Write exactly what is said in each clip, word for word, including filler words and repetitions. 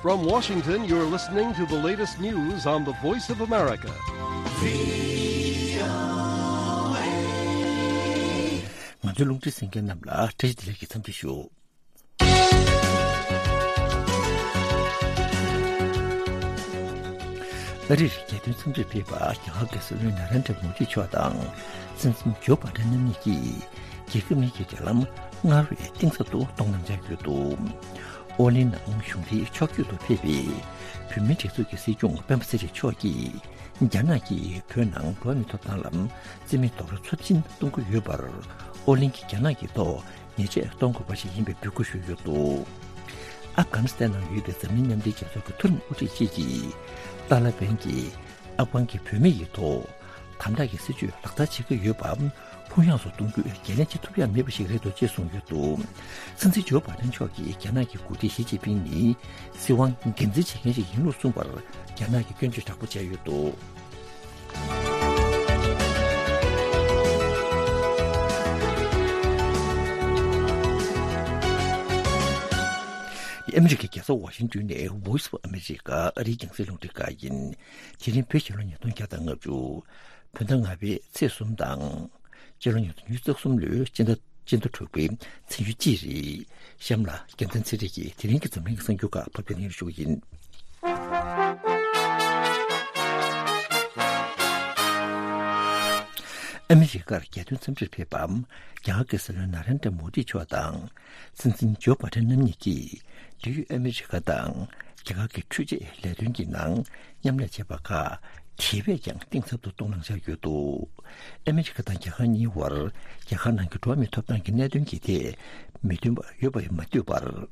From Washington, you're listening to the latest news on the Voice of America. ང་ཚོའི་རླུང་འཕྲིན་གསན་མཁན་རྣམས་ལ་བཀྲ་ཤིས་བདེ་ལེགས་ཀྱི་འཚམས་འདྲི་ཞུ། ཨ་རིར་རྒྱལ་དོན་འཚམས་འདྲིར་ཕེབས་པ་རྒྱ་གར་གྱི་སྲིད་བློན་ན་རེན་དྲ་མོ་དི་མཆོག་དང་སྲིད་འཛིན་ཇོ་བྷ་ཌེན་རྣམ་གཉིས་ཀྱིས་རྒྱལ་ཁབ་གཉིས་ཀྱི་འབྲེལ་ལམ་སྔར་བས་གཏིང་ཟབ་ཏུ་གཏོང་གནང་འཆར་ཡོད་འདུག་ཨོ་གླིང་ནང་གཞུང་འབྲེལ་ཕྱོགས་བསྐྱོད་དུ་ཕེབས་པའི་བོད་མིའི་སྒྲིག་འཛུགས་ཀྱི་སྲིད་སྐྱོང་སྤེན་པ་ཚེ་རིང་མཆོག་གིས་རྒྱ་ནག་གིས་བོད་ནང་འགྲོ་བ་མིའི་ཐོབ་ཐང་ལ་བརྩི་མེད་རྡོག་རོལ་ཚབས་ཆེན་གཏོང་གི་ཡོད་པར་ཨོ་གླིང་གིས་རྒྱ་ནག་གི་ཐོག་ཉེས་ཆད་གཏོང་དགོས་པ་ཞིག་ཡིན་པའི་འབོད་སྐུལ་ཞུས་ཡོད་འདུག་ཨབ་གྷ་ནི་སི་ཐན་ནང་ཡོད་པའི་འཛམ་གླིང་མཉམ་འབྲེལ་རྒྱལ་ཚོགས་ཀྱི་མཐོ་རིམ་དབུ་ཁྲིད་ཅིག་གིས་ཏཱ་ལ་བན་གྱིས་ཨབ་གྷན་གྱི་བུད་མེད་ཡི་ཐོག་དམ་དྲག་གི་སྲིད་བྱུས་ལག་བསྟར་བྱེད་ཀྱི་ཡོད་པ་ལྷུག་ཡངས་སུ་གཏོང་རྒྱུ་འགན་ལེན་བྱེད་ཐུབ་ཡ་མེད་པ་ཞིག་རེད་འདུག་ཅེས་གསུངས་ཡོད་འདུག་སྲིད་འཛིན་ཇོ་བྷ་ཌེན་མཆོག་གིས་རྒྱ་ནག་གི་འགོ་ཁྲིད་ཞི་ཅིན་ཕིང་ནི་སྲིད་དབང་སྒེར་འཛིན་བྱེད་མཁན་ཞིག་ཡིན་ལུགས་གསུངས་པར་རྒྱ་ནག་གིས་སྐྱོན་བརྗོད་དྲག་པོ་བྱས་ཡོད་འདུག་ཨ་མི་རི་ཀའི་རྒྱལ་ས་ཝ་ཤིང་ཏོན་ནས་Voice of America ཨ་རིའི་རྒྱང་སྲིང་རླུང་འཕྲིན་ཁང་ཡིན། དེ་རིང་བོད་རྒྱལ་ལོ་ཉིས་སྟོང་བརྒྱ་དང་ལྔ་བཅུ། བོད་ཟླ་ལྔ་པའི་ཚེས་གསུམ་དང་། སྤྱི་ལོ་ཉིས་སྟོང་ཉི་ཤུ་རྩ་གསུམ་ལོའི་སྤྱི་ཟླ་སྤྱི་ཟླ་དྲུག་པའི་ཚེས་ཉེར་གཅིག་རེད། གཤམ་ལ་རྒྱལ་མཚན་ཚེ་རིང་གིས་དེ་རིང་གི་འཛམ་གླིང་གི་གསར་འགྱུར་ཁག་ཕབ་སྒྱུར་གནང་ཞུ་གི་ཡིན། ཨ་མི་རི་ཀར་རྒྱལ་དོན་འཚམས་འདྲིར་ཕེབས་པ། རྒྱ་གར་གྱི་སྲིད་བློན་ན་རེན་དྲ་མོ་དི་མཆོག་དང་། སྲིད་འཛིན་ཇོ་བྷ་ཌེན་རྣམ་གཉིས་ཀྱིས་འབྲེལ་ཡོད་ཨ་མི་རི་ཀ་དང་རྒྱ་གར་གྱི་འཕྲུལ་ཆས་ལས་དོན་གྱི་ནང་མཉམ་ལས་བྱས་པ་ཁག་དེ་བས་ཀྱང་གཏིང་ཟབ་ཏུ་གཏོང་གནང་འཆར་ཡོད་འདུག་ཨ་མི་རི་ཀ་དང་རྒྱ་གར་གཉིས་བར་རྒྱ་གར་ནང་གི་འགྲོ་བ་མིའི་ཐོབ་ཐང་གི་གནད་དོན་གྱི་ཐད་མི་མཐུན་པ་ཡོད་པ་མ་ཐུག་པར།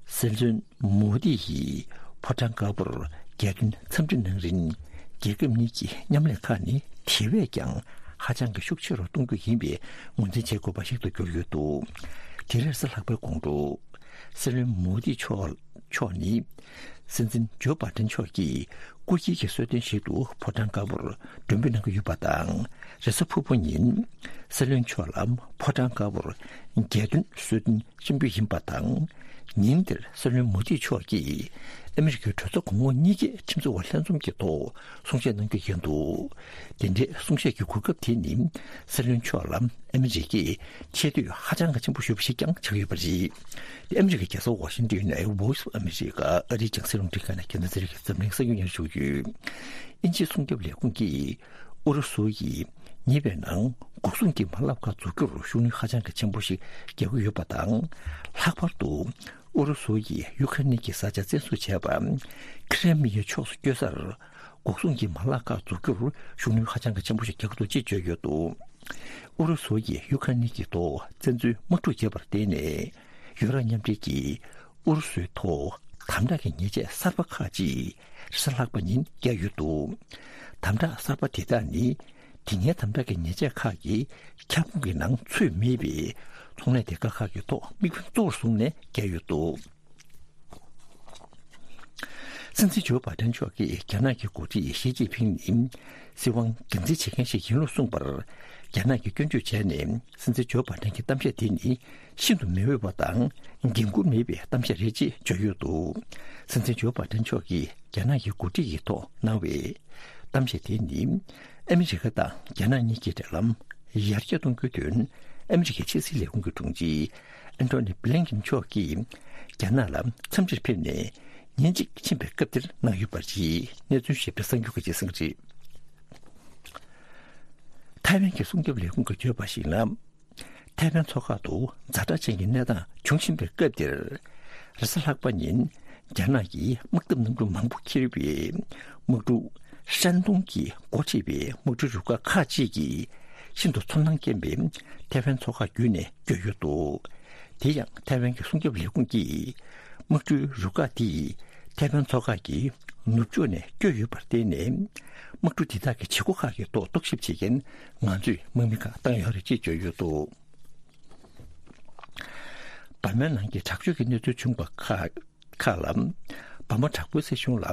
སྲིད་བློན་མོ་དི་ཡིས་ཕོ་བྲང་དཀར་པོར་རྒྱལ་དོན་འཚམས་འདྲི་གནང་རིང་། རྒྱལ་ཁབ་གཉིས་ཀྱི་མཉམ་ལས་ཁག་ནི་དེ་བས་ཀྱང་ཧ་ཅང་གི་ཤུགས་ཆེ་རུ་གཏོང་རྒྱུ་ཡིན་པའི་ངོས་འཛིན་བྱེད་དགོས་པ་ཞིག་ཏུ་གྱུར་ཡོད་འདུག་དེ་རེས་གཟའ་ལྷག་པའི་དགོང་དྲོ། སྲིད་བློན་མོ་དི་མཆོག་མཆོག་ནི། སྲིད་འཛིན་ཇོ་བྷ་ཌེན་མཆོག་གིས་སྐུ་སྒེར་གྱི་གསོལ་སྟོན་ཞིག་ཏུ་ཕོ་བྲང་དཀར་པོར་མགྲོན་འབོད་གནང་གི་ཡོད་པ་དང་། རེས་གཟའ་ཕུར་བུ་ཉིན་སྲིད་བློན་མཆོག་ལ་ཕོ་བྲང་དཀར་པོར་རྒྱལ་དོན་གསོལ་སྟོན་ཆེན་པོ་ཡིན་པ་དང་། ཉིན་དེར་སྲིད་བློན་མོ་དི་མཆོག་གིས་ཨ་མི་རི་ཀའི་གྲོས་ཚོགས་གོང་འོག་གཉིས་ཀའི་ཁྲིམས་བཟོ་བ་ལྷན་འཛོམས་ཀྱི་ཐོག་གསུང་བཤད་གནང་རྒྱུ་ཡིན་འདུག་དེ་འདྲའི་གསུང་བཤད་ཀྱི་གོ་སྐབས་དེ་ནི་སྲིད་བློན་མཆོག་ལ་ཨ་མི་རི་ཀས་ཆེ་བསྟོད་ཧ་ཅང་གི་ཆེན་པོ་ཞུས་པ་ཞིག་ཀྱང་ཆགས་ཡོད་པ་རེད། དེ་ཨ་མི་རི་ཀའི་རྒྱལ་ས་ཝ་ཤིང་ཏོན་ནས་Voice of America ཨ་རིའི་རྒྱང་སྲིང་རླུང་འཕྲིན་ཁང་ནས་རྒྱལ་མཚན་ཚེ་རིང་གིས་འཛམ་གླིང་གསར་འགྱུར་སྙན་སྒྲོན་ཞུ་གི་ཡོད། དབྱིན་ཇིའི་སྲུང་སྐྱོབ་ལས་ཁུངས་ཀྱིས་ཨུ་རུ་སུ་ཡིས་ཉེ་བའི་ནང་འགོག་སྲུང་གི་མ་ལག་ཁག་འཛུགས་རྒྱུར་ཤུགས་སྣོན་ཧ་ཅང་གི་ཆེན་པོ་ཞིག་རྒྱག་གི་ཡོད་པ་དང་། ལྷག་པར་དུ་ཨུ་རུ་སུ་ཡིས་ཡུ་ཁ་རེན་གྱི་ས་ཆ་བཙན་བཟུང་བྱས་པ་ཁི་རེ་མི་ཡའི་ཕྱོགས་སུ་བསྐྱོད་སར་འགོག་སྲུང་གི་མ་ལག་ཁག་འཛུགས་རྒྱུར་ཤུགས་སྣོན་ཧ་ཅང་གི་ཆེན་པོ་ཞིག་རྒྱག་གི་འདུག་ཅེས་བརྗོད་ཡོད་འདུག་ཨུ་རུ་སུ་ཡིས་ཡུ་ཁ་རེན་གྱི་ཐོག་བཙན་འཛུལ་དམག་འཁྲུག་བྱས་པར་བརྟེན་ནས་ཡུ་རོབ་མཉམ་འབྲེལ་གྱིས་ཨུ་རུ་སུའི་ཐོག་དམ་དྲག་གི་ཉེས་ཆད་གསར་པ་ཁག་ཅིག་རེས་གཟའ་ལྷག་པ་ཉིན་བཀལ་ཡོད་འདུག་དམ་དྲག་གསར་པ་དེ་དག་ནི་དེ་སྔའི་དམ་དྲག་གི་ཉེས་ཆད་ཁག་གི་ཁྱབ་ཁོངས་ཀྱི་ནང་ཚུད་མེད་པའི་ཚོང་ལས་སྡེ་ཁག་ཁག་གི་ཐོག་དམིགས་འབེན་གཙོ་བོར་བཟུང་ནས་བཀལ་ཡོད་འདུག་སྲིད་འཛིན་ཇོ་བྷ་ཌེན་མཆོག་གིས་རྒྱ་ནག་གི་འགོ་ཁྲིད་ཞི་ཅིན་ཕིང་ནི་སྲིད་དབང་སྒེར་འཛིན་བྱེད་མཁན་ཞིག་ཡིན་ལུགས་གསུངས་པར་རྒྱ་ནག་གིས་སྐྱོན་བརྗོད་བྱས་ནས། སྲིད་འཛིན་ཇོ་བྷ་ཌེན་གྱི་གཏམ་བཤད་དེ་ནི་ཤིན་ཏུ་མི་འོས་པ་དང་འགན་འཁུར་མེད་པའི་གཏམ་བཤད་རེད་ཅེས་བརྗོད་ཡོད་འདུག་སྲིད་འཛིན་ཇོ་བྷ་ཌེན་མཆོག་གིས་རྒྱ་ནག་གི་འགོ་ཁྲིད་ཀྱི་ཐོག་གནང་བའི་གཏམ་བཤད་དེ་ནི་ཨ་མི་རི་ཀ་དང་རྒྱ་ནག་གཉིས་ཀྱི་འབྲེལ་ལམ་ཡར་རྒྱས་གཏོང་རྒྱུའི་དོན་ཨ་མི་རི་ཀའི་ཕྱི་སྲིད་ལས་ཁུངས་ཀྱི་དྲུང་ཆེ་ཨན་ཐོ་ནི་བྷི་ལིན་ཀིན་མཆོག་གིས་རྒྱ་ནག་ལ་འཚམས་འདྲིར་ཕེབས་ནས་ཉིན་གཅིག་ཕྱིན་པའི་སྐབས་དེར་གནང་ཡོད་པ་རེད། གནས་ཚུལ་ཞིབ་ཕྲ་གསར་འགྱུར་ཁག་ཅིག་གསན་གྱི་རེད། ཐའེ་ཝན་གྱི་སྲུང་སྐྱོབ་ལས་ཁུངས་ཀྱིས་བརྗོད་པར་གཞིགས་ན། ཐའེ་ཝན་མཚོ་ཁག་ཏུ་ཛ་དྲག་ཅན་གྱི་གནས་སྟངས་བྱུང་བཞིན་པའི་སྐབས་འདིར། རེས་གཟའ་ལྷག་པ་ཉིན་རྒྱ་ནག་གིས་དམག་འཐབ་གནམ་གྲུ་མང་པོ་འཁྱེར་བའི་དམག་གྲུ་ཧྲན་ཏུང་གིས་འགོ་ཁྲིད་པའི་དམག་གྲུའི་རུ་ཁག་ཁག་ཅིག་གིས་ཤིན་ཏུ་ཚོར་སྣང་སྐྱེན་པའི་ཐའེ་ཝན་མཚོ་ཁག་བརྒྱུད་ནས་བསྐྱོད་ཡོད་འདུག་དེ་ཡང་ཐའེ་ཝན་གྱི་སྲུང་སྐྱོབ་ལས་ཁུངས་ཀྱིས་དམག་གྲུའི་རུ་ཁག་དེས་ཐའེ་ཝན་མཚོ་ཁག་གི་ནུབ་ཕྱོགས་ནས་བསྐྱོད་ཡོད་པར་བརྟེན་ནས། དམག་གྲུ་འདི་དག་གི་བྱེད་སྒོ་ཁག་གི་ཐོག་རྟོག་ཞིབ་བྱེད་མཁན་ང་ཚོས་དམག་མི་ཁག་བཏང་ཡོད་རེད་ཅེས་བརྗོད་ཡོད་འདུག་འབར་མའི་ནང་གི་དྲག་སྤྱོད་ཀྱི་གནས་ཚུལ་བྱུང་བ་ཁག་ཁག་ལ། འབར་མ་དྲག་པོའི་སྲིད་གཞུང་ལ་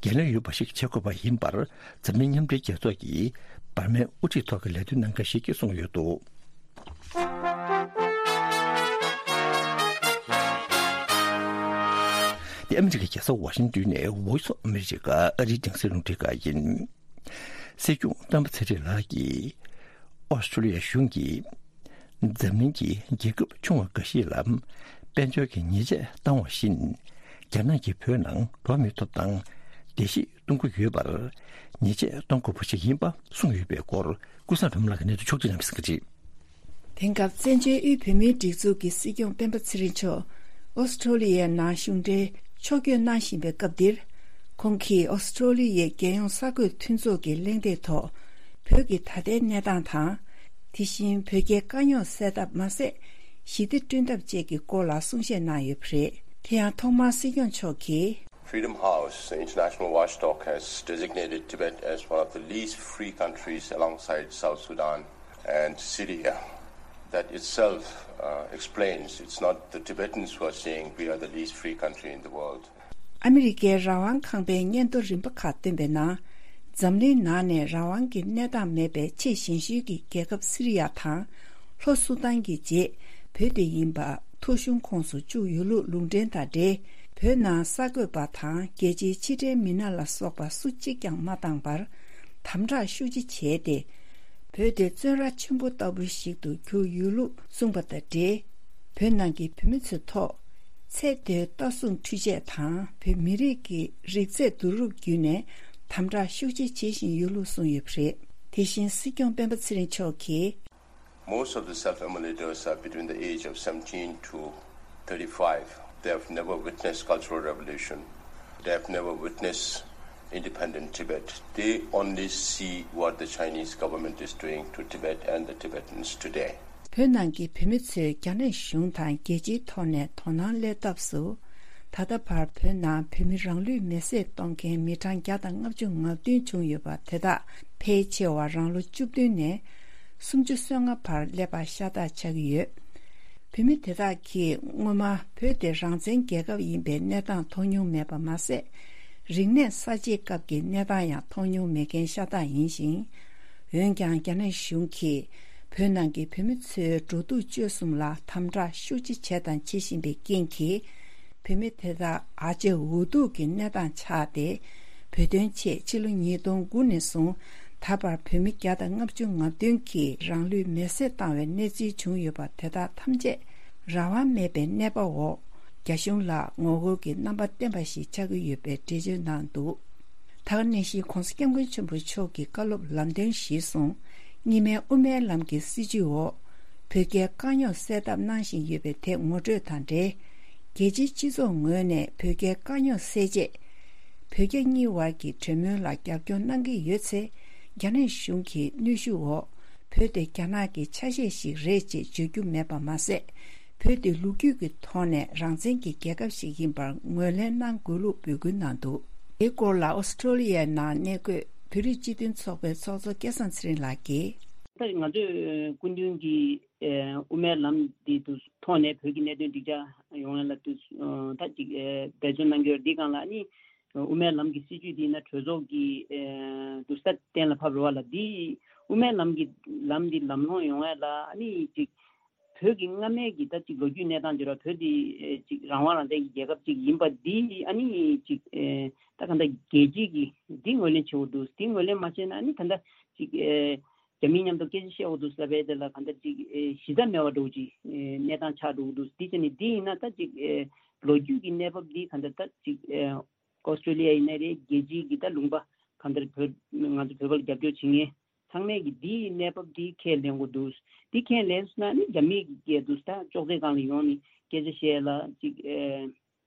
འགན་ལེན་ཡོད་པ་ཞིག་བྱེད་དགོས་པ་ཡིན་པར། འཛམ་གླིང་མཉམ་འབྲེལ་རྒྱལ་ཚོགས་ཀྱི་འབར་མའི་དབུ་ཁྲིད་ཐོག་གི་ལས་དོན་གནང་མཁན་ཞིག་གིས་གསུངས་ཡོད་འདུག་དེ་ ཨ་མི་རི་ཀའི་རྒྱལ་ས་ཝ་ཤིང་ཏོན་ནས་Voice of America ཨ་རིའི་རྒྱང་སྲིང་རླུང་འཕྲིན་ཁང་ཡིན། སྲིད་སྐྱོང་སྤེན་པ་ཚེ་རིང་ལགས་ཀྱིས་ཨོ་སི་ཀྲོ་ལི་ཡ་གཞུང་གིས་འཛམ་གླིང་གི་རྒྱལ་ཁབ་ཆུང་བ་འགའ་ཞིག་ལ་དཔལ་འབྱོར་གྱི་ཉེས་ཆད་བཏང་བ་བཞིན། རྒྱ་ནག་གིས་བོད་ནང་འགྲོ་མི་ཐོབ་ཐང་བརྡལ་བཤིག་གཏོང་གི་ཡོད་པར་ཉེས་ཆད་གཏོང་དགོས་པ་ཞིག་ཡིན་པ་གསུངས་ཡོད་པའི་སྐོར་ཀུན་བཟང་སྒྲོལ་མ་ལགས་ཀྱིས་གནས་ཚུལ་ཕྱོགས་སྒྲིག་གནང་བ་གསན་གྱི་རེད། དེང་སྐབས་བཙན་བྱོལ་དབུས་བོད་མིའི་སྒྲིག་འཛུགས་ཀྱི་སྲིད་སྐྱོང་སྤེན་པ་ཚེ་རིང་མཆོག་ཨོ་སི་ཀྲོ་ལི་ཡའི་ནང་གཞུང་འབྲེལ་ཕྱོགས་བསྐྱོད་གནང་བཞིན་པའི་སྐབས་འདིར། ཁོང་གིས་ཨོ་སི་ཀྲོ་ལི་ཡའི་རྒྱལ་ཡོངས་གསར་འགོད་མཐུན་ཚོགས་ཀྱི་གླེང་སྟེགས་ཐོག་བོད་ཀྱི་ད་ལྟའི་གནས་སྟངས་དང་། དེ་བཞིན་བོད་རྒྱའི་དཀའ་རྙོག་སེལ་ཐབས་མ་ཟད། ཞི་བདེ་བསྐྲུན་ཐབས་བཅས་ཀྱི་སྐོར་ལ་གསུང་བཤད་གནང་ཡོད་པ་རེད། དེ་ཡང་ཐོག་མར་སྲིད་སྐྱོང་མཆོག་གིས། Freedom House, the international watchdog, has designated Tibet as one of the least free countries alongside South Sudan and Syria. That itself uh, explains it's not the Tibetans who are saying we are the least free country in the world. ཨ་མི་རི་ཀའི་རང་དབང་ཁང་པའི་སྙན་ཐོ་རིམ་པ་ཁག་བཏོན་པའི་ནང་། འཛམ་གླིང་ནང་ནས་རང་དབང་གི་གནས་སྟངས་མེད་པའི་ཆེས་ཞན་ཤོས་ཀྱི་རྒྱལ་ཁབ་སི་རི་ཡ་དང་། ལྷོ་སུ་དཱན་གྱི་རྗེས་བོད་དེ་ཡིན་པ་ཐོ་གཞུང་ཁོངས་སུ་བཅུག་ཡོད་ལུགས་ལུང་འདྲེན་དང་འབྲེལ། བོད་ནང་གསར་འགོད་པ་དང་རྒྱལ་སྤྱིའི་ཕྱི་འབྲེལ་མི་སྣ་ལ་སོགས་པ་སུ་གཅིག་ཀྱང་མ་བཏང་བར། དམ་དྲག་ཤུགས་ཆེ་བྱས་ཏེ། བོད་དེ་བཙོན་ར་ཆེན་པོ་ལྟ་བུ་ཞིག་ཏུ་གྱུར་ཡོད་ལུགས་གསུངས་པ་དང་འབྲེལ། བོད་ནང་གི་བོད་མི་ཚོའི་ཐོག་ཚེ་འདས་ལྟ་སྲུང་འཕྲུལ་ཆས་དང་བོད་མི་རིགས་ཀྱི་རིགས་རྫས་བསྡུ་རུབ་བརྒྱུད་ནས་དམ་དྲག་ཤུགས་ཆེ་བྱེད་བཞིན་ཡོད་ལུགས་གསུངས་ཡོད་པ་རེད། དེ་བཞིན་སྲིད་སྐྱོང་སྤེན་པ་ཚེ་རིང་མཆོག་གིས། Most of the self-immolator are between the age of seventeen to thirty-five. They have never witnessed Cultural Revolution. They have never witnessed independent Tibet. They only see what the Chinese government is doing to Tibet and the Tibetans today. བོད་ནང་གི་བོད་མི་ཚོས་རྒྱ་ནག་གཞུང་དང་རྒྱལ་སྤྱིའི་ཐོག་ནས་དོ་སྣང་སླེབས་སྟབས་སུ། ད་ལྟ་བར་བོད་ནང་བོད་མི་རང་ལུས་མེར་སྲེག་གཏོང་མཁན་མི་གྲངས་བརྒྱ་དང་ལྔ་བཅུ་ང་བདུན་བྱུང་ཡོད་པ་དེ་དག་ཕལ་ཆེ་བ་རང་ལོ་བཅུ་བདུན་ནས་སུམ་ཅུ་སོ་ལྔ་བར་སླེབས་པ་ཤ་སྟག་ཆགས་ཀྱི་ཡོད། བོད་མི་དེ་དག་གིས་སྔོན་མ་བོད་དེ་རང་བཙན་རྒྱལ་ཁབ་ཡིན་པའི་གནས་སྟངས་མཐོང་མྱོང་མེད་པ་མ་ཟད། རིག་གནས་གསར་བརྗེའི་སྐབས་ཀྱི་གནས་སྟངས་ཡང་མཐོང་མྱོང་མེད་མཁན་ཤ་སྟག་ཡིན་ཞིང་། འོན་ཀྱང་རྒྱ་ནག་གཞུང་གིས་བོད་ནང་གི་བོད་མི་ཚོའི་འགྲོ་འདུག་སྤྱོད་གསུམ་ལ་དམ་དྲག་ཤུགས་ཆེ་བྱས་དང་བྱེད་བཞིན་པའི་རྐྱེན་གྱིས། བོད་མི་དེ་དག་ཨ་ཅེ་འུ་ཐུག་གི་གནས་སྟངས་ཆགས་ཏེ། བོད་དོན་ཆེད་ཕྱི་ལོ་ཉིས་སྟོང་དགུ་ནས་བཟུང་ད་བར་བོད་མི་བརྒྱ་དང་ལྔ་བཅུ་ང་བདུན་གྱིས་རང་ལུས་མེར་སྲེག་བཏང་བའི་གནས་ཚུལ་བྱུང་ཡོད་པ་དེ་དག་ཐམས་ཅད་རང་དབང་མེད་པའི་གནས་བབ་འོག་རྒྱ་གཞུང་ལ་ངོ་རྒོལ་གྱི་རྣམ་པ་བསྟན་པ་ཞིག་ཆགས་ཀྱི་ཡོད་པའི་འགྲེལ་བརྗོད་གནང་འདུག་ད་ག་ནང་བཞིན་༸གོང་ས་༸སྐྱབས་མགོན་ཆེན་པོ་མཆོག་གི་བཀའ་སློབ་ལམ་སྟོན་གཞིར་བཟུང་། གཉིས་སྨན་དབུ་མའི་ལམ་གྱི་སྲིད་བྱུས་འོག་བོད་རྒྱའི་དཀའ་རྙོག་སེལ་ཐབས་གནང་བཞིན་ཡོད་པའི་དེ་ངོ་སྤྲོད་དང་འབྲེལ། རྒྱལ་སྤྱིའི་སྤྱི་ཚོགས་ངོས་ནས་བོད་རྒྱའི་དཀའ་རྙོག་སེལ་ཆེད། བོད་རྒྱ་གཉིས་དབར་གྱི་གྲོས་མོལ་ལ་རྒྱབ་སྐྱོར་གནང་གི་ཡོད་ཚེ། རྒྱ་ནག་གཞུང་གི་གནོན་ཤུགས་འོག་བོད་དེ་རྒྱ་ནག་གི་ཆ་ཤས་ཤིག་རེད་ཅེས་བརྗོད་རྒྱུ་མེད་པ་མ་ཟད། བོད་དེ་ལོ་རྒྱུས་ཀྱི་ཐོག་ནས་རང་བཙན་གྱི་རྒྱལ་ཁབ་ཞིག་ཡིན་པར་ངོས་ལེན་གནང་དགོས་ལུགས་འབོད་སྐུལ་གནང་འདུག་དེའི་སྐོར་ལ་ཨོ་སི་ཀྲོ་ལི་ཡའི་ནང་གནས་འཁོད་བོད་རིགས་སྤྱི་མཐུན་ཚོགས་པའི་ཚོགས་གཙོ་སྐལ་བཟང་ཚེ་རིང་ལགས་ཀྱིས། ད་ང་ཚོས་སྐུ་མདུན་གྱི་དབུ་མའི་ལམ་འདི་དུ་ཐོག་ནས་བོད་ཀྱི་གནད་དོན་འགྲིག་ཆགས་ཡོང་ཡ་ལ་དུ་ད་ཅིག་འབད་བརྩོན་གནང་གི་ཡོད། འདི་སྒང་ལ་ནི་དབུ་མའི་ལམ་གྱི་སྲིད་བྱུས་འདི་ན་གྲོས་ཚོགས་ཀྱི་དུ་ས་གཏན་ལ་ཕབ་རེད་བ་ལ། འདི་དབུ་མའི་ལམ་གྱི་ལམ་འདི་ལམ་ལྷོང་ཡོང་ཡ་ལ་ནི་ཅིག་བོད་ཀྱི་སྔ་མའི་གི་ད་ཅིག་ལོ་རྒྱུས་གནས་སྟངས་བརྗོད་ར་བོད་འདི་ཅིག་རང་དབང་རང་བཙན་གྱི་རྒྱལ་ཁབ་ཅིག་ཡིན་པ་འདི་ཨ་ནི་ཅིག་ད་ག་འདྲ་རྒྱལ་སྤྱི་གི་འདི་ངོས་ལེན་བྱེད་དགོས་འདུག་འདི་ངོས་ལེན་མ་བྱས་ན་ཨ་ནི་ག་འདྲ་ཅིག་རྒྱ་མི་མཉམ་དུ་སྐད་ཆ་བཤད་དགོས་འདུག་ཟེར་བའི་དེ་ལ་ག་འདྲ་ཅིག་གཞི་རྩ་མེད་པ་འདྲ་བོ་ཅིག་གནས་སྟངས་ཆགས་འགྲོ་གི་འདུག་འདི་བྱས་ནས་འདི་ཡིན་ན་ད་ཅིག་ལོ་རྒྱུས་ཀྱི་གནས་བབ་འདི་ག་འདྲ་ད་ཅིག་ཨོ་སི་ཀྲོ་ལི་ཡ་ཡིན་ན་རེད། རྒྱལ་སྤྱིའི་གི་ད་ལུང་པ་གང་ལྟར་བོད་ང་ཚོ་བོད་པ་ལ་རྒྱབ་སྐྱོར་བྱེད་མཁན་ཚང་མས་གི་འདིའི་གནས་བབ་འདི་ཁས་ལེན་དགོས་འདུག་འདི་ཁས་ལེན་སོང་ན་ནི་རྒྱ་མིའི་གི་སྐད་འདུག་ད་ཅོག་ཙེ་སྒང་ལ་ཡོང་ནས་སྐད་ཆ་བཤད་ལ་ཅིག་ཨེ་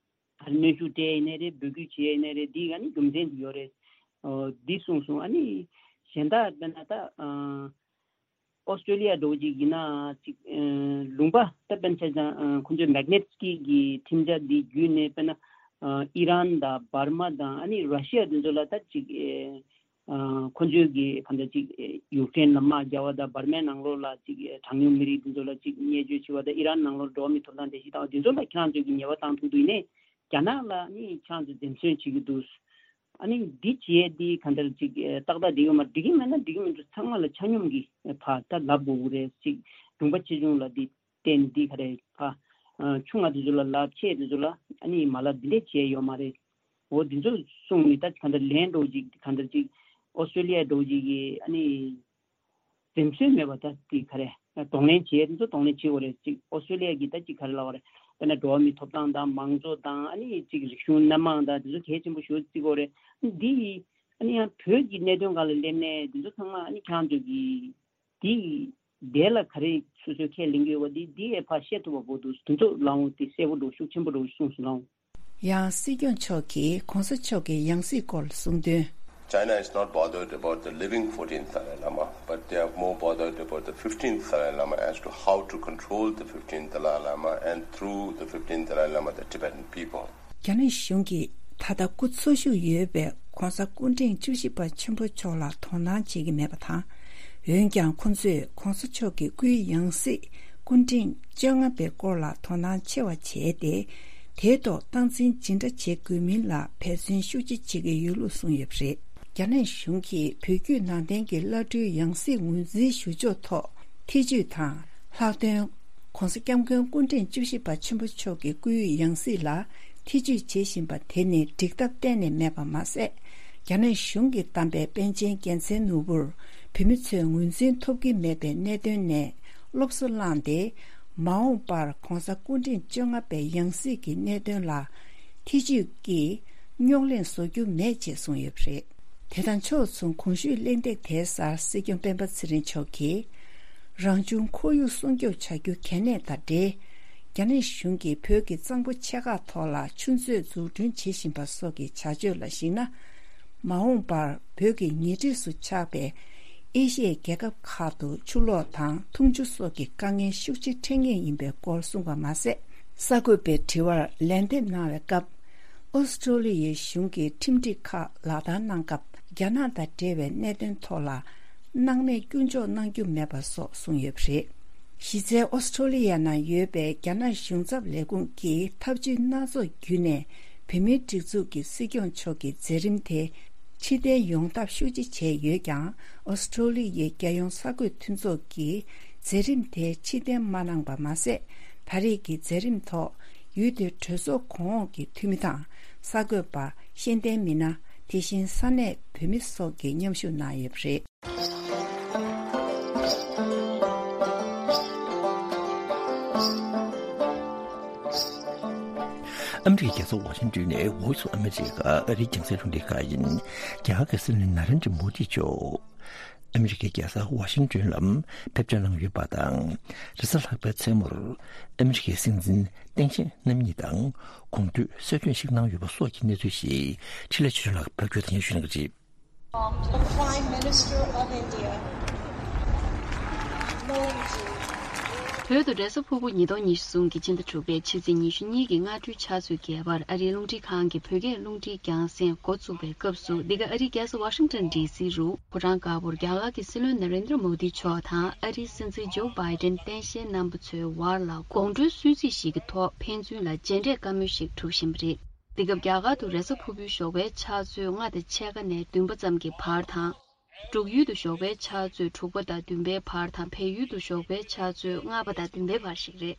ད་གནོན་ཤུགས་སྤྲད་ཡིན་ནའི་རེད། འབོད་སྐུལ་བྱེད་ཡིན་ནའི་རེད། འདི་ག་ནི་རྒྱུ་མཚན་འདི་ཡོད་རེད། འོ་འདི་གསུངས་སོང་། ཨ་ནི་གཞན་དག་དཔེར་ན་ད་ཨོ་སི་ཀྲོ་ལི་ཡ་འདྲ་བོ་ཅིག་ཡིན་ན་ཅིག་ལུང་པ་ད་དཔེར་ན་ཆ་བཞག་ཁོང་ཚོའི་མེག་ནེ་ཊི་སི་ཀི་གི་ཁྲིམས་འཆར་འདི་བརྒྱུད་ནས་དཔེར་ན་ཨི་རན་དང་འབར་མ་དང་ཨ་ནི་ར་ཤི་ཡ་འདི་ཚོ་ལ་ད་ཅིག་ཁོང་ཚོའི་གི་ག་འདྲ་ཅིག་ཡུཀ་རེན་ལ་དམག་རྒྱག་པ་དང་འབར་མའི་ནང་ལོགས་ལ་ཅིག་གྲངས་ཉུང་མི་རིགས་འདི་ཚོ་ལ་ཅིག་བརྙས་བཅོས་བྱེད་པ་དང་ཨི་རན་ནང་ལོགས་འགྲོ་བ་མིའི་ཐོབ་ཐང་བརྡལ་བཤིག་བཏང་བ་འདི་ཚོ་ལ་ཁྱེད་རང་ཚོས་གི་ཉེས་པ་བཏང་ཐུབ་འདུག་ཡིན་ནའི་རྒྱ་ནག་ལ་ནི་ཁྱེད་རང་ཚོས་འཛེམ་ཟོན་བྱེད་ཀྱི་འདུག་ཨ་ནི་འདི་བྱས་འདི་ག་འདྲ་ཅིག་ཏག་ཏག་འགྲིག་ཡོད་མ་འགྲིག་གི་མེད་ན་འགྲིག་གི་མི་འདུག་ཚང་མ་ལ་ཆ་སྙོམས་ཀྱི་ཕར་ད་ལབ་དགོས་ཀྱི་རེད། ཅིག་ལུང་པ་ཆེ་ཆུང་ལ་འདི་བརྟེན་ནས་འདི་ག་རེ་ཕར་ ཆུང་བ་དེ་ཚོ་ལ་ལབ། ཆེ་དེ་ཚོ་ལ་ཨ་ནི་མ་ལབ། འདི་འདྲས་བྱས་ཡོད་མ་རེད། འོ་འདི་ཚོ་གསུངས་ནས། ད་ག་འདྲ་ལན་འདྲ་བོ་ཅིག་ག་འདྲ་ཅིག་ཨོ་སི་ཀྲོ་ལི་ཡ་འདྲ་བོ་ཅིག་གིས་ཨ་ནི་འཛེམ་ཟོན་མེད་པ། ད་དེ་ག་རེ་གདོང་ལེན་བྱེད་ཡ་དེ་ཚོ་གདོང་ལེན་བྱེད་དགོས་རེད། ཅིག་ཨོ་སི་ཀྲོ་ལི་ཡ་གིས་ད་ཅིག་ག་རེ་ལབ་པ་རེད། དཔེར་ན་འགྲོ་བ་མིའི་ཐོབ་ཐང་དང་མང་གཙོ་དང་ཨ་ནི་ཅིག་རིག་གཞུང་སྣ་མང་དང་དེ་ཚོ་གལ་ཆེན་པོ་ཞེ་པོ་བརྩི་དགོས་རེད། འདི་ཡིས་ཨ་ནི་ཡང་བོད་ཀྱི་གནད་དོན་སྒང་ལ་སླེབས་ནས་དེ་ཚོ་ཚང་མ་ཨ་ནི་ཁྱེད་རང་ཚོ་གིས་འདི་དེ་ལ་ག་རེ་སོ་སོས་ཁས་ལེན་གྱི་ཡོད་པ་འདི་འདི་ཡས་ཕར་བཤད་ཐུབ་པ་པོ་འདུག་དེ་ཚོ་ལའང་དེ་གསལ་པོ་འདུག་ཤུགས་ཆེན་པོ་འདུག་གསུངས་སོང་ལའང་། ཡང་སྲིད་སྐྱོང་མཆོག་གིས་༸གོང་ས་མཆོག་གི་ཡང་སྲིད་སྐོར་གསུངས་དོན། China is not bothered about the living fourteenth Dalai Lama, but they are more bothered about the fifteenth Dalai Lama as to how to control the fifteenth Dalai Lama and through the fifteenth Dalai Lama the Tibetan people. རྒྱ་ནག་གཞུང་གིས་ད་ལྟ་སྐུ་འཚོ་བཞུགས་ཡོད་པའི་༸གོང་ས་སྐུ་ཕྲེང་བཅུ་བཞི་པ་ཆེན་པོ་མཆོག་ལ་དོ་སྣང་བྱེད་ཀྱི་མེད་པ་དང་། འོན་ཀྱང་ཁོང་ཚོས་༸གོང་ས་མཆོག་གི་སྐུའི་ཡང་སྲིད་སྐུ་ཕྲེང་བཅོ་ལྔ་པའི་སྐོར་ལ་དོ་སྣང་ཆེ་བ་བྱས་ཏེ། དེའི་ཐོག་སྟངས་འཛིན་ཇི་འདྲ་བྱེད་དགོས་མིན་ལ་འབད་བརྩོན་ཤུགས་ཆེ་བྱེད་ཀྱི་ཡོད་ལུགས་གསུངས་ཡོད་པ་རེད། རྒྱ་ནག་གཞུང་གིས་བོད་བརྒྱུད་ནང་བསྟན་གྱི་བླ་སྤྲུལ་ཡང་སྲིད་ངོས་འཛིན་ཞུ་ཕྱོགས་ཐོག་ཐེ་ཇུས་དང་། ལྷག་དོན། ༸གོང་ས་༸སྐྱབས་མགོན་སྐུ་ཕྲེང་བཅུ་བཞི་པ་ཆེན་པོ་མཆོག་གི་སྐུའི་ཡང་སྲིད་ལ་ཐེ་ཇུས་བྱེད་བཞིན་པ་དེ་ནི་འགྲིག་ཐབས་གཏན་ནས་མེད་པ་མ་ཟད། རྒྱ་ནག་གཞུང་གིས་བདམས་པའི་པཎ་ཆེན་རྒྱལ་མཚན་ནོར་བུར་བོད་མི་ཚོས་ངོས་འཛིན་ཐོབ་ཀྱི་མེད་པའི་གནད་དོན་ནས་སློབ་གསོ་བླངས་ཏེ། མ་འོངས་པར་༸གོང་ས་སྐུ་ཕྲེང་བཅོ་ལྔ་པའི་ཡང་སྲིད་ཀྱི་གནད་དོན་ལ་ཐེ་ཇུས་ཀྱིས་རྙོག་གླེང་བཟོ་རྒྱུ་མེད་ཅེས་གསུངས་ཡོད་པ་རེད། དེ་དང་ཕྱོགས་མཚུངས། གོང་ཞུས་གླེང་སྟེགས་དེའི་སར་སྲིད་སྐྱོང་སྤེན་པ་ཚེ་རིང་མཆོག་གིས། རང་བྱུང་ཁོར་ཡུག་སྲུང་སྐྱོབ་བྱ་རྒྱུ་གལ་གནད་དང་འབྲེལ། རྒྱ་ནག་གཞུང་གིས་བོད་ཀྱི་གཙང་པོ་ཆེ་ཁག་ཐོག་ལ་ཆུ་མཛོད་འཛུགས་སྐྲུན་བྱེད་བཞིན་པ་སོགས་ཀྱི་བྱ་སྤྱོད་ལ་གཞིགས་ན། མ་འོངས་པར་བོད་ཀྱི་ཉེ་འཁྲིས་སུ་ཆགས་པའི་ཨེ་ཤི་ཡའི་རྒྱལ་ཁབ་ཁག་ཏུ་ཆུ་ལོག་དང་འཐུང་ཆུ་སོགས་ཀྱི་དཀའ་ངལ་ཤུགས་ཆེ་འཕྲད་ངེས་ཡིན་པའི་སྐོར་གསུངས་པ་མ་ཟད། གསར་འགོད་པའི་དྲི་བར་ལན་འདེབས་གནང་བའི་སྐབས། ཨོ་སི་ཀྲོ་ལི་ཡའི་གཞུང་གིས་ཁྲིམས་སྒྲིག་ཁག་ལག་བསྟར་གནང་སྐབས། རྒྱ་ནག་དང་འབྲེལ་བའི་གནད་དོན་ཐོག་ལ་སྣང་མེད་སྐྱོན་འཇོག་གནང་རྒྱུ་མེད་པ་སོགས་གསུངས་ཡོད་པ་རེད། གཞི་རྩའི་ཨོ་སི་ཀྲོ་ལི་ཡ་ནང་ཡོད་པའི་རྒྱ་ནག་གཞུང་ཚབ་ལས་ཁུངས་ཀྱིས་ཐབས་ཇུས་སྣ་ཚོགས་བརྒྱུད་ནས་བོད་མིའི་སྒྲིག་འཛུགས་ཀྱི་སྲིད་སྐྱོང་མཆོག་གི་མཛད་རིམ་དེ་ཕྱིར་འཐེན་ཡོང་ཐབས་ཤུགས་ཆེ་བྱས་ཡོད་ཀྱང་། ཨོ་སི་ཀྲོ་ལི་ཡའི་རྒྱལ་ཡོངས་གསར་འགོད་མཐུན་ཚོགས་ཀྱིས་མཛད་རིམ་དེ་ཕྱིར་འཐེན་མ་གནང་པ་མ་ཟད། ད་རེས་ཀྱི་མཛད་རིམ་ཐོག་ཡུལ་དེའི་གྲོས་ཚོགས་གོང་འོག་གི་འཐུས་མི་དང་། གསར་འགོད་པ། ཤེས་ལྡན་མི་སྣ། དེ་བཞིན་ས་གནས་བོད་མི་སོགས་ཀྱིས་མཉམ་ཞུགས་གནང་ཡོད་པ་རེད། ཨ་མི་རི་ཀའི་རྒྱལ་ས་ཝ་ཤིང་ཏོན་ནས་Voice of America ཨ་རིའི་རྒྱང་སྲིང་རླུང་འཕྲིན་ཁང་ཡིན། རྒྱ་གར་གྱི་སྲིད་བློན་ན་རེན་དྲ་མོ་དི་མཆོག་ཨ་མི་རི་ཀའི་རྒྱལ་ས་ཝ་ཤིང་ཏོན་ལ་ཕེབས་འབྱོར་གནང་ཡོད་པ་དང་། རེས་གཟའ་ལྷག་པའི་མཚན་མོར་ཨ་མི་རི་ཀའི་སྲིད་འཛིན་ཏེང་ཞའེ་རྣམ་གཉིས་དང་དགོང་དྲོའི་གསོལ་སྟོན་ཞིག་གནང་ཡོད་པ་སོགས་ཀྱི་གནས་ཚུལ་ཞིག་འཕྲིན་ལས་ཆོས་སྒྲོན་ལགས་ཕབ་སྒྱུར་དང་སྙན་ཞུ་གནང་གི་རེད། The Prime Minister of India, Modi ji. བོད་དུ་རེས་གཟའ་ཕུར་བུ་ཉིས་སྟོང་ཉི་ཤུ་གསུམ་གྱི་ཕྱི་ཟླ་དྲུག་པའི་ཕྱི་ཚེས་ཉི་ཤུ་གཉིས་ཀྱི་སྔ་དྲོའི་ཕྱག་ཚོད་བརྒྱད་པར་ཨ་རིའི་རླུང་འཕྲིན་ཁང་གི་བོད་སྐད་རླུང་འཕྲིན་རྒྱང་སྲིང་འགོ་བཙུགས་པའི་སྐབས་སུ། འདི་ག་ཨ་རིའི་རྒྱལ་ས་ཝ་ཤིང་ཏོན་ཌི་སི་རུ་ཕོ་བྲང་དཀར་པོར་རྒྱ་གར་གྱི་སྲིད་བློན་ན་རེན་དྲ་མོ་དི་མཆོག་དང་ཨ་རིའི་སྲིད་འཛིན་ཇོ་བྷའི་ཏན་བསྟན་བཤལ་རྣམ་པ་ཚོའི་བར་ལ་དགོང་དྲོའི་གསོལ་ཚིགས་ཤིག་གི་ཐོག་ཕན་ཚུན་ལ་མཇལ་འཕྲད་བཀའ་མོལ་ཞིག་གྲུབ་བཞིན་པ་རེད། འདི་སྐབས་རྒྱ་གར་དུ་རེས་གཟའ་ཕུར་བུའི་ཞོགས་པའི་ཕྱག་ཚོད་ལྔ་དང་ཕྱེད་ཀ་ནས་བདུན་པ་ཙམ་གྱི་བར་དང་། འབྲུག་ཡུལ་དུ་ཞོགས་པའི་ཕྱག་ཚོད་དྲུག་པ་དང་བདུན་པའི་བར་དང་། བལ་ཡུལ་དུ་ཞོགས་པའི་ཕྱག་ཚོད་ལྔ་པ་དང་བདུན་པའི་བར་ཞིག་རེད།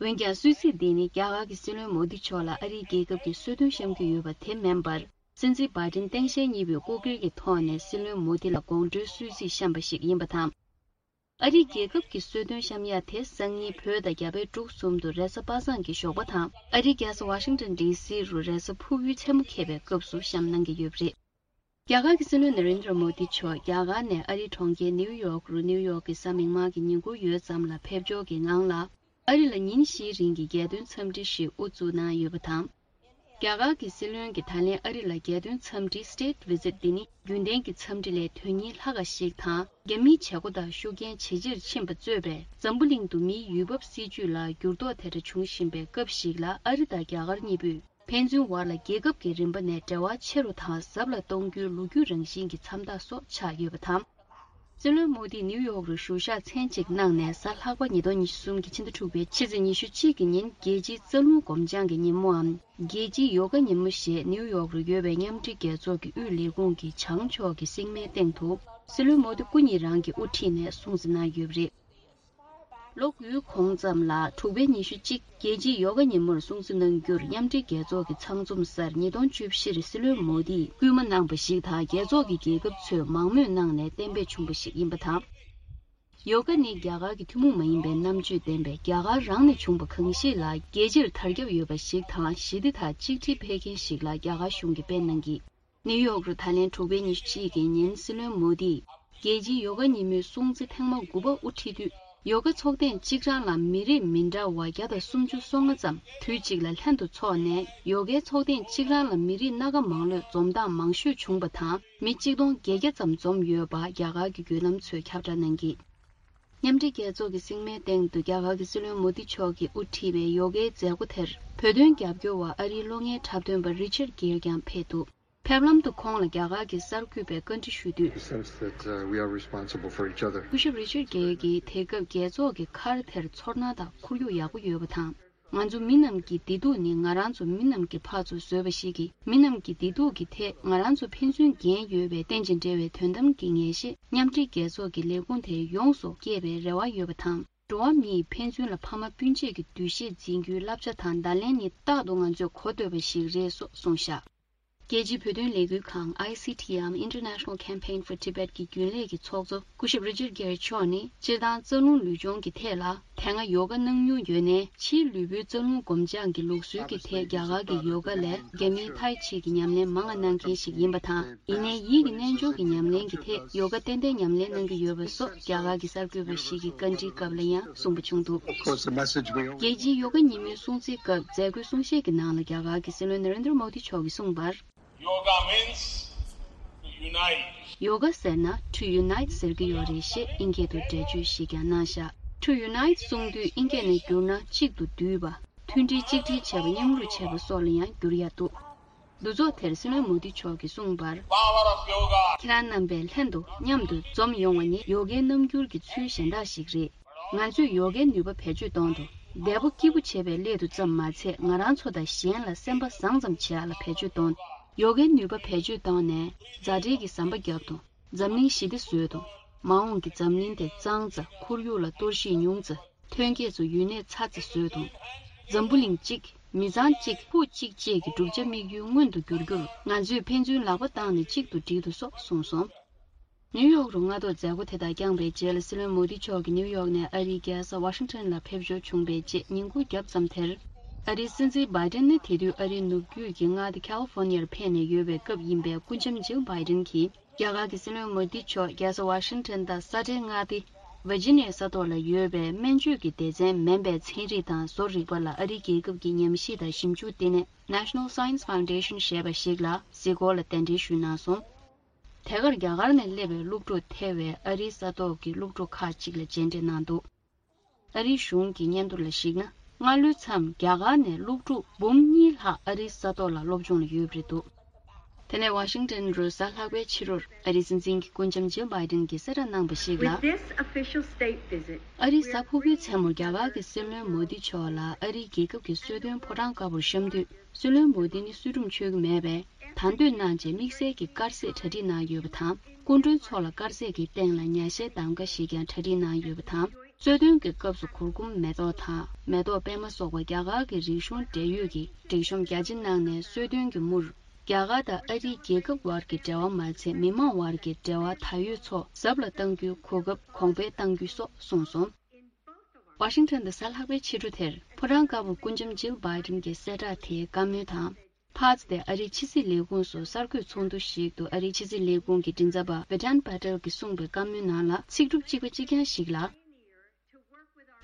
འོན་ཀྱང་གསོལ་ཚིགས་འདི་ནི་རྒྱ་གར་གྱི་སྲིད་བློན་མོ་དི་མཆོག་ལ་ཨ་རིའི་རྒྱལ་ཁབ་ཀྱི་གསོལ་སྟོན་བཤམས་རྒྱུ་ཡོད་པ་དེ་མིན་པར། སྲིད་འཛིན་བྷའི་ཏིན་སྟངས་དཔྱལ་གཉིས་པོས་སྐུ་སྒེར་གྱི་ཐོག་ནས་སྲིད་བློན་མོ་དི་ལ་དགོང་དྲོའི་གསོལ་ཚིགས་བཤམས་པ་ཞིག་ཡིན་པ་དང་། ཨ་རིའི་རྒྱལ་ཁབ་ཀྱི་གསོལ་སྟོན་བཤམས་ཡ་དེ་སང་ཉིན་བོད་དང་རྒྱ་བལ་འབྲུག་གསུམ་དུ་རེས་གཟའ་པ་སངས་ཀྱི་ཞོགས་པ་དང་། ཨ་རིའི་རྒྱལ་ས་ཝ་ཤིང་ཏོན་ཌི་སི་རུ་རེས་གཟའ་ཕུར་བུའི་མཚན་མོ་འཁེལ་བའི་སྐབས་སུ་བཤམས་གནང་གི་ཡོད་པ་རེད། རྒྱ་གར་གྱི་སྲིད་བློན་ན་རེན་དྲ་མོ་དི་མཆོག་རྒྱ་གར་ནས་ཨ་རིའི་གྲོང་ཁྱེར་ནེའུ་ཡོག་རུ་ནེའུ་ཡོག་གི་གཟའ་མིག་དམར་གྱི་ཉིན་གུང་ཡོལ་ཙམ་ལ་ཕེབས་འབྱོར་གྱི་ངང་ལ། ཨ་རི་ལ་ཉིན་བཞིའི་རིང་གི་རྒྱལ་དོན་འཚམས་འདྲི་ཞིག་དབུ་འཛུགས་གནང་ཡོད་པ་དང་། རྒྱ་གར་གྱི་སྲིད་བློན་གྱིས་ད་ལན་ཨ་རི་ལ་རྒྱལ་དོན་འཚམས་འདྲི་State Visit འདི་ནི་རྒྱུན་ལྡན་གྱི་འཚམས་འདྲི་ལས་དོན་སྙིང་ལྷག་པ་ཞིག་དང་། རྒྱ་མིའི་བྱེད་སྒོ་དང་ཤུགས་རྐྱེན་ཇེ་ཆེར་ཕྱིན་པ་གཙོས་པའི་འཛམ་བུ་གླིང་དུ་མིའི་ཡུལ་བབ་སྲིད་ཇུས་ལ་འགྱུར་ལྡོག་དེ་འདྲ་བྱུང་བཞིན་པའི་སྐབས་ཤིག་ལ། ཨ་རི་དང་རྒྱ་གར་གཉིས་པོས་ཕན་ཚུན་བར་ལ་རྒྱལ་ཁབ་ཀྱི་རིམ་པ་ནས་འབྲེལ་བ་ཆེ་རུ་དང་ཟབ་ལ་གཏོང་རྒྱུའི་ལོ་རྒྱུས་རང་བཞིན་གྱི་མཚམས་རྟགས་སོགས་ཆགས་ཡོད་པ་དང་། སྲིད་བློན་མོ་དིས་ནིའུ་ཡོག་རུ་བཞུགས་ཞག་མཚན་གཅིག་གནང་ནས། གཟའ་ལྷག་པ་ཉིས་སྟོང་ཉི་ཤུ་གསུམ་གྱི་ཕྱི་ཟླ་དྲུག་པའི་ཕྱི་ཚེས་ཉི་ཤུ་གཅིག་གི་ཉིན་རྒྱལ་སྤྱིའི་རྩ་རླུང་སྒོམ་སྦྱང་གི་ཉིན་མོའམ། རྒྱལ་སྤྱིའི་ཡོ་ག་ཉིན་མོ་ཞེས་ནིའུ་ཡོག་རུ་ཡོད་པའི་མཉམ་འབྲེལ་རྒྱལ་ཚོགས་ཀྱི་དབུས་ལས་ཁུངས་ཀྱི་བྱང་ཕྱོགས་ཀྱི་སྲེག་མའི་སྟེང་དུ། སྲིད་བློན་མོ་དི་སྐུ་ཉིད་རང་གིས་དབུ་ཁྲིད་ནས་སྲུང་བརྩི་གནང་ཡོད་པ་རེད། ལོ་དགུའི་གོང་ཙམ་ལ་དྲུག་པའི་ཉི་ཤུ་གཅིག་རྒྱལ་སྤྱིའི་ཡོ་ག་ཉིན་མོར་སྲུང་བརྩི་གནང་རྒྱུར་མཉམ་འབྲེལ་རྒྱལ་ཚོགས་ཀྱི་ཚང་འཛོམས་སར་ཉིས་སྟོང་བཅུ་བཞིར་སྲིད་བློན་མོ་དིས་སྐུལ་མ་གནང་བ་ཞིག་དང་། རྒྱལ་ཚོགས་ཀྱི་རྒྱལ་ཁབ་ཚོས་མང་མོས་གནང་ནས་གཏན་འབེབས་བྱུང་བ་ཞིག་ཡིན་པ་དང་། ཡོ་ག་ནི་རྒྱ་གར་གྱི་ཐུན་མོང་མ་ཡིན་པའི་རྣམ་དཔྱོད་ལྡན་པའི་རྒྱ་གར་རང་ནས་བྱུང་བ་གང་ཞིག་ལ་རྒྱལ་སྤྱིར་དར་ཁྱབ་ཡོད་པ་ཞིག་དང་། ཞི་བདེ་དང་གཅིག་སྒྲིལ་འཕེལ་མཁན་ཞིག་ལ་རྒྱ་གར་གཞུང་གིས་སྤེལ་གནང་གིས། ནིའུ་ཡོག་རུ་ད་ལན་དྲུག་པའི་ཉི་ཤུ་གཅིག་གི་ཉིན་སྲིད་བློན་མོ་དིས་རྒྱལ་སྤྱིའི་ཡོ་ག་ཉིན་མོའི་སྲུང་བརྩི་ཐེངས་མ་དགུ་པ་དབུ་ཁྲིད་དུས། ཡོ་ག་ཚོགས་ཐེངས་གཅིག་རང་ལ་མི་རིགས་མི་འདྲ་བ་བརྒྱ་དང་སུམ་ཅུ་སོ་ལྔ་ཙམ་དུས་གཅིག་ལ་ལྷན་དུ་འཚོགས་ནས། ཡོ་གའི་ཚོགས་ཐེངས་གཅིག་རང་ལ་མི་རིགས་སྣ་ཁ་མང་ལོས་འཛོམས་སྟངས་མང་ཤོས་བྱུང་བ་དང་། མི་གཅིག་སྟོང་བརྒྱད་བརྒྱ་ཙམ་འཛོམས་ཡོད་པ་རྒྱ་གར་གྱི་བརྒྱུད་ལམ་ཚོས་ཁྱབ་བསྒྲགས་གནང་གིས། མཉམ་འབྲེལ་རྒྱལ་ཚོགས་ཀྱི་སྲིང་མོའི་སྟེང་དུ་རྒྱ་གར་གྱི་སྲིད་བློན་མོ་དི་མཆོག་གིས་དབུ་ཁྲིད་པའི་ཡོ་གའི་མཛད་སྒོ་དེར་བོད་དོན་རྒྱབ་སྐྱོར་བ་ཨ་རིའི་གློག་བརྙན་འཁྲབ་སྟོན་པ་རི་ཆར་གེར་ཀྱང་ཕེབས་འདུག་ཕེབས་ལམ་དུ་ཁོང་ལ་རྒྱ་གར་གྱི་གསར་འགོད་པས་བཀའ་འདྲི་ཞུས་དུས། Sense that, uh, we are responsible for each other. སྐུ་ཞབས་རི་ཆར་གེར་གྱིས་དེ་སྐབས་རྒྱལ་ཚོགས་ཀྱི་མཁར་དེར་ཚོར་སྣང་དང་ཁོར་ཡུག་ཡག་པོ་ཡོད་པ་དང་། ང་ཚོ་མི་རྣམས་ཀྱི་བདེ་སྡུག་ནི་ང་རང་ཚོ་མི་རྣམས་ཀྱིས་ཕར་ཚུར་བཟོས་པ་ཞིག་གིས། མི་རྣམས་ཀྱི་བདེ་སྡུག་གི་ཐད་ང་རང་ཚོ་ཕན་ཚུན་འགན་ཡོད་པའི་རྟེན་ཅིང་འབྲེལ་བའི་དོན་དམ་གྱི་ངེས་ཤེས། མཉམ་འབྲེལ་རྒྱལ་ཚོགས་ཀྱི་ལས་ཁུངས་དེ་ཡོངས་སུ་རྒྱས་པའི་རེ་བ་ཡོད་པ་དང་། འགྲོ་བ་མིས་ཕན་ཚུན་ལ་ཕ་མ་སྤུན་མཆེད་ཀྱི་འདུ་ཤེས་འཛིན་རྒྱུའི་བསླབ་བྱ་དང་བརྡ་ལན་ནི་རྟག་ཏུ་ང་ཚོས་གོ་འདོད་པ་ཞིག་རེད་སོགས་གསུངས་བཞག་རྒྱལ་སྤྱིའི་བོད་དོན་ལས་འགུལ་ཁང་I C T འམ་International Campaign for Tibet གྱི་རྒྱུན་ལས་ཀྱི་ཚོགས་གཙོ་སྐུ་ཞབས་རི་ཅར་གེར་མཆོག་ནི། སྤྱིར་བཏང་རྩ་རླུང་ལུས་སྦྱོང་གི་ཐད་ལ་དེ་སྔ་ཡོ་ག་གནང་མྱོང་ཡོད་ནའི། ཕྱིའི་ལུས་པོའི་རྩ་རླུང་སྒོམ་སྦྱང་གི་ལུགས་སྲོལ་གྱི་ཐད་རྒྱ་གར་གྱི་ཡོ་ག་ལས་རྒྱ་མིའི་ཐའི་ཆི་གི་ཉམས་ལེན་མང་ང་གནང་མཁན་ཞིག་ཡིན་པ་དང་། ཡིན་ནའི་ཡིད་ཀྱི་རྣལ་འབྱོར་གྱི་ཉམས་ལེན་གྱི་ཐད་ཡོ་ག་ཏན་ཏན་ཉམས་ལེན་གནང་གི་ཡོད་པ་སོགས་རྒྱ་གར་གྱི་གསར་འགོད་པ་ཞིག་གིས་བཀའ་འདྲིའི་སྐབས་ལ་ཡང་གསུངས་པ་བྱུང་འདུག Of course, the message we all རྒྱལ་སྤྱིའི་ཡོ་ག་ཉིན་མོའི་སྲུང་བརྩིའི་སྐབས་མཛད་སྒོའི་གསུང་བཤད་ཀྱི་ནང་ལ་རྒྱ་གར་གྱི་སྲིད་བློན་ན་རེན་དྲ་མོ་དི་མཆོག་གིས་གསུངས་པར། Yoga means to unite. ཡོ་ག་ཟེར་ན་to unite ཟེར་གྱི་ཡོད་རེད་ཞེས་ཨིན་སྐད་དུ་འགྲེལ་བརྗོད་ཞིག་ཀྱང་གནང་བཞག To unite གསུང་དུས་ཨིན་སྐད་ནས་བསྒྱུར་ན་གཅིག་ཏུ་བསྡུས་པ། མཐུན་སྒྲིལ་གཅིག་སྒྲིལ་བྱེད་པ། མཉམ་རུབ་བྱེད་པ་སོགས་ལ་ཡང་བསྒྱུར་ཡ་འདུག་འདུ་ཚོགས་དེར་སྲིད་བློན་མོ་དི་མཆོག་གིས་གསུངས་པར། Power of yoga. ཁྱེད་རང་རྣམ་པས་ལྷན་དུ་མཉམ་དུ་འཛོམས་ཡོང་བ་ནི་ཡོ་གའི་རྣམ་འགྱུར་གྱི་ཚུལ་གཞན་དག་ཞིག་རེད། ང་ཚོས་ཡོ་གའི་ནུས་པ་བེད་སྤྱོད་གཏོང་དུ། བདེ་པོ་སྐྱིད་པོ་བྱེད་པའི་སླད་དུ་ཙམ་མ་ཚད། ང་རང་ཚོ་དང་གཞན་ལ་སེམས་པ་བཟང་ཙམ་བྱེད་ཡ་ལ་བེད་སྤྱོད་གཏོང་། ཡོ་གའི་ནུས་པ་བེད་སྤྱོད་བཏང་ནས་མཛའ་འབྲེལ་གྱི་ཟམ་པ་བརྒྱབ་དང་། འཛམ་གླིང་ཞི་བདེ་བཟོས་དང་། མ་འོངས་ཀྱི་འཛམ་གླིང་དེ་གཙང་ཙམ། ཁོར་ཡུག་ལ་གཏོར་བཤིག་ཉུང་ཙམ། ཐོན་སྐྱེད་ཚོ་ཡུན་གནས་ཚ་ཙམ་བཟོས་དང་། འཛམ་བུ་གླིང་གཅིག་མི་ཚང་གཅིག་ཕུགས་གཅིག་བཅས་ཀྱི་བསྒྲུབ་བྱ་དམིགས་ཡུལ་མངོན་དུ་འགྱུར་རྒྱུར་ང་ཚོས་ཕན་ཚུན་ལག་པ་བཏང་ནས་གཅིག་ཏུ་སྒྲིལ་དུ་སོགས་གསུངས་སོང་། ནིའུ་ཡོག་རུ་སྔ་དྲོ་མཛད་སྒོ་དེ་དག་བསྐྱངས་པའི་རྗེས་ལ་སྲིད་བློན་མོ་དི་མཆོག་གིས་ནིའུ་ཡོག་ནས་ཨ་རིའི་རྒྱལ་ས་ཝ་ཤིང་ཊོན་ལ་ཕེབས་འབྱོར་བྱུང་བའི་རྗེས་ཉིན་གུང་རྒྱབ་ཙམ་དེར། ཨ་རིའི་སྲིད་འཛིན་བྷའི་ཏིན་ནི་དེ་དུས་ཨ་རིའི་ནུབ་རྒྱུད་ཀྱི་མངའ་སྡེ་ཁ་ལི་ཧྥོ་ནི་ཡར་ཕེབས་ནས་ཡོད་པའི་སྐབས་ཡིན་པས། སྐུ་ཞབས་ཇིལ་བྷའི་ཏིན་གྱིས་རྒྱ་གར་གྱི་སྲིད་བློན་མོ་དི་མཆོག་རྒྱལ་ས་ཝ་ཤིང་ཊོན་དང་ས་ཁྲའི་མངའ་སྡེ་ཝར་ཇི་ནི་ཡ་ས་ཐོག་ལ་ཡོད་པའི་སྨན་བཅོས་ཀྱི་སྡེ་ཚན་མིན་པའི་ཚན་རིག་དང་བཟོ་རིག་པ་ལ་ཨ་རིའི་རྒྱལ་ཁབ་ཀྱི་ཉམས་ཞིབ་དང་ཞིབ་འཇུག་ལྟེ་གནས་National Science Foundation ཞེས་པ་ཞིག་ལ་གཟིགས་སྐོར་ལ་གདན་འདྲེན་ཞུས་གནང་སོང་། དེ་གར་རྒྱ་གར་ནས་སླེབས་པའི་སློབ་ཕྲུག་ཐེ་བའི་ཨ་རིའི་ས་ཐོག་གི་སློབ་ཕྲུག་ཁག་ཅིག་ལ་མཇལ་འཕྲད་གནང་འདུག་ཨ་རིའི་གཞུང་གི་སྙན་ཐོ་ལ་གཞིགས་ན། སྔ་ལོའི་མཚམས་རྒྱ་གར་ནས་སློབ་ཕྲུག་འབུམ་གཉིས་ལྷག་ཨ་རིའི་ས་ཐོག་ལ་སློབ་སྦྱོང་ལ་ཡོད་པ་རེད་འདུག་དེ་ནས་ཝ་ཤིང་ཊོན་རུ་གཟའ་ལྷག་པའི་ཕྱི་དྲོར་ཨ་རིའི་སྲིད་འཛིན་གྱི་སྐུ་ཞབས་ཇིལ་བྷའི་ཏིན་གྱིས་གསལ་བསྒྲགས་གནང་བ་ཞིག་ལ། With this official state visit, ཨ་རིའི་གཟའ་ཕུར་བུའི་མཚན་མོར་རྒྱ་གར་གྱི་སྲིད་བློན་མོ་དི་མཆོག་ལ་ཨ་རིའི་རྒྱལ་ཁབ་ཀྱི་གསོལ་སྟོན་ཕོ་བྲང་དཀར་པོར་བཤམས་དུས། སྲིད་བློན་མོ་དི་ནི་གསོལ་སྒྲུབ་མཆོད་ཀྱི་མེད་པས། དང་དོད་གནང་རྗེས་དམིགས་བསལ་གྱི་དཀར་ཟས་གྲ་སྒྲིག་གནང་ཡོད་པ་དང་། སྐུ་མགྲོན་ཚོ་ལ་དཀར་ཟས་ཀྱི་སྟེང་ལ་ཉ་ཤའི་གདམ་ཀ་ཞིག་ཀྱང་གྲ་སྒྲིག་གནང་ཡོད་པ་དང་། གསོལ་སྟོན་གྱི་སྐབས་སུ་གུར་གུམ་མེ་ཏོག་དང་མེ་ཏོག་པད་མ་སོགས་པ་རྒྱ་གར་གྱི་རིག་གཞུང་འབྲེལ་ཡོད་ཀྱི་སྒྲིག་གཤོམ་རྒྱ་ཆེ་གནང་ནས་གསོལ་སྟོན་གྱི་མུར། རྒྱ་གར་དང་ཨ་རིའི་རྒྱལ་ཁབ་བར་གྱི་འབྲེལ་བ་མ་ཚད་མི་མང་བར་གྱི་འབྲེལ་བ་ད་ཡོད་ཚོ་ཟབ་ལ་གཏང་རྒྱུའི་གོ་སྐབས་གོང་འཕེལ་གཏང་རྒྱུ་སོགས་གསུངས་སོང་། ཝ་ཤིང་ཊོན་དུ་གཟའ་ལྷག་པའི་ཕྱི་དྲོ་དེར་ཕོ་བྲང་དཀར་པོར་སྐུ་ཞབས་ཇིལ་བྷའི་ཏིན་གྱི་གསལ་བསྒྲགས་དེའི་བཀའ་མོལ་དང་། ཕར་ཚུར་དེ་ཨ་རིའི་ཕྱི་སྲིད་ལས་ཁུངས་སུ་གསར་འགོད་ཚོགས་འདུ་ཞིག་ཏུ་ཨ་རིའི་ཕྱི་སྲིད་ལས་ཁུངས་ཀྱི་མགྲིན་ཚབ་པ་བི་ཏན་པ་ཏེལ་གྱིས་གསུངས་པའི་བཀའ་མོལ་ནང་ལ་ཚིག་གྲུབ་གཅིག་པ་གཅིག་རྐྱང་ཞིག་ལ།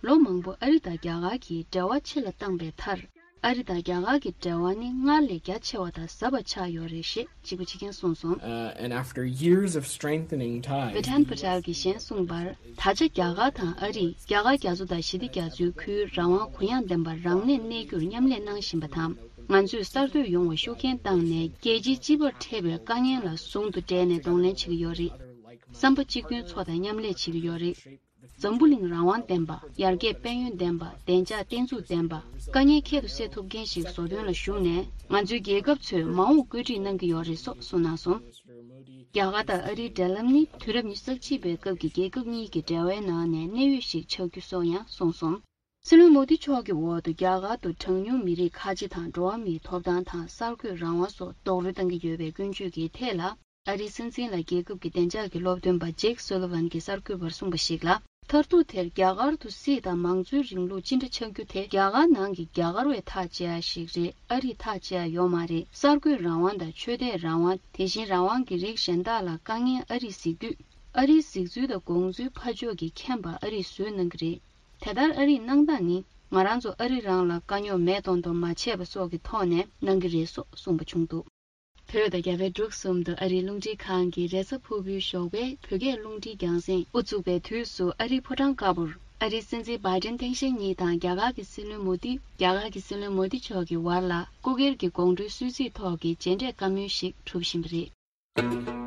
ལོ་མང་པོ་ཨ་རི་དང་རྒྱ་གར་གྱི་འབྲེལ་བ་ཆེ་ལ་བཏང་པའི་མཐར། ཨ་རི་དང་རྒྱ་གར་གྱི་འབྲེལ་བ་ནི་སྔར་ལས་རྒྱ་ཆེ་བ་དང་ཟབ་པ་ཆགས་ཡོད་རེད་ཞེས་གཅིག་པ་གཅིག་རྐྱང་གསུངས་སོང་། Uh, and after years of strengthening ties, བི་ཏན་པ་ཏེལ་གྱིས་གཞན་གསུངས་པར། ད་ཆ་རྒྱ་གར་དང་ཨ་རིས་རྒྱ་གར་རྒྱ་མཚོ་དང་ཞི་བདེ་རྒྱ་མཚོའི་ཁུལ་རང་དབང་གུ་ཡངས་ལྡན་པར་རང་གནས་གནས་རྒྱུར་མཉམ་ལས་གནང་བཞིན་པ་དང་། ང་ཚོས་གསར་གཏོད་ཡོང་བར་ཤུགས་རྐྱེན་བཏང་ནས་རྒྱལ་སྤྱིའི་སྤྱི་པར་འཕྲད་པའི་དཀའ་ངལ་ལ་ཟུང་དུ་འབྲེལ་ནས་གདོང་ལེན་བྱེད་ཀྱི་ཡོད་རེད། བསམ་པ་གཅིག་མཐུན་ཚོ་དང་མཉམ་ལས་བྱེད་ཀྱི་ཡོད་རེད། འཛམ་བུ་གླིང་རང་དབང་ལྡན་པ། ཡར་རྒྱས་དཔལ་ཡོན་ལྡན་པ། བདེ་འཇགས་བརྟན་ཚུགས་ལྡན་པ། དཀའ་ངལ་ཁྱད་དུ་བསད་ཐུབ་མཁན་ཞིག་བཟོ་དོན་ལ་ཞུགས་ནས། ང་ཚོའི་རྒྱལ་ཁབ་ཚོས་མ་འོངས་བཀོད་སྒྲིག་གནང་གི་ཡོད་རེད་སོགས་གསུངས་གནང་སོང་། རྒྱ་གར་དང་ཨ་རིའི་འབྲེལ་ལམ་ནི་དུས་རབས་ཉི་ཤུ་རྩ་གཅིག་པའི་སྐབས་ཀྱི་རྒྱལ་ཁབ་གཉིས་ཀྱི་འབྲེལ་བའི་ནང་ནས་གནད་ཡོད་ཞིག་ཆགས་རྒྱུ་སོགས་ཡང་གསུངས་སོང་། སྲིད་བློན་མོ་དི་མཆོག་གི་འོག་ཏུ་རྒྱ་གར་དུ་གྲངས་ཉུང་མི་རིགས་ཁ་ཆེ་དང་འགྲོ་བ་མིའི་ཐོབ་ཐང་དང་གསར་འགོད་རང་དབང་སོགས་རྡོག་རོལ་གཏོང་གི་ཡོད་པའི་ཀུན་སྤྱོད་ཀྱི་ཐད་ལ། ཨ་རིའི་སྲིད་འཛིན་ལ་རྒྱལ་ཁབ་ཀྱི་བདེ་འཇགས་ཀྱི་སློབ་སྟོན་པ་ཇེག་སོ་ལི་ཝན་གྱིས་གསར་འགོད་པར་གསུངས་པ་ཞིག་ལ། མཐར་ཐུག་དེར་རྒྱ་གར་དུ་སྲིད་དང་མང་གཙོའི་རིང་ལུགས་ཅི་འདྲ་ཆགས་རྒྱུ་དེ་རྒྱ་གར་ནང་གི་རྒྱ་གར་བས་ཐག་བཅད་ཡ་ཞིག་རེད། ཨ་རིས་ཐག་བཅད་ཡ་ཡོད་མ་རེད། གསར་འགོད་རང་དབང་དང་ཆོས་དད་རང་དབང་། དེ་བཞིན་རང་དབང་གི་རིགས་གཞན་དག་ལ་དཀའ་ངལ་ཨ་རིས་གཟིགས་དུས། ཨ་རིའི་གཟིགས་ཚུལ་དང་དགོངས་ཚུལ་ཕར་ཕྱོགས་ཀྱིས་མཁྱེན་པ་ཨ་རིས་བཟོས་གནང་གི་རེད། དེ་ལྟར་ཨ་རིས་གནང་སྟངས་ནི་ང་རང་ཚོ་ཨ་རི་རང་ལ་དཀའ་རྙོག་མེད་གཏོང་གཏོང་མ་བྱས་པ་སོགས་ཀྱི་ཐོག་ནས་གནང་གི་རེད་སོགས་གསུངས་པ་བྱུང་འདུག་བོད་དང་རྒྱ་བལ་འབྲུག་གསུམ་དུ་ཨ་རིའི་རླུང་འཕྲིན་ཁང་གི་རེས་གཟའ་ཕུར་བུའི་ཞོགས་པའི་བོད་སྐད་རླུང་འཕྲིན་རྒྱང་སྲིང་དབུ་བཙུགས་པའི་དུས་སུ། ཨ་རིའི་ཕོ་བྲང་དཀར་པོར་ཨ་རིའི་སྲིད་འཛིན་བྷའི་ཏིན་ཐེངས་ཤར་གཉིས་དང་རྒྱ་གར་གྱི་སྲིད་བློན་མོ་དི། རྒྱ་གར་གྱི་སྲིད་བློན་མོ་དི་མཆོག་གི་བར་ལ་སྐུ་སྒེར་གྱི་དགོང་དྲོའི་གསོལ་ཚིགས་ཐོག་གི་མཇལ་འཕྲད་བཀའ་མོལ་ཞིག་གྲུབ་བཞིན་པ་རེད།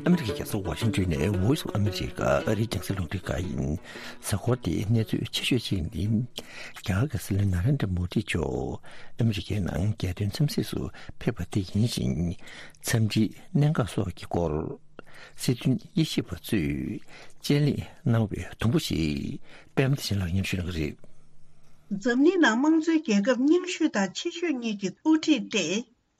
ཨ་མི་རི་ཀའི་རྒྱལ་ས་ཝ་ཤིང་ཏོན་ནས་Voice of America ཨ་རིའི་རྒྱང་སྲིང་རླུང་འཕྲིན་ཁང་ཡིན། གཟའ་འཁོར་འདིའི་གནས་ཚུལ་ཆེ་ཤོས་གཅིག་ནི། རྒྱ་གར་གྱི་སྲིད་བློན་ན་རེན་དྲ་མོ་དི་མཆོག་ཨ་མི་རི་ཀའི་ནང་རྒྱལ་དོན་འཚམས་གཟིགས་སུ་ཕེབས་པ་དེ་ཡིན་ཞིང་། འཚམས་འདྲིའི་གནད་འགག་སོགས་ཀྱི་སྐོར། སྲིད་དོན་དབྱེ་ཞིབ་པ་ཚོས་དཔྱད་གླེང་གནང་བའི་དུམ་བུ་ཞིག་པད་མ་བདེ་ཆེན་ལགས་སྙན་ཞུ་གནང་གི་རེད། འཛམ་གླིང་ནང་དམངས་གཙོའི་རྒྱལ་ཁབ་རྙིང་ཤོས་དང་ཆེ་ཤོས་གཉིས་ཀྱི་དབུ་ཁྲིད་དེ།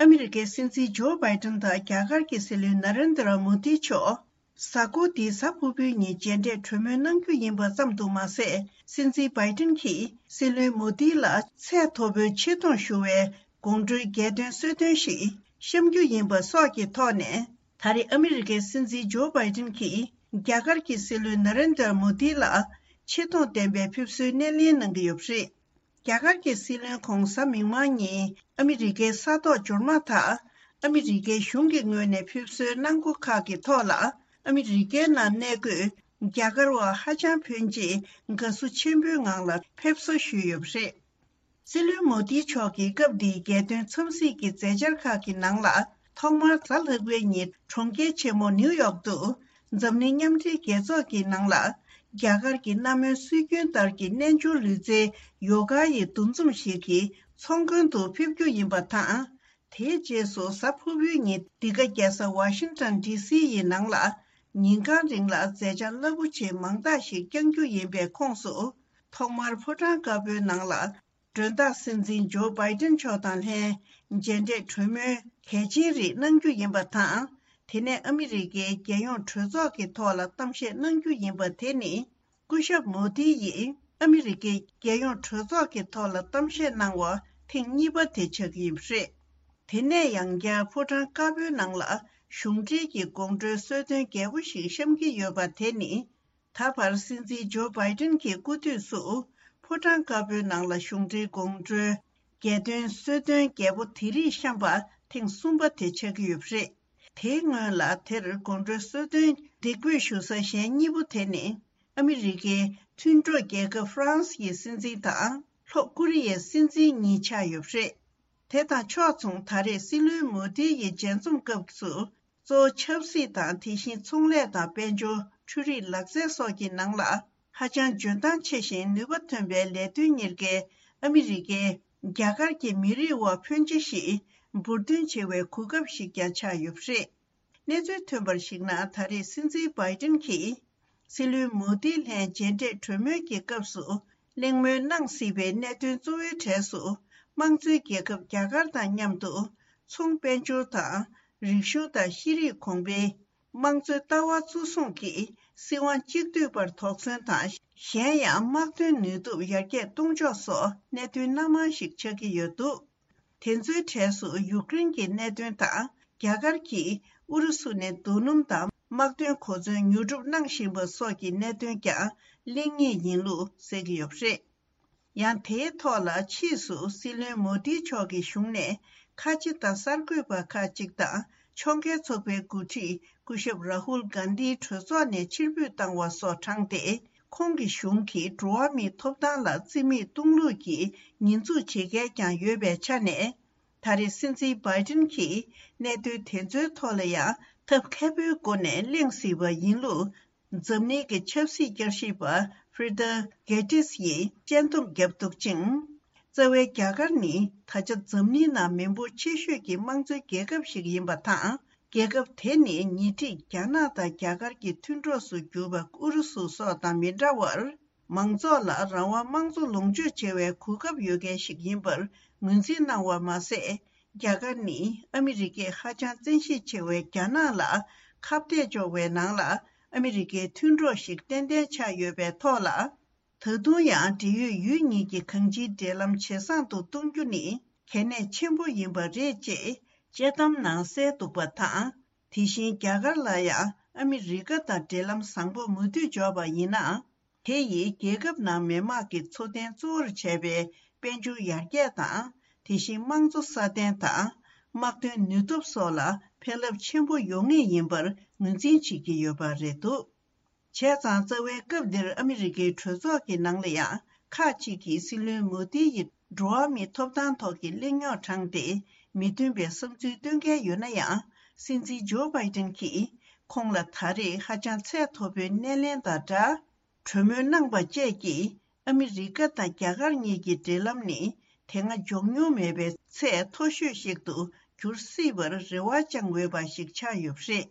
ཨ་མི་རི་ཀའི་སྲིད་འཛིན་ཇོ་བྷའི་ཏན་དང་རྒྱ་གར་གྱི་སྲིད་བློན་ན་རེན་དྲ་མོ་དི་མཆོག་གཟའ་འཁོར་འདིའི་གཟའ་ཕུར་བུའི་ཉིན་མཇལ་འཕྲད་གྲོས་མོལ་གནང་རྒྱུ་ཡིན་པ་ཙམ་དུ་མ་ཟད། སྲིད་འཛིན་བྷའི་ཏན་གྱིས་སྲིད་བློན་མོ་དི་ལ་ཚད་མཐོ་པོའི་ཆེ་མཐོང་ཞུ་བའི་དགོང་དྲོའི་རྒྱལ་དོན་གསོལ་སྟོན་ཞིག་བཤམས་རྒྱུ་ཡིན་པ་སོགས་ཀྱི་ཐོག་ནས། ད་རེས་ཨ་མི་རི་ཀའི་སྲིད་འཛིན་ཇོ་བྷའི་ཏན་གྱིས་རྒྱ་གར་གྱི་སྲིད་བློན་ན་རེན་དྲ་མོ་དི་ལ་ཆེ་མཐོང་ལྡན་པའི་ཕེབས་བསུའི་སྣེ་ལེན་གནང་གི་ཡོད་པ་རེད། རྒྱ་གར་གྱི་སྲིད་བློན་ཁོང་གཟའ་མིག་དམར་ཉིན་ཨ་མི་རི་ཀའི་ས་ཐོག་འབྱོར་མ་ཐག་ཨ་མི་རི་ཀའི་གཞུང་གི་ངོས་ནས་ཕེབས་བསུའི་གནང་སྒོ་ཁག་གི་ཐོག་ལ། ཨ་མི་རི་ཀའི་ནང་གནས་འཁོད་རྒྱ་གར་བ་ཧ་ཅང་ཕོན་ཆེས་དགའ་བསུ་ཆེན་པོའི་ངང་ལ་ཕེབས་བསུ་ཞུས་ཡོད་པ་རེད། སྲིད་བློན་མོ་དི་མཆོག་གིས་སྐབས་འདིའི་རྒྱལ་དོན་འཚམས་གཟིགས་ཀྱི་མཛད་འཆར་ཁག་གི་ནང་ལ། ཐོག་མར་གཟའ་ལྷག་པའི་ཉིན་གྲོང་ཁྱེར་ཆེན་མོ་ནིའུ་ཡོག་ཏུ་འཛམ་གླིང་མཉམ་འབྲེལ་རྒྱལ་ཚོགས་ཀྱི་ནང་ལ། རྒྱ་གར་གྱི་གནའ་མོའི་སྲོལ་རྒྱུན་ལྟར་གྱི་རྣལ་འབྱོར་ལུས་རྩལ་ཡོ་ག་ཡི་འདུ་འཛོམས་ཤིག་གི་ཚོགས་མགོན་དུ་ཕེབས་རྒྱུ་ཡིན་པ་དང་། དེའི་རྗེས་སུ་གཟའ་ཕུར་བུའི་ཉིན་འདི་ག་རྒྱལ་ས་ཝ་ཤིང་ཊོན་ཌི་སི་ཡི་ནང་ལ་ཉིན་གང་རིང་ལ་མཛད་འཆར་རླབས་པོ་ཆེ་མང་དག་ཞིག་བསྐྱང་རྒྱུ་ཡིན་པའི་ཁོངས་སུ། ཐོག་མར་ཕོ་བྲང་དཀར་པོའི་ནང་ལ་མགྲོན་བདག་སྲིད་འཛིན་ཇོ་བྷའི་ཏན་མཆོག་དང་ལྷན་མཇལ་འཕྲད་གྲོས་མོལ་གལ་ཆེན་རིགས་གནང་རྒྱུ་ཡིན་པ་དང་། དེ་ནས་ཨ་མི་རི་ཀའི་རྒྱལ་ཡོངས་གྲོས་ཚོགས་ཀྱི་ཐོག་ལ་གཏམ་བཤད་གནང་རྒྱུ་ཡིན་པ་དེ་ནི། སྐུ་ཞབས་མོ་དི་ཡིས་ཨ་མི་རི་ཀའི་རྒྱལ་ཡོངས་གྲོས་ཚོགས་ཀྱི་ཐོག་ལ་གཏམ་བཤད་གནང་བ་ཐེངས་གཉིས་པ་དེ་ཆགས་ཀྱི་ཡོད་པ་རེད། དེ་ནས་ཡང་བསྐྱར་ཕོ་བྲང་དཀར་པོའི་ནང་ལ་གཞུང་འབྲེལ་གྱི་དགོང་དྲོའི་གསོལ་སྟོན་རྒྱས་པོ་ཞིག་བཤམས་ཀྱི་ཡོད་པ་དེ་ནི། ད་བར་སྲིད་འཛིན་ཇོ་བྷའི་ཏན་གྱི་སྐུ་དུས་སུ་ཕོ་བྲང་དཀར་པོའི་ནང་ལ་གཞུང་འབྲེལ་དགོང་དྲོའི་རྒྱལ་དོན་གསོལ་སྟོན་རྒྱས་པོ་དེ་རིགས་བཤམས་པ་ཐེངས་གསུམ་པ་དེ་ཆགས་ཀྱི་ཡོད་པ་རེད། དེའི་སྔོན་ལ་དེར་དགོང་དྲོའི་གསོལ་སྟོན་འདེགས་འབུལ་ཞུ་ས་གཞན་གཉིས་པོ་དེ་ནི། ཨ་མི་རི་ཀའི་མཐུན་གྲོགས་རྒྱལ་ཁབ་ཧྥ་རན་སི་ཡི་སྲིད་འཛིན་དང་ལྷོ་ཀོ་རི་ཡའི་སྲིད་འཛིན་གཉིས་ཆགས་ཡོད་པ་རེད། དེ་དང་ཕྱོགས་མཚུངས་ད་རེས་སྲིད་བློན་མོ་དི་ཡི་མཇལ་འཛོམས་སྐབས་སུ། གཙོ་བོ་ཆབ་སྲིད་དང་དེ་བཞིན་ཚོང་ལས་དང་དཔལ་འབྱོར། འཕྲུལ་རིག་ལག་རྩལ་སོགས་ཀྱི་ནང་ལ་ཧ་ཅང་འཇོན་ཐང་ཆེ་ཞིང་ནུས་པ་ཐོན་པའི་ལས་དོན་གཉེར་མཁན་ཨ་མི་རི་ཀའི་རྒྱ་གར་གྱི་མི་རིགས་བ་ཕོན་ཆེ་ཞིག་འབུར་འདོན་བྱེད་པའི་གོ་སྐབས་ཤིག་ཀྱང་ཆགས་ཡོད་པ་རེད། གནས་ཚུལ་ཐོན་པར་གཞིགས་ན། ད་རེས་སྲིད་འཛིན་བྷའི་ཏིན་གྱིས་སྲིད་བློན་མོ་དི་ལྷན་མཇལ་འཕྲད་གྲོས་མོལ་གྱི་སྐབས་སུ་གླེང་མོལ་གནང་སྲིད་པའི་གནད་དོན་གཙོ་བོའི་གྲས་སུ། དམངས་གཙོའི་རྒྱལ་ཁབ་རྒྱ་གར་དང་མཉམ་དུ་ཚོང་དཔལ་འབྱོར་དང་། རིག་གཞུང་དང་ཤེས་རིག་གོང་འཕེལ། དམངས་གཙོའི་ལྟ་བ་གཙོ་བཟུང་གིས་སྲིད་དབང་གཅིག་སྡུད་པར་དོགས་ཟོན་དང་། གཞན་ཡང་དམག་དོན་ནུས་སྟོབས་ཡར་རྒྱས་གཏོང་ཕྱོགས་སོགས་གནད་དོན་སྣ་མང་ཞིག་ཆགས་ཀྱི་ཡོད་འདུག་དེ་ཚོའི་གྲས་སུ་ཡུཀ་རེན་གྱི་གནད་དོན་དང་། རྒྱ་གར་གྱིས་ཨུ་རུ་སུ་ནས་རྡོ་སྣུམ་དང་དམག་དོན་གོ་མཚོན་ཉོ་སྒྲུབ་གནང་བཞིན་པ་སོགས་ཀྱི་གནད་དོན་ཀྱང་གླེང་ངེས་ཡིན་ལུགས་གསལ་གྱི་ཡོད་པ་རེད། ཡང་དེའི་ཐོག་ལ་ཕྱིས་སུ་སྲིད་བློན་མོ་དི་མཆོག་གི་གཞུང་ནས་ཁ་ཆེ་དང་གསར་འགོད་པ་ཁག་ཅིག་དང་ཕྱོགས་འགལ་ཚོགས་པའི་འགོ་ཁྲིད་སྐུ་ཞབས་རཱ་ཧུལ་གྷན་དྷིའི་གྲོས་ཚོགས་ནས་ཕྱིར་འབུད་བཏང་བ་སོགས་དྲངས་ཏེ། ཁོང་གི་གཞུང་གིས་འགྲོ་བ་མིའི་ཐོབ་ཐང་ལ་རྩིས་མེད་གཏོང་ལུགས་ཀྱི་ཉེས་འཛུགས་བྱེད་མཁན་ཀྱང་ཡོད་པའི་ཆ་ནས། ད་རེས་སྲིད་འཛིན་བྷའི་ཏིན་གྱིས་གནད་དོན་དེ་ཚོའི་ཐོག་ལ་ཡང་ཐབས་མཁས་པོའི་སྒོ་ནས་གླེང་སྲིད་པ་ཡིན་ལུགས། འཛམ་གླིང་གི་ཆབ་སྲིད་བསྐྱར་ཞིབ་པ་ཧྥི་རི་ཏ་གེ་ཏིས་ཡིས་དཔྱད་འདེམས་བརྒྱབ་འདུག་ཅིང་། རྩ་བའི་རྒྱ་གར་ནི་ད་ཆ་འཛམ་གླིང་ནང་མི་འབོར་ཆེ་ཤོས་ཀྱི་དམངས་གཙོའི་རྒྱལ་ཁབ་ཞིག་ཡིན་པ་དང་། རྒྱལ་ཁབ་དེ་ནི་ཉེ་འཁྲིས་རྒྱ་ནག་དང་རྒྱ་གར་གྱི་མཐུན་གྲོགས་སུ་གྱུར་པ་ཨུ་རུ་སུ་སོགས་དང་མི་འདྲ་བར། མང་ཚོགས་ལ་རང་དབང་དམངས་གཙོ་ལོངས་སྤྱོད་བྱེད་པའི་གོ་སྐབས་ཡོད་མཁན་ཞིག་ཡིན་པར་ངོས་འཛིན་གནང་བ་མ་ཟད། རྒྱ་གར་ནི་ཨ་མི་རི་ཀས་ཧ་ཅང་བཙན་ཤེད་ཆེ་བའི་རྒྱ་ནག་ལ་ཁ་གཏད་གཅོག་པའི་ནང་ལ་ཨ་མི་རི་ཀའི་མཐུན་གྲོགས་ཤིག་ཏན་ཏན་ཆགས་ཡོད་པའི་ཐོག་ལ། ད་དུང་ཡང་འབྲེལ་ཡོད་ཡུལ་གཉིས་ཀྱི་གང་ཅིའི་འབྲེལ་ལམ་ཇེ་བཟང་དུ་གཏོང་རྒྱུ་ནི་གལ་གནད་ཆེན་པོ་ཡིན་པ་རེད་ཅེས་དཔྱད་གཏམ་ནང་གསལ་འདུག་པ་དང་། དེ་བཞིན་རྒྱ་གར་ལ་ཡང་ཨ་མི་རི་ཀ་དང་འབྲེལ་ལམ་བཟང་པོ་མུ་མཐུད་འཇོག་པ་ཡིན་ན། དེ་ཡིས་རྒྱལ་ཁབ་ནང་མི་དམངས་ཀྱི་འཚོ་རྟེན་གཙོ་བོར་བྱས་པའི་དཔལ་འབྱོར་ཡར་རྒྱས་དང་། དེ་བཞིན་དམངས་འཚོ་སྲ་བརྟན་དང་། དམག་དོན་ནུས་སྟོབས་སོགས་ལ་ཕན་རླབས་ཆེན་པོ་ཡོང་ངེས་ཡིན་པར་ངོས་འཛིན་བྱེད་ཀྱི་ཡོད་པ་རེད་འདུག་བྱས་ཙང་རྩ་བའི་སྐབས་འདིར་ཨ་མི་རི་ཀའི་གྲོས་ཚོགས་ཀྱི་ནང་ལ་ཡང་ཁག་ཅིག་གིས་སྲིད་བློན་མོ་དི་ཡི་འགྲོ་བ་མིའི་ཐོབ་ཐང་ཐོག་གི་གླེང་རྙོག་དྲངས་ཏེ་མི་མཐུན་པའི་བསམ་ཚུལ་བཏོན་མཁན་ཡོད་ན་ཡང་། སྲིད་འཛིན་ཇོ་བྷའི་ཏན་གྱིས་ཁོང་ལ་ད་རེས་ཧ་ཅང་ཚད་མཐོ་པོའི་སྣེ་ལེན་དང་སྦྲགས། གྲོས་མོལ་གནང་པ་བཅས་ཀྱིས་ཨ་མི་རི་ཀ་དང་རྒྱ་གར་གཉིས་ཀྱི་འབྲེལ་ལམ་ནི་དེ་སྔ་འཇོག་མྱོང་མེད་པའི་ཚད་མཐོ་ཤོས་ཤིག་ཏུ་འགྱུར་སྲིད་པར་རེ་བ་བཅངས་འོས་པ་ཞིག་ཆགས་ཡོད་པ་རེད།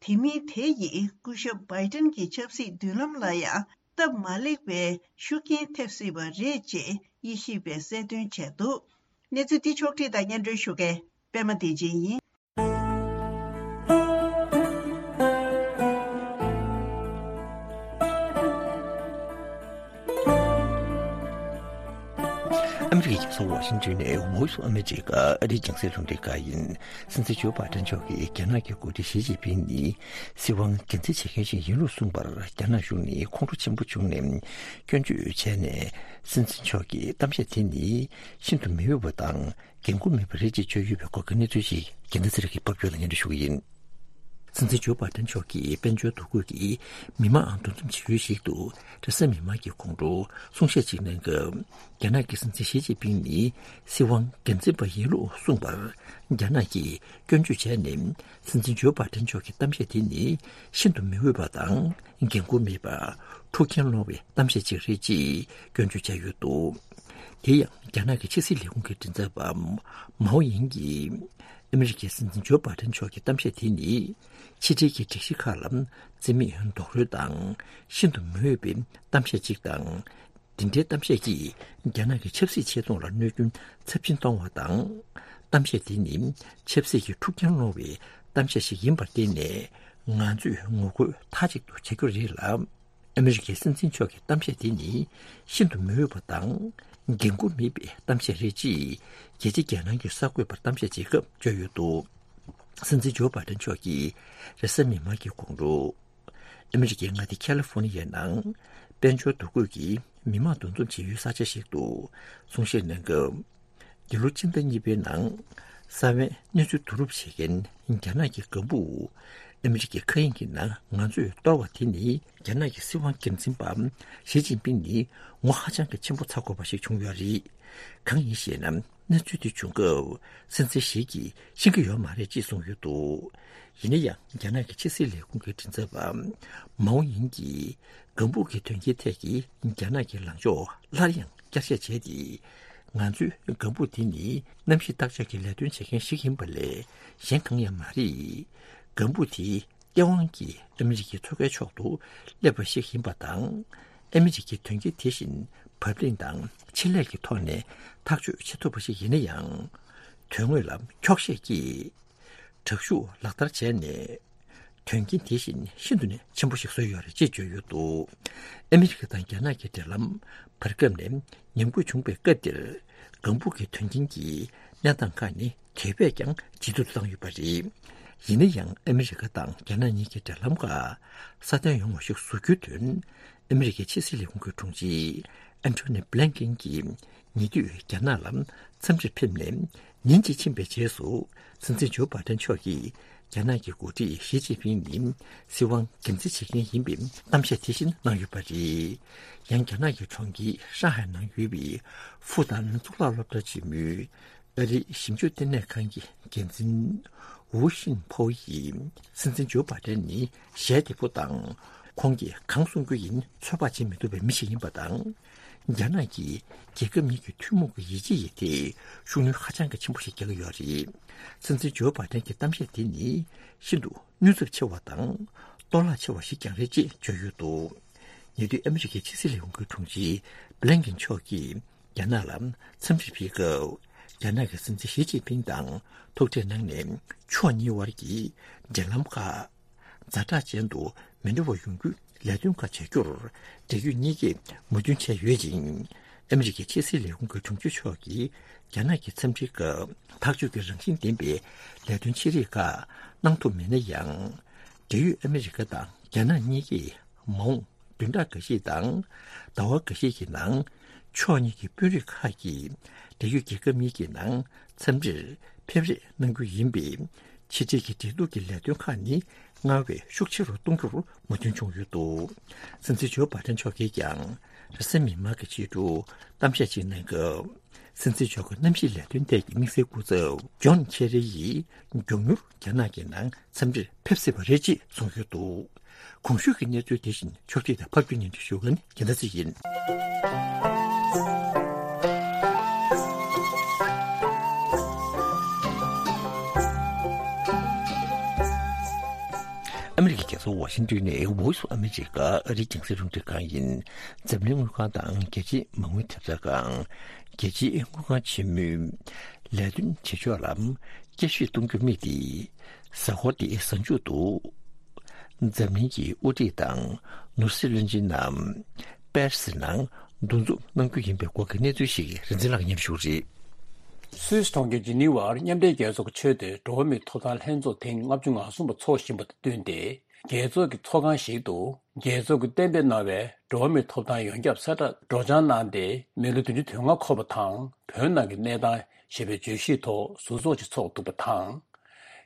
དེ་མིན་དེ་ཡིས་སྐུ་ཞབས་བྷའི་ཏན་གྱི་ཆབ་སྲིད་མདུན་ལམ་ལ་ཡང་སྟབས་མ་ལེགས་པའི་ཤུགས་རྐྱེན་ཐེབས་སྲིད་པ་རེད་ཅེས་དབྱེ་ཞིབ་པས་གསལ་སྟོན་བྱས་འདུག་གནས་ཚུལ་འདི་ཕྱོགས་བསྒྲིགས་དང་སྙན་སྒྲོན་ཞུ་མཁན་པད་མ་བདེ་ཆེན་ཡིན། ཨ་མི་རི་ཀའི་རྒྱལ་ས་ཝ་ཤིང་ཏོན་ནས་Voice of America ཨ་རིའི་རྒྱང་སྲིང་རླུང་འཕྲིན་ཁང་ཡིན། སྲིད་འཛིན་ཇོ་བྷའི་ཏན་མཆོག་གིས་རྒྱ་ནག་གི་འགོ་ཁྲིད་ཞི་ཅིན་ཕིང་ནི་སྲིད་དབང་སྒེར་འཛིན་བྱེད་མཁན་ཞིག་ཡིན་ལུགས་གསུངས་པར་རྒྱ་ནག་གཞུང་ནི་ཁོང་ཁྲོ་ཆེན་པོ་བྱུང་ནས་སྐྱོན་བརྗོད་བྱས་ནས། སྲིད་འཛིན་མཆོག་གི་གཏམ་བཤད་དེ་ནི་ཤིན་ཏུ་མི་འོས་པ་དང་འགན་འཁུར་མེད་པ་རེད་ཅེས་བརྗོད་ཡོད་པའི་སྐོར་གྱི་གནས་ཚུལ་ཞིག་རྒྱལ་མཚན་ཚེ་རིང་གིས་ཕབ་སྒྱུར་དང་སྙན་སྒྲོན་ཞུ་གི་ཡིན། སྲིད་འཛིན་ཇོ་བྷའི་ཏན་མཆོག་གིས་དཔལ་འབྱོར་འདུ་འགོད་ཀྱིས་མི་མང་འདུ་འཛོམས་བྱེད་ཡུལ་ཞིག་ཏུ་རེས་གཟའ་མིག་དམར་གྱི་དགོང་དྲོ་གསུང་བཤད་ཅིག་གནང་སྐབས། རྒྱ་ནག་གི་སྲིད་འཛིན་ཞི་ཅིན་ཕིང་ནི་སྲིད་དབང་སྒེར་འཛིན་པ་ཡིན་ལུགས་གསུངས་པར་རྒྱ་ནག་གིས་སྐྱོན་བརྗོད་བྱས་ནས། སྲིད་འཛིན་ཇོ་བྷའི་ཏན་མཆོག་གི་གཏམ་བཤད་དེ་ནི་ཤིན་ཏུ་མི་འོས་པ་དང་འགན་འཁུར་མེད་པ། འཁྲུག་རྐྱེན་སློང་བའི་གཏམ་བཤད་ཅིག་རེད་ཅེས་སྐྱོན་བརྗོད་བྱས་ཡོད་འདུག་དེ་ཡང་རྒྱ་ནག་གི་ཕྱི་སྲིད་ལས་ཁུངས་ཀྱི་མགྲིན་ཚབ་པ་མའོ་ཡིང་གིས། ཨ་མི་རི་ཀའི་སྲིད་འཛིན་ཇོ་བྷའི་ཏན་མཆོག་གི་གཏམ་བཤད་དེ་ནི་ཕྱི་འབྲེལ་གྱི་སྒྲིག་གཞི་ཁག་ལ་རྩིས་མེད་རྡོག་རོལ་དང་ཤིན་ཏུ་མི་འོས་པའི་གཏམ་བཤད་ཅིག་དང་། འདི་འདྲའི་གཏམ་བཤད་ཀྱིས་རྒྱ་ནག་གི་ཆབ་སྲིད་ཆེད་གཏོང་ལ་གནོད་སྐྱོན་ཚབས་ཆེན་གཏོང་བ་དང་། གཏམ་བཤད་དེ་ནི་ཆབ་སྲིད་ཀྱི་འཁྲུག་རྐྱེན་སློང་བའི་གཏམ་བཤད་ཞིག་ཡིན་པར་བརྟེན་ནས། ང་ཚོས་ངོ་རྒོལ་མཐའ་གཅིག་ཏུ་བྱ་རྒྱུ་རེད་ལ། ཨ་མི་རི་ཀའི་སྲིད་འཛིན་མཆོག་གི་གཏམ་བཤད་དེ་ནི་ཤིན་ཏུ་མི་འོས་པ་དང་། འགན་འཁུར་མེད་པའི་གཏམ་བཤད་རེད་ཅེས་རྒྱལ་སྤྱི་རྒྱལ་ནང་གི་གསར་འགོད་པར་གཏམ་བཤད་བྱེད་སྐབས་བརྗོད་ཡོད་འདུག་སྲིད་འཛིན་ཇོ་བྷའི་ཏན་མཆོག་གིས་རེས་གཟའ་མིག་དམར་གྱི་དགོང་དྲོ། ཨ་མི་རི་ཀའི་མངའ་སྡེ་ཁ་ལི་ཧྥོ་ནི་ཡའི་ནང་། དཔལ་འབྱོར་འདུ་འགོད་ཀྱིས་མི་མང་འདུ་འཛོམས་བྱེད་ཡུལ་ས་ཆ་ཞིག་ཏུ་གསུང་བཤད་གནང་སྐབས། འདི་ལོ་སྤྱི་ཟླ་གཉིས་པའི་ནང་། ས་བོན་གནས་ཚུལ་བསྡུ་རུབ་བྱེད་མཁན་རྒྱ་ནག་གི་ལྒང་བུ། ཨ་མི་རི་ཀའི་མཁའ་དབྱིངས་ཀྱི་ནང་ང་ཚོས་གཏོར་བ་དེ་ནི། རྒྱ་ནག་གི་སྲིད་དབང་སྒེར་འཛིན་པ་ཞི་ཅིན་ཕིང་ནི་ངོ་ཧ་ཅང་གི་ཆེན་པོ་ཚ་དགོས་པ་ཞིག་བྱུང་ཡོད་རེད། གང་ཡིན་ཞེ་ན། གནས་ཚུལ་དེ་བྱུང་སྐབས་སྲིད་འཛིན་ཞི་གིས་ཤེས་ཀྱི་ཡོད་མ་རེད་ཅེས་གསུངས་ཡོད་འདུག་ཡིན་ན་ཡང་རྒྱ་ནག་གི་ཕྱི་སྲིད་ལས་ཁུངས་ཀྱི་མགྲིན་ཚབ་པ་མའོ་ཡིང་གིས་ལྒང་བུ་གི་དོན་རྐྱེན་ཐད་ཀྱི་རྒྱ་ནག་གི་ལངས་ཕྱོགས་སླར་ཡང་བསྐྱར་བཤད་བྱས་ཏེ། ང་ཚོའི་ལྒང་བུ་དེ་ནི་གནམ་གཤིས་བརྟག་དཔྱད་ཀྱི་ལས་དོན་བྱེད་མཁན་ཞིག་ཡིན་པ་ལས་གཞན་གང་ཡང་མ་རེད། ལྒང་བུ་དེ་སྟེས་དབང་གིས་ཨ་མི་རི་ཀའི་མཚོ་ཁའི་ཕྱོགས་སུ་སླེབས་པ་ཞིག་ཡིན་པ་དང་། ཨ་མི་རི་ཀའི་དོན་རྐྱེན་དེ་བཞིན་བབ་བརླིང་དང་ཆེད་ལས་ཀྱི་ཐོག་ནས་ཐག་གཅོད་བྱེད་ཐུབ་པ་ཞིག་ཡིན་ན་ཡང་། དོན་དངོས་ལ་འཁྱོག་བཤད་ཀྱིས་དྲག་ཤུགས་ལག་བསྟར་བྱས་ནས། དོན་རྐྱེན་དེ་བཞིན་ཤིན་ཏུ་ནས་ཆེན་པོ་ཞིག་བཟོས་ཡོད་རེད་ཅེས་བརྗོད་ཡོད་འདུག་ཨ་མི་རི་ཀ་དང་རྒྱ་ནག་གི་འབྲེལ་ལམ་བར་སྐབས་ནས་ཉམས་རྒུད་བྱུང་བའི་སྐབས་འདིར། ལྒང་བུ་གི་དོན་རྐྱེན་གྱི་གནས་སྟངས་ཁག་ནི་དེ་བས་ཀྱང་ཇེ་སྡུག་ཏུ་བཏང་ཡོད་པ་རེད། ཡིན་ན་ཡང་ཨ་མི་རི་ཀ་དང་རྒྱ་ནག་གཉིས་ཀྱི་འབྲེལ་ལམ་ཁག་སྲ་བརྟན་ཡོང་བ་ཞིག་བཟོ་རྒྱུའི་དོན། ཨ་མི་རི་ཀའི་ཕྱི་སྲིད་ལས་ཁུངས་ཀྱི་དྲུང་ཆེ་ཨན་ཐོ་ནི་བྷི་ལན་ཀིན་གྱིས་ཉེ་དུས་རྒྱ་ནག་ལ་འཚམས་འདྲིར་ཕེབས་ནས་ཉིན་གཅིག་ཕྱིན་པའི་རྗེས་སུ། སྲིད་འཛིན་ཇོ་བྷའི་ཏན་མཆོག་གིས་རྒྱ་ནག་གི་འགོ་ཁྲིད་ཞི་ཅིན་ཕིང་ནི་སྲིད་དབང་སྒེར་འཛིན་བྱེད་མཁན་ཡིན་པའི་གཏམ་བཤད་དེ་བཞིན་གནང་ཡོད་པ་རེད། ཡང་རྒྱ་ནག་གི་གྲོང་ཁྱེར་ཧྲང་ཧའེ་ནང་ཡོད་པའི་ཧྥུ་ཏན་གཙུག་ལག་སློབ་གྲྭ་ཆེན་མོའི་ཨ་རིའི་ཞིབ་འཇུག་ལྟེ་གནས་ཁང་གི་འགན་འཛིན་ཝུ་ཤིན་ཕོ་ཡིས། སྲིད་འཛིན་ཇོ་བྷའི་ཏན་ནི་ཞལ་བདེ་པོ་དང་། ཁོང་གིས་གང་གསུང་རྒྱུ་ཡིན་ཚོད་དཔག་བྱེད་མི་ཐུབ་པའི་མི་ཞིག་ཡིན་པ་དང་། རྒྱ་ནག་གིས་རྒྱལ་ཁབ་གཉིས་ཀྱི་ཐུན་མོང་གི་ཡིད་ཆེས་ཡིན་ཏེ་ཤུགས་སྣོན་ཧ་ཅང་གི་ཆེན་པོ་ཞིག་རྒྱག་གི་ཡོད་རེད། སྲིད་འཛིན་ཇོ་བྷའི་ཏན་གྱི་གཏམ་བཤད་དེ་ནི་ཤིན་ཏུ་གནོད་ཚབས་ཆེ་བ་དང་གཏོར་བརླག་ཆེ་བ་ཞིག་ཀྱང་རེད་ཅེས་བརྗོད་ཡོད་འདུག་ཉེ་དུས་ཨ་མི་རི་ཀའི་ཕྱི་སྲིད་ལས་ཁུངས་ཀྱི་དྲུང་ཆེ་བྷི་ལན་ཀེན་མཆོག་གིས་རྒྱ་ནག་ལ་འཚམས་འདྲིར་ཕེབས་སྐབས། རྒྱ་ནག་གི་སྲིད་འཛིན་ཞི་ཅིན་ཕིང་དང་ཐུག་འཕྲད་གནང་ནས་ཕྱོགས་གཉིས་དབར་གྱི་འབྲེལ་ལམ་ཁག་ཛ་དྲག་ཅན་དུ་མི་འགྲོ་བ་ཡོང་རྒྱུའི་ལས་དོན་ཁག་བྱ་རྒྱུར་འབྲེལ་ཡོད་གཉིས་ཀས་མོས་མཐུན་བྱས་ཡོད་ཅིང་། ཨ་མི་རི་ཀའི་ཕྱི་སྲིད་ལས་ཁུངས་ཀྱི་དྲུང་ཆེ་མཆོག་གིས་རྒྱ་ནག་གི་འཚམས་འདྲིའི་སྐབས་ཐག་གཅོད་ཀྱི་རང་བཞིན་ལྡན་པའི་ལས་དོན་ཆེ་རིགས་ཁག་གནང་ཐུབ་མེད་ན་ཡང་། འབྲེལ་ཡོད་ཨ་མི་རི་ཀ་དང་རྒྱ་ནག་གཉིས་ཀས་མ་འོངས་བདུན་ཕྲག་འགའ་ཤས་དང་ཟླ་བ་འགའ་ཤས་ཀྱི་ནང་ཕྱོགས་གཉིས་ཀྱི་དཔོན་རིགས་ཁག་གིས་འབྲེལ་ཡོད་རྒྱལ་ཁབ་གཉིས་ཀྱི་ནང་འཚམས་འདྲིར་ཕེབས་རེས་གནང་རྒྱུ་ཡིན་པས། ཕྱི་འབྲེལ་གྱི་འབྲེལ་གཏུག་གི་ལས་དོན་ཁག་ནི་སྔར་བས་ཤུགས་ཆེ་རུ་གཏོང་རྒྱུར་མོས་མཐུན་བྱུང་ཡོད་འདུག་སྲིད་འཛིན་ཇོ་བྷའི་ཏན་མཆོག་གིས་ཀྱང་རེས་གཟའ་མིག་དམར་གྱི་ཕྱི་དྲོ་གཏམ་བཤད་ཅིག་གནང་སྐབས། སྲིད་འཛིན་མཆོག་གི་གནམ་གཤིས་ལས་དོན་ཐད་ཀྱི་དམིགས་བསལ་སྐུ་ཚབ་ཇོན་ཁེ་རི་ཡིས་མགྱོགས་མྱུར་རྒྱ་ནག་གི་ནང་འཚམས་འདྲིར་ཕེབས་སྲིད་པ་རེད་ཅེས་གསུངས་ཡོད་འདུག་གོང་ཞུས་ཀྱི་གནས་ཚུལ་དེ་བཞིན་ཕྱོགས་སྒྲིག་དང་ཕབ་སྒྱུར་སྙན་སྒྲོན་ཞུ་མཁན་རྒྱལ་མཚན་ཚེ་ཡིན། ཨ་མི་རི་ཀའི་རྒྱལ་ས་ཝ་ཤིང་ཏོན་ནས་Voice of America ཨ་རིའི་རྒྱང་སྲིང་རླུང་འཕྲིན་ཁང་ཡིན། འཛམ་གླིང་དངུལ་ཁང་དང་རྒྱལ་སྤྱིའི་མ་དངུལ་ཐེབས་རྩ་ཁང་། རྒྱལ་སྤྱིའི་དངུལ་ཁང་ཆེན་མོའི་ལས་དོན་བྱེད་ཕྱོགས་ལ་བསྐྱར་ཞིབ་གཏོང་རྒྱུ་དམིགས་ཏེ། གཟའ་འཁོར་འདིའི་གཟའ་མཇུག་ཏུ། འཛམ་གླིང་གི་དབུ་ཁྲིད་དང་ནོར་སྲིད་བློན་ཆེན་རྣམས་པེ་རི་སི་ནང་འདུ་འཛོམས་གནང་རྒྱུ་ཡིན་པའི་སྐོར་གྱི་གནས་ཚུལ་ཞིག་རིན་ཆེན་ལགས་ཀྱིས་སྙན་ཞུ་རེད། སུད་སི་གྲོང་ཁྱེར་ཇི་ནི་ཝར་མཉམ་འབྲེལ་རྒྱལ་ཚོགས་ཀྱི་ཆེས་མཐོའི་འགྲོ་བ་མིའི་ཐོབ་ཐང་ལྷན་ཚོགས་ཐེངས་ལྔ་བཅུ་ང་གསུམ་པ་འཚོགས་བཞིན་པ་དང་བསྟུན་ཏེ། རྒྱལ་ཚོགས་ཀྱི་ཚོགས་ཁང་ཞིག་ཏུ། རྒྱལ་ཚོགས་ཀྱིས་གཏན་འབེབས་གནང་བའི་འགྲོ་བ་མིའི་ཐོབ་ཐང་ཡོངས་ཁྱབ་གསལ་བསྒྲགས་སྒྲོག་སྦྱང་གནང་སྟེ། མི་ལོ་བདུན་ཅུ་དོན་ལྔ་འཁོར་བ་དང་བོད་ནང་གི་གནས་སྟངས་ཞེས་པའི་བརྗོད་གཞིའི་ཐོག་ཟུར་ཚོགས་ཤིག་ཚོགས་འདུག་པ་དང་།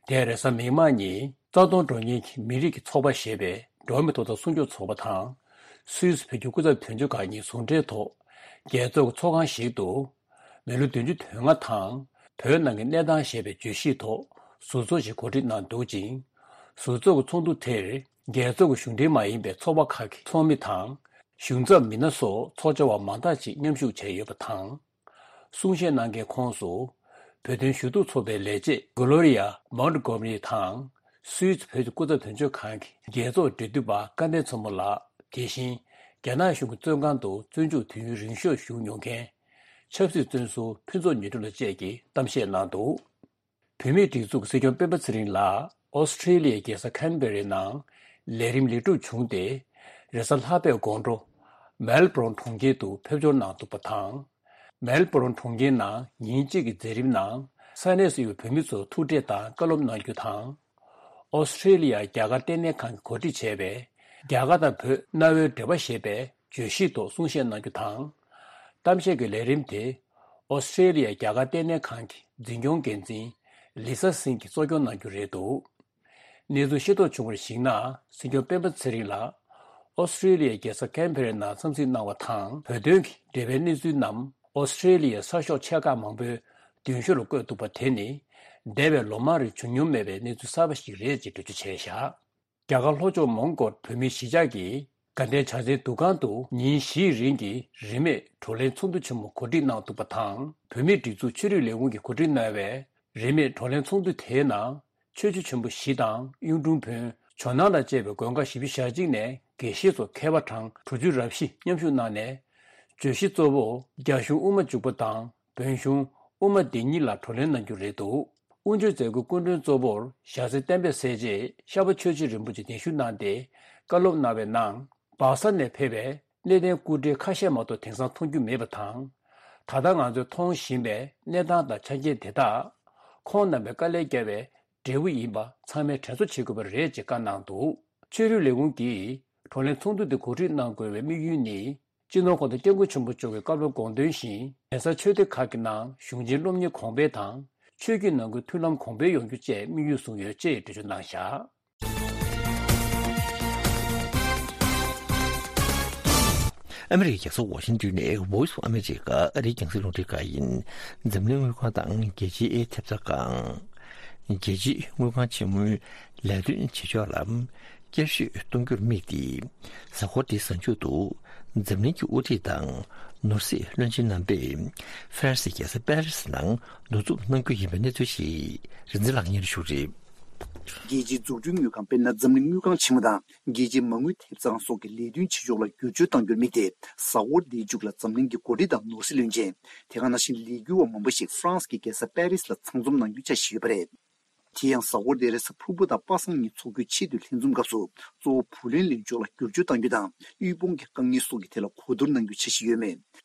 དེར་རེས་གཟའ་མིག་དམར་ཉིན་རྩ་སྟོང་འགྲོ་མཁན་གྱི་མི་རིགས་ཀྱི་ཚོགས་པ་ཞེས་པའི་འགྲོ་བ་མིའི་ཐོབ་ཐང་སྲུང་སྐྱོབ་ཚོགས་པ་དང་། སུད་སི་བོད་ཀྱི་སྐུ་ཚབ་དོན་གཅོད་ཁང་གཉིས་ཟུང་འབྲེལ་ཐོག་རྒྱལ་ཚོགས་ཀྱི་ཚོགས་ཁང་ཞིག་ཏུ། མི་ལོ་བདུན་ཅུ་དོན་ལྔ་དང་བོད་ནང་གི་གནས་སྟངས་ཞེས་པའི་བརྗོད་གཞིའི་ཐོག་ཟུར་ཚོགས་ཤིག་གོ་སྒྲིག་གནང་འདུག་ཅིང་། ཟུར་ཚོགས་ཀྱི་ཚོགས་འདུ་དེར་རྒྱལ་ཚོགས་ཀྱི་གཞུང་འབྲེལ་མ་ཡིན་པའི་ཚོགས་པ་ཁག་གི་ཚོགས་མི་དང་། གཞུང་ཚབ་མི་སྣ་སོགས་ཚོགས་བཅར་བ་མང་དག་ཅིག་མཉམ་ཞུགས་བྱས་ཡོད་པ་དང་། གསུང་བཤད་གནང་མཁན་ཁོངས་སུ། བོད་དོན་ཞུ་གཏུག་ཚོགས་པའི་ལས་བྱེད་གྷོ་ལོ་རི་ཡ་མོན་ཏི་གྷོ་མ་རི་དང་། སུད་སི་བོད་ཀྱི་སྐུ་ཚབ་དོན་གཅོད་ཁང་གི་རྒྱལ་ཚོགས་འབྲེལ་མཐུད་པ་སྐལ་ལྡན་མཚོ་མོ་ལགས། དེ་བཞིན། རྒྱ་ནག་གཞུང་གི་བཙོན་ཁང་དུ་བཙོན་འཇུག་དུས་ཡུན་རིང་ཤོས་བཞུགས་མྱོང་མཁན། ཆབ་སྲིད་བཙོན་ཟུར་ཕུན་ཚོགས་ཉི་སྒྲོན་ལགས་བཅས་ཀྱིས་གཏམ་བཤད་གནང་འདུག་བོད་མིའི་སྒྲིག་འཛུགས་ཀྱི་སྲིད་སྐྱོང་སྤེན་པ་ཚེ་རིང་ལགས་ཨོ་སི་ཁྲེ་ལི་ཡའི་རྒྱལ་ས་ཁན་བེ་རའི་ནང་ལས་རིམ་ལེགས་གྲུབ་བྱུང་སྟེ། རེས་གཟའ་ལྷག་པའི་དགོང་དྲོ། མེལ་བྷོ་རོན་གྲོང་ཁྱེར་དུ་ཕེབས་འབྱོར་གནང་འདུག་པ་དང་། མེལ་བྷོ་རོན་གྲོང་ཁྱེར་ནང་ཉིན་གཅིག་གི་མཛད་རིམ་ནང་ས་གནས་སུ་ཡོད་པའི་བོད་མི་ཚོར་ཐུག་འཕྲད་དང་བཀའ་སློབ་གནང་རྒྱུ་དང་། ཨོ་སི་ཁྲེ་ལི་ཡ་རྒྱ་གར་ལྟེ་གནས་ཁང་གིས་གོ་སྒྲིག་བྱས་པའི་རྒྱ་གར་དང་བོད་གནའ་བོའི་འབྲེལ་བ་ཞེས་པའི་བརྗོད་གཞིའི་ཐོག་གསུང་བཤད་གནང་རྒྱུ་དང་། གཏམ་བཤད་ཀྱི་ལས་རིམ་དེ་ཨོ་སི་ཁྲེ་ལི་ཡ་རྒྱ་གར་ལྟེ་གནས་ཁང་གི་འཛིན་སྐྱོང་འགན་འཛིན་ལི་ས་སིང་གིས་གཙོ་སྐྱོང་གནང་རྒྱུ་རེད་འདུག་གནས་ཚུལ་ཤེས་རྟོགས་བྱུང་བར་གཞིགས་ན། སྲིད་སྐྱོང་སྤེན་པ་ཚེ་རིང་ལགས་ཨོ་སི་ཁྲེ་ལི་ཡའི་རྒྱལ་ས་ཁན་བེ་རའི་ནང་འཚམས་གཟིགས་གནང་བ་དང་། བོད་དོན་གྱི་འབྲེལ་བའི་གནས་ཚུལ་རྣམས་ཨོ་སི་ཁྲེ་ལི་ཡའི་གསར་ཤོག་ཆེ་ཁག་མང་པོའི་མདུན་ཤོག་ལ་བཀོད་འདུག་པ་དེ་ནི། འདས་པའི་ལོ་མང་རིང་བྱུང་མྱོང་མེད་པའི་གནས་ཚུལ་གསར་པ་ཞིག་རེད་ཅེས་འགྲེལ་བརྗོད་བྱས་བཞག་རྒྱ་གར་ལྷོ་ཕྱོགས་མོན་གྷོར་བོད་མིའི་གཞིས་ཆགས་ཀྱི་དགའ་ལྡན་བྱ་བྲལ་འདུ་ཁང་དུ་ཉིན་བཞིའི་རིང་གི་རིན་མེད་བགྲོ་གླེང་ཚོགས་འདུ་ཆེན་མོ་གོ་སྒྲིག་གནང་འདུག་པ་དང་། བོད་མིའི་སྒྲིག་འཛུགས་ཆོས་རིག་ལས་ཁུངས་ཀྱིས་གོ་སྒྲིག་གནང་བའི་རིན་མེད་བགྲོ་གླེང་ཚོགས་འདུ་དེའི་ནང་། ཆོས་བརྒྱུད་ཆེན་པོ་བཞི་དང་གཡུང་དྲུང་བོན། ཇོ་ནང་དང་བཅས་པའི་མགོན་ཁག་བཞི་བཅུ་ཞེ་གཅིག་ནས་དགེ་བཤེས་ཚོ་མཁས་པ་གྲངས་དྲུག་ཅུ་རབ་བཞི་མཉམ་ཞུགས་གནང་ནས། བརྗོད་གཞི་གཙོ་བོ་རྒྱ་གཞུང་དབུ་མ་འཇུག་པ་དང་བོན་གཞུང་དབུ་མ་སྡེ་གཉིས་ལ་བགྲོ་གླེང་གནང་རྒྱུ་རེད་འདུག་དབུ་འབྱེད་མཛད་སྒོའི་སྐུ་མགྲོན་གཙོ་བོར་ཞྭ་སེ་བསྟན་པའི་སྲས་བཅས་ཤར་པ་ཆོས་རྗེ་རིན་པོ་ཆེ་གདན་ཞུ་གནང་སྟེ་བཀའ་སློབ་གནང་བའི་ནང་། སྦག་ས་ནས་ཕེབས་པའི་གནས་བརྟན་སྐུ་བགྲེས་ཁ་ཤས་མ་གཏོགས་དེང་སང་མཐོང་རྒྱུ་མེད་པ་དང་། ད་ལྟ་ང་ཚོས་མཐོང་བཞིན་པའི་གནས་སྟངས་དང་ཆ་རྐྱེན་དེ་དག་ཁོང་རྣམ་པའི་དཀའ་ལས་བརྒྱབ་པའི་འབྲས་བུ་ཡིན་པ་ཚང་མས་དྲན་གསོ་བྱེད་དགོས་པ་རེད་ཅེས་བཀའ་གནང་འདུག་ཆོས་རིག་ལས་ཁུངས་ཀྱིས་བགྲོ་གླེང་ཚོགས་འདུ་དེ་གོ་སྒྲིག་གནང་དགོས་པའི་དམིགས་ཡུལ་ནི། སྤྱི་ནོར་གོང་ས་སྐྱབས་མགོན་ཆེན་པོ་མཆོག་གི་བཀའ་སློབ་དགོངས་དོན་བཞིན། གདན་ས་ཆོས་སྡེ་ཁག་གི་ནང་གཞུང་ཆེན་སློབ་གཉེར་གོང་འཕེལ་དང་། ཆོས་བརྒྱུད་ནང་ཁུལ་མཐུན་ལམ་གོང་འཕེལ་ཡོང་རྒྱུ་བཅས་དམིགས་ཡུལ་བཟུང་ཡོད་ཅེས་འགྲེལ་བརྗོད་གནང་བཞག་ཨ་མི་རི་ཀའི་རྒྱལ་ས་ཝ་ཤིང་ཏོན་ནས་Voice of America ཨ་རིའི་རྒྱང་སྲིང་རླུང་འཕྲིན་ཁང་ཡིན། འཛམ་གླིང་དངུལ་ཁང་དང་རྒྱལ་སྤྱིའི་ཐེབས་རྩ་ཁང་། རྒྱལ་སྤྱིའི་དངུལ་ཁང་ཆེན་མོའི་ལས་དོན་བྱེད་ཕྱོགས་ལ་ བསྐྱར་ཞུ་གཏོང་རྒྱུར་དམིགས་ཏེ། གཟའ་འཁོར་འདིའི་གཟའ་མཇུག་ཏུ་འཛམ་གླིང་གི་དབུ་ཁྲིད་དང་ནོར་སྲིད་བློན་ཆེན་རྣམ་པས་ཧྥ་རན་སིའི་རྒྱལ་ས་པེ་རི་སི་ནང་གདུང་འཚོབ་གནང་རྒྱུ་ཡིན་པའི་གནས་ཚུལ་ཞིག་རིག་འཛིན་ལགས་སྙན་ཞུ་རེད། རྒྱལ་སྤྱིའི་འཛུགས་སྐྲུན་དངུལ་ཁང་དཔེར་ན་འཛམ་གླིང་དངུལ་ཁང་ཆེན་མོ་དང་རྒྱལ་སྤྱིའི་མ་དངུལ་ཐེབས་རྩ་ཁང་སོགས་ཀྱི་ལས་དོན་བྱེད་ཕྱོགས་ལ་བསྒྱུར་བཅོས་གཏང་རྒྱུར་དམིགས་ཏེ། གཟའ་འཁོར་འདིའི་མཇུག་ལ་འཛམ་གླིང་གི་འགོ་ཁྲིད་དང་ནོར་སྲིད་བློན་ཆེན། དེ་ག་ནང་བཞིན་ལས་འགུལ་བ་མང་པོ་ཞིག་ཧྥ་རན་སི་གི་རྒྱལ་ས་པེ་རི་སི་ལ་ཚང་འཛོམས་གནང་རྒྱུའི་འཆར་གཞི་ཡོད་པ་རེད། དེ་ཡང་གཟའ་འཁོར་འདིར་ས་ཕུར་བུ་དང་པ་སངས་ཉིན་ཚོགས་རྒྱུའི་ཆེས་མཐོའི་ལྷན་འཛོམས་སྐབས་སུ། གཙོ་བོ་བུ་ལོན་ལེན་ཕྱོགས་ལ་བསྒྱུར་བཅོས་གཏང་རྒྱུ་དང་། དབུལ་ཕོངས་ཀྱི་དཀའ་ངལ་སོགས་ཀྱི་ཐད་ལ་གོ་བསྡུར་གནང་རྒྱུའི་འཆར་གཞི་ཡོད་མོད།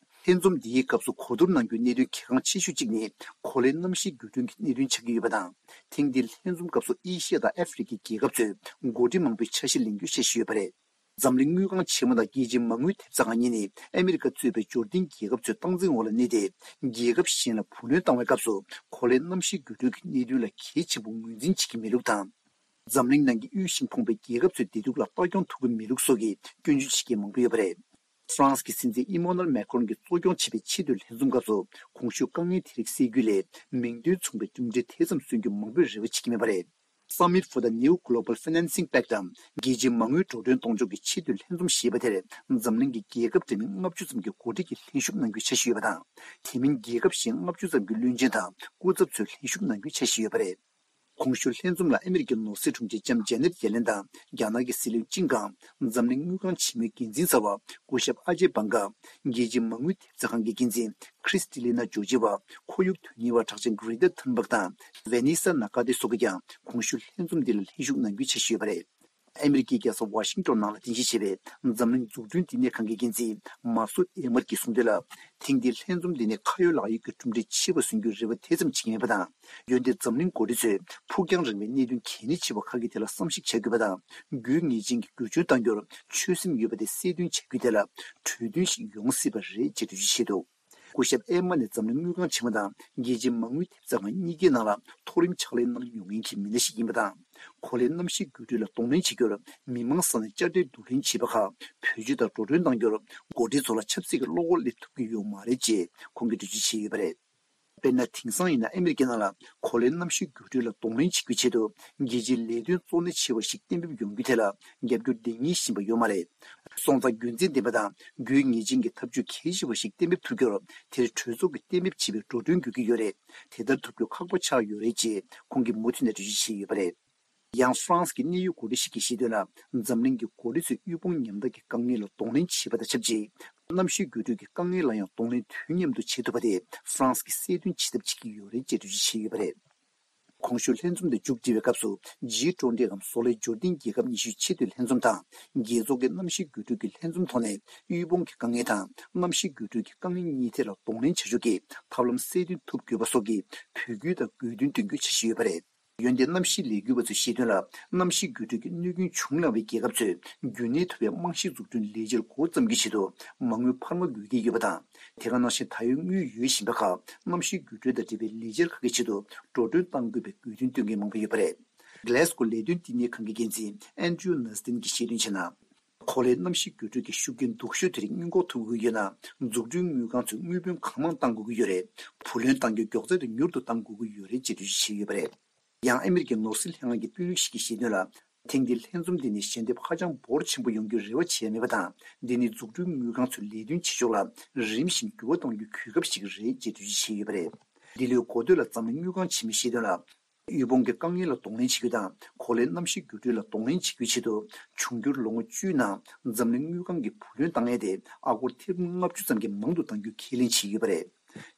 ལྷན་འཛོམས་འདིའི་སྐབས་སུ་གོ་བསྡུར་གནང་རྒྱུའི་གནད་དོན་གལ་འགངས་ཆེ་ཤོས་གཅིག་ནི། གོ་ལའི་གནམ་གཤིས་འགྱུར་ཐོན་གྱི་གནད་དོན་ཆགས་ཀྱི་ཡོད་པ་དང་། ཐེངས་འདིའི་ལྷན་འཛོམས་སྐབས་སུ་ཨེ་ཤི་ཡ་དང་ཨ་ཧྥེ་རི་ཁའི་རྒྱལ་ཁབ་ཚོས་འགོ་ཁྲིད་མང་པོའི་འཆར་གཞི་ལེན་རྒྱུའི་འཆར་གཞི་ཡོད་པ་རེད། འཛམ་གླིང་དངུལ་ཁང་ཆེན་མོ་དང་རྒྱལ་སྤྱིའི་མ་དངུལ་ཐེབས་རྩ་ཁང་གཉིས་ནི་ཨ་མི་རི་ཀ་གཙོས་པའི་འབྱོར་ལྡན་རྒྱལ་ཁབ་ཚོའི་སྟངས་འཛིན་འོག་ལ་གནས་ཏེ། རྒྱལ་ཁབ་གཞན་ལ་བུ་ལོན་བཏང་བའི་སྐབས་སུ་གོ་ལའི་གནམ་གཤིས་འགྱུར་འགྲོས་ཀྱི་གནད་དོན་ལ་གལ་ཆེན་པོ་ངོས་འཛིན་བྱེད་ཀྱི་མེད་ལུགས་དང་། འཛམ་གླིང་ནང་གི་དབུལ་ཞིང་ཕོངས་པའི་རྒྱལ་ཁབ་ཚོའི་བདེ་སྡུག་ལ་ལྟ་སྐྱོང་ཐུབ་ཀྱི་མེད་ལུགས་སོགས་ཀྱི་སྐྱོན་བརྗོད་བྱེད་མཁན་མང་པོ་ཡོད་པ་རེད། ཧྥ་རན་སི་གི་སྲིད་འཛིན་ཨི་མོ་ནུ་ཨེལ་མེ་ཁོན་གྱིས་གཙོ་སྐྱོང་བྱས་པའི་ཆེས་མཐོའི་ལྷན་འཛོམས་སྐབས་སུ། གོང་ཞུས་དཀའ་ངལ་དེ་རིགས་སེལ་རྒྱུ་ལས་མིང་དོན་མཚུངས་པའི་གྲུབ་འབྲས་དེ་ཙམ་སོན་རྒྱུ་མང་པོས་རེ་བ་བྱེད་ཀྱི་མེད་པ་རེད། Summit for the New Global Financing Pact དམ། རྒྱལ་སྤྱིའི་མ་དངུལ་འགྲོ་གྲོན་གཏོང་ཕྱོགས་ཀྱི་ཆེས་མཐོའི་ལྷན་འཛོམས་ཞེས་པ་དེར། འཛམ་གླིང་གི་རྒྱལ་ཁབ་འདྲ་མིན་ལྔ་བཅུ་ཙམ་གྱི་འགོ་ཁྲིད་ཀྱིས་ལྷན་ཞུགས་གནང་རྒྱུའི་འཆར་གཞི་ཡོད་པ་དང་། དེ་མིན་རྒྱལ་ཁབ་གཞན་ལྔ་བཅུ་ཙམ་གྱི་བློན་ཆེན་དང་སྐུ་ཚབ་ཚོས་ལྷན་ཞུགས་གནང་རྒྱུའི་འཆར་གཞི་ཡོད་པ་རེད། གོང་ཞུས་ལྷན་འཛོམས་ལ་ཨ་མི་རི་ཀའི་ནོར་སྲིད་དྲུང་ཆེ་ལྕམ་ཇེ་ནེད་ཡེ་ལེན་དང་རྒྱ་ནག་གི་སྲིད་བློན་ཅིན་ཀང་། འཛམ་གླིང་དངུལ་ཁང་ཆེན་མོའི་འགན་འཛིན་གསར་བ་སྐུ་ཞབས་ཨ་ཇེ་བྷང་ག། རྒྱལ་སྤྱིའི་མ་དངུལ་ཐེབས་རྩ་ཁང་གི་འགན་འཛིན་ཁྲིས་ཏི་ལི་ན་ཇོ་ཇི་བ། ཁོར་ཡུག་དོན་གཉེར་བ་གྲགས་ཅན་གྷི་རེ་ཏ་ཐུན་བྷག་དང་ཝེ་ནེ་ས་ན་ཀ་ཏེ་སོགས་ཀྱིས་ཀྱང་གོང་ཞུས་ལྷན་འཛོམས་འདི་ལ་ལྷན་ཞུགས་གནང་རྒྱུའི་འཆར་གཞི་ཡོད་པ་རེད། ཨ་མི་རི་ཀའི་རྒྱལ་ས་ཝ་ཤིང་ཏོན་ནང་ལ་རྟེན་གཞི་བྱས་པའི་འཛམ་གླིང་འཛུགས་སྐྲུན་བསྟི་གནས་ཁང་གི་འགན་འཛིན་མར་སུ་ཨེ་མར་གྱིས་གསུངས་དོན་ལ། ཐེངས་འདིའི་ལྷན་འཛོམས་འདི་ནི་ཁ་ཡོད་ལག་ཡོད་ཀྱི་གྲུབ་འབྲས་ཆེ་བ་སོན་རྒྱུའི་རེ་བ་དེ་ཙམ་བྱེད་ཀྱི་མེད་པ་དང་། འོན་ཏེ་འཛམ་གླིང་འགོ་ཁྲིད་ཚོས་ཕུགས་རྒྱང་རིང་བའི་གནད་དོན་གལ་གནད་ཆེ་བ་ཁག་གི་ཐད་ལ་བསམ་གཞིག་བྱ་དགོས་པ་དང་། དགོས་ངེས་ཅན་གྱི་བསྒྱུར་བཅོས་གཏང་རྒྱུར་ཆོད་སེམས་ཡོད་པ་དེ་གསལ་སྟོན་བྱ་རྒྱུའི་ཐད་ལ་གྲོས་མཐུན་ཞིག་ཡོང་སྲིད་པ་རེད་ཅེས་འགྲེལ་བརྗོད་བྱས་འདུག་སྐུ་ཞབས་ཨེ་མ་ནས་འཛམ་གླིང་དངུལ་ཁང་ཆེན་མོ་དང་རྒྱལ་སྤྱིའི་མ་དངུལ་ཐེབས་རྩ་ཁང་གཉིས་ཀའི་ནང་ལ་མཐོ་རིམ་ཕྱག་ལས་གནང་མྱོང་མཁན་གྱི་མི་སྣ་ཞིག་ཡིན་པ་དང་། གོ་ལའི་གནམ་གཤིས་འགྱུར་འགྲོས་ལ་གདོང་ལེན་བྱེད་རྒྱུར་མི་མང་ས་ནས་བཅའ་ཁྲལ་བསྡུ་ལེན་བྱས་པ་ཁག་བེད་སྤྱོད་དང་འགྲོ་གྲོན་གཏང་རྒྱུར་འགོ་ཁྲིད་ཚོ་ལ་ཆབ་སྲིད་ཀྱི་བློ་ཁོག་སླེབས་ཐུབ་ཀྱི་ཡོད་མ་རེད་ཅེས་ཁོང་གིས་འགྲེལ་བརྗོད་བྱས་ཡོད་པ་རེད། དཔེར་ན། དེང་སང་ཡིན་ན་ཨ་མི་རི་ཀའི་ནང་ལ་གོ་ལའི་གནམ་གཤིས་འགྱུར་འགྲོས་ལ་གདོང་ལེན་བྱེད་རྒྱུའི་ཆེད་དུ་རྒྱལ་སྤྱིའི་ལས་དོན་གཙོ་གནད་ཆེ་བ་ཞིག་གཏན་འབེབས་ཡོང་རྒྱུའི་ཐད་ལ་རྒྱབ་སྐྱོར་འདེང་ཉེན་བཞིན་པ་ཡོད་མ་རེད། སོང་ཙང་རྒྱུ་མཚན་ལྡན་པ་དང་དགོས་ངེས་ཅན་གྱི་ཐབས་ཇུས་གལ་ཆེ་བ་ཞིག་གཏན་འབེབས་ཐུབ་རྒྱུར་དེར་གྲོས་ཚོགས་ཀྱིས་གཏན་འབེབས་བྱས་པའི་འགྲོ་གྲོན་དགོས་ཀྱི་ཡོད་རེད། དེ་ལྟར་ཐུབ་རྒྱུ་ཁག་པོ་ཆགས་ཡོད་རེད་ཅེས་ཁོང་གིས་མུ་མཐུད་ནས་འགྲེལ་བརྗོད་བྱས་ཡོད་པ་རེད། ཡང་ཧྥ་རན་སི་གི་གནད་ཡོད་འགོ་ཁྲིད་ཞིག་གིས་བཤད་དོན་ལ། འཛམ་གླིང་གི་འགོ་ཁྲིད་ཚོས་དབུལ་ཕོངས་ཉམ་ཐག་གི་དཀའ་ངལ་ལ་གདོང་ལེན་བྱེད་པ་དང་ཆབས་ཅིག་གནམ་གཤིས་འགྱུར་འགྲོས་ཀྱི་དཀའ་ངལ་ལ་ཡང་གདོང་ལེན་དུས་མཉམ་དུ་བྱེད་ཐུབ་པ་དེ་ཧྥ་རན་སི་གིས་གསལ་སྟོན་བྱེད་ཐབས་བྱེད་ཀྱི་ཡོད་རེད་ཅེས་འགྲེལ་བརྗོད་བྱས་ཡོད་པ་རེད། གོང་ཞུས་ལྷན་འཛོམས་དེ་མཇུག་སྒྲིལ་བའི་སྐབས་སུ་ཇི་ཊུ་ཝེན་ཊི་གམ་བཟོ་ལས་འབྱོར་ལྡན་རྒྱལ་ཁབ་ཉི་ཤུའི་ཆེས་མཐོའི་ལྷན་འཛོམས་དང་རྒྱལ་ཚོགས་ཀྱི་གནམ་གཤིས་འགྱུར་འགྲོས་ཀྱི་ལྷན་འཛོམས་ཐོག་ནས་དབུལ་ཕོངས་ཀྱི་དཀའ་ངལ་དང་གནམ་གཤིས་འགྱུར་འགྲོས་ཀྱི་དཀའ་ངལ་གཉིས་ཐད་ལ་གདོང་ལེན་བྱ་ཕྱོགས་ཀྱི་ཐབས་ལམ་གསལ་སྟོན་ཐུབ་དགོས་པ་སོགས་ཀྱི་འབོད་སྐུལ་དང་དགོས་འདུན་བཏོན་རྒྱུའི་འཆར་གཞི་ཡོད་པ་རེད། འོན་ཏེ་གནམ་གཤིས་ལས་འགུལ་བ་ཚོས་བཤད་དོན་ལ། གནམ་གཤིས་འགྱུར་འགྲོས་ཀྱི་གནོད་སྐྱོན་བྱུང་སླ་བའི་རྒྱལ་ཁབ་ཚོས་རྒྱུན་གནས་ཐུབ་པའི་རྨང་གཞི་འཛུགས་སྐྲུན་ལས་འཆར་འགོ་བརྩམ་རྒྱུའི་ཆེད་དུ་མ་དངུལ་འཕར་མ་དགོས་ཀྱི་ཡོད་པ་དང་། དེ་ག་ནང་བཞིན་ད་ཡོད་དངུལ་ཡོད་བཞིན་པ་ཁག་གནམ་གཤིས་འགྱུར་འགྲོས་དང་འབྲེལ་བའི་ལས་འཆར་ཁག་གི་ཆེད་དུ་འགྲོ་གྲོན་གཏང་དགོས་པའི་དགོས་འདུན་བཏོན་མཁན་མང་པོ་ཡོད་པ་རེད། Glasgow་ལས་དོན་བསྟི་གནས་ཁང་གི་འགན་འཛིན་Andrew Nustin་གྱིས་བཤད་དོན་བྱས་ན། གོ་ལའི་གནམ་གཤིས་འགྱུར་འགྲོས་ཀྱི་ཤུགས་རྐྱེན་སྡུག་ཤོས་དེ་རིགས་སྔོན་འགོག་ཐུབ་དགོས་ཀྱི་ཡོད་ན། འཛུགས་སྐྲུན་དངུལ་ཁང་ཚོས་དངུལ་བུན་གང་མང་གཏང་དགོས་ཀྱི་ཡོད་རེད། བུ་ལོན་གཏང་རྒྱུ་མགྱོགས་ཚད་དུ་མྱུར་དུ་གཏང་དགོས་ཀྱི་ཡོད་རེད་ཅེས་འགྲེལ་བརྗོད་བྱས་ཡོད་པ་རེད། ཡང་ཨ་མི་རི་ཀའི་ནོར་སྲིད་ལྷན་ཁང་གི་དཔོན་རིགས་ཤིག་གིས་བཤད་དོན་ལ། ཐེངས་འདིའི་ལྷན་འཛོམས་འདི་ནི་ཞལ་འདེབས་ཧ་ཅང་འབོར་ཆེན་པོ་ཡོང་རྒྱུའི་རེ་བ་བྱས་མེད་པ་དང་། འདི་ནི་འཛུགས་སྐྲུན་དངུལ་ཁང་ཚོས་ལས་དོན་བྱེད་ཕྱོགས་ལ་རིམ་བཞིན་འགྱུར་བ་གཏོང་རྒྱུའི་གོ་སྐབས་ཤིག་རེད་ཅེས་འགྲེལ་བརྗོད་བྱས་ཡོད་པ་རེད། འདི་ལོའི་འགོ་སྟོད་ལ་འཛམ་གླིང་དངུལ་ཁང་ཆེན་མོས་བཤད་དོན་ལ། དབུལ་ཕོངས་ཀྱི་དཀའ་ངལ་ལ་གདོང་ལེན་བྱེད་རྒྱུ་དང་། གོ་ལའི་གནམ་གཤིས་འགྱུར་འགྲོས་ལ་གདོང་ལེན་བྱེད་རྒྱུའི་ཆེད་དུ། འབྱུང་འགྱུར་ལོ་ངོ་བཅུའི་ནང་འཛམ་གླིང་དངུལ་ཁང་གིས་བུ་ལོན་གཏང་ཡས་དེ་ཨ་སྒོར་ཐེར་འབུམ་ལྔ་བཅུ་ཙམ་གྱིས་མང་དུ་གཏང་རྒྱུའི་ཁས་ལེན་བྱས་ཡོད་པ་རེད།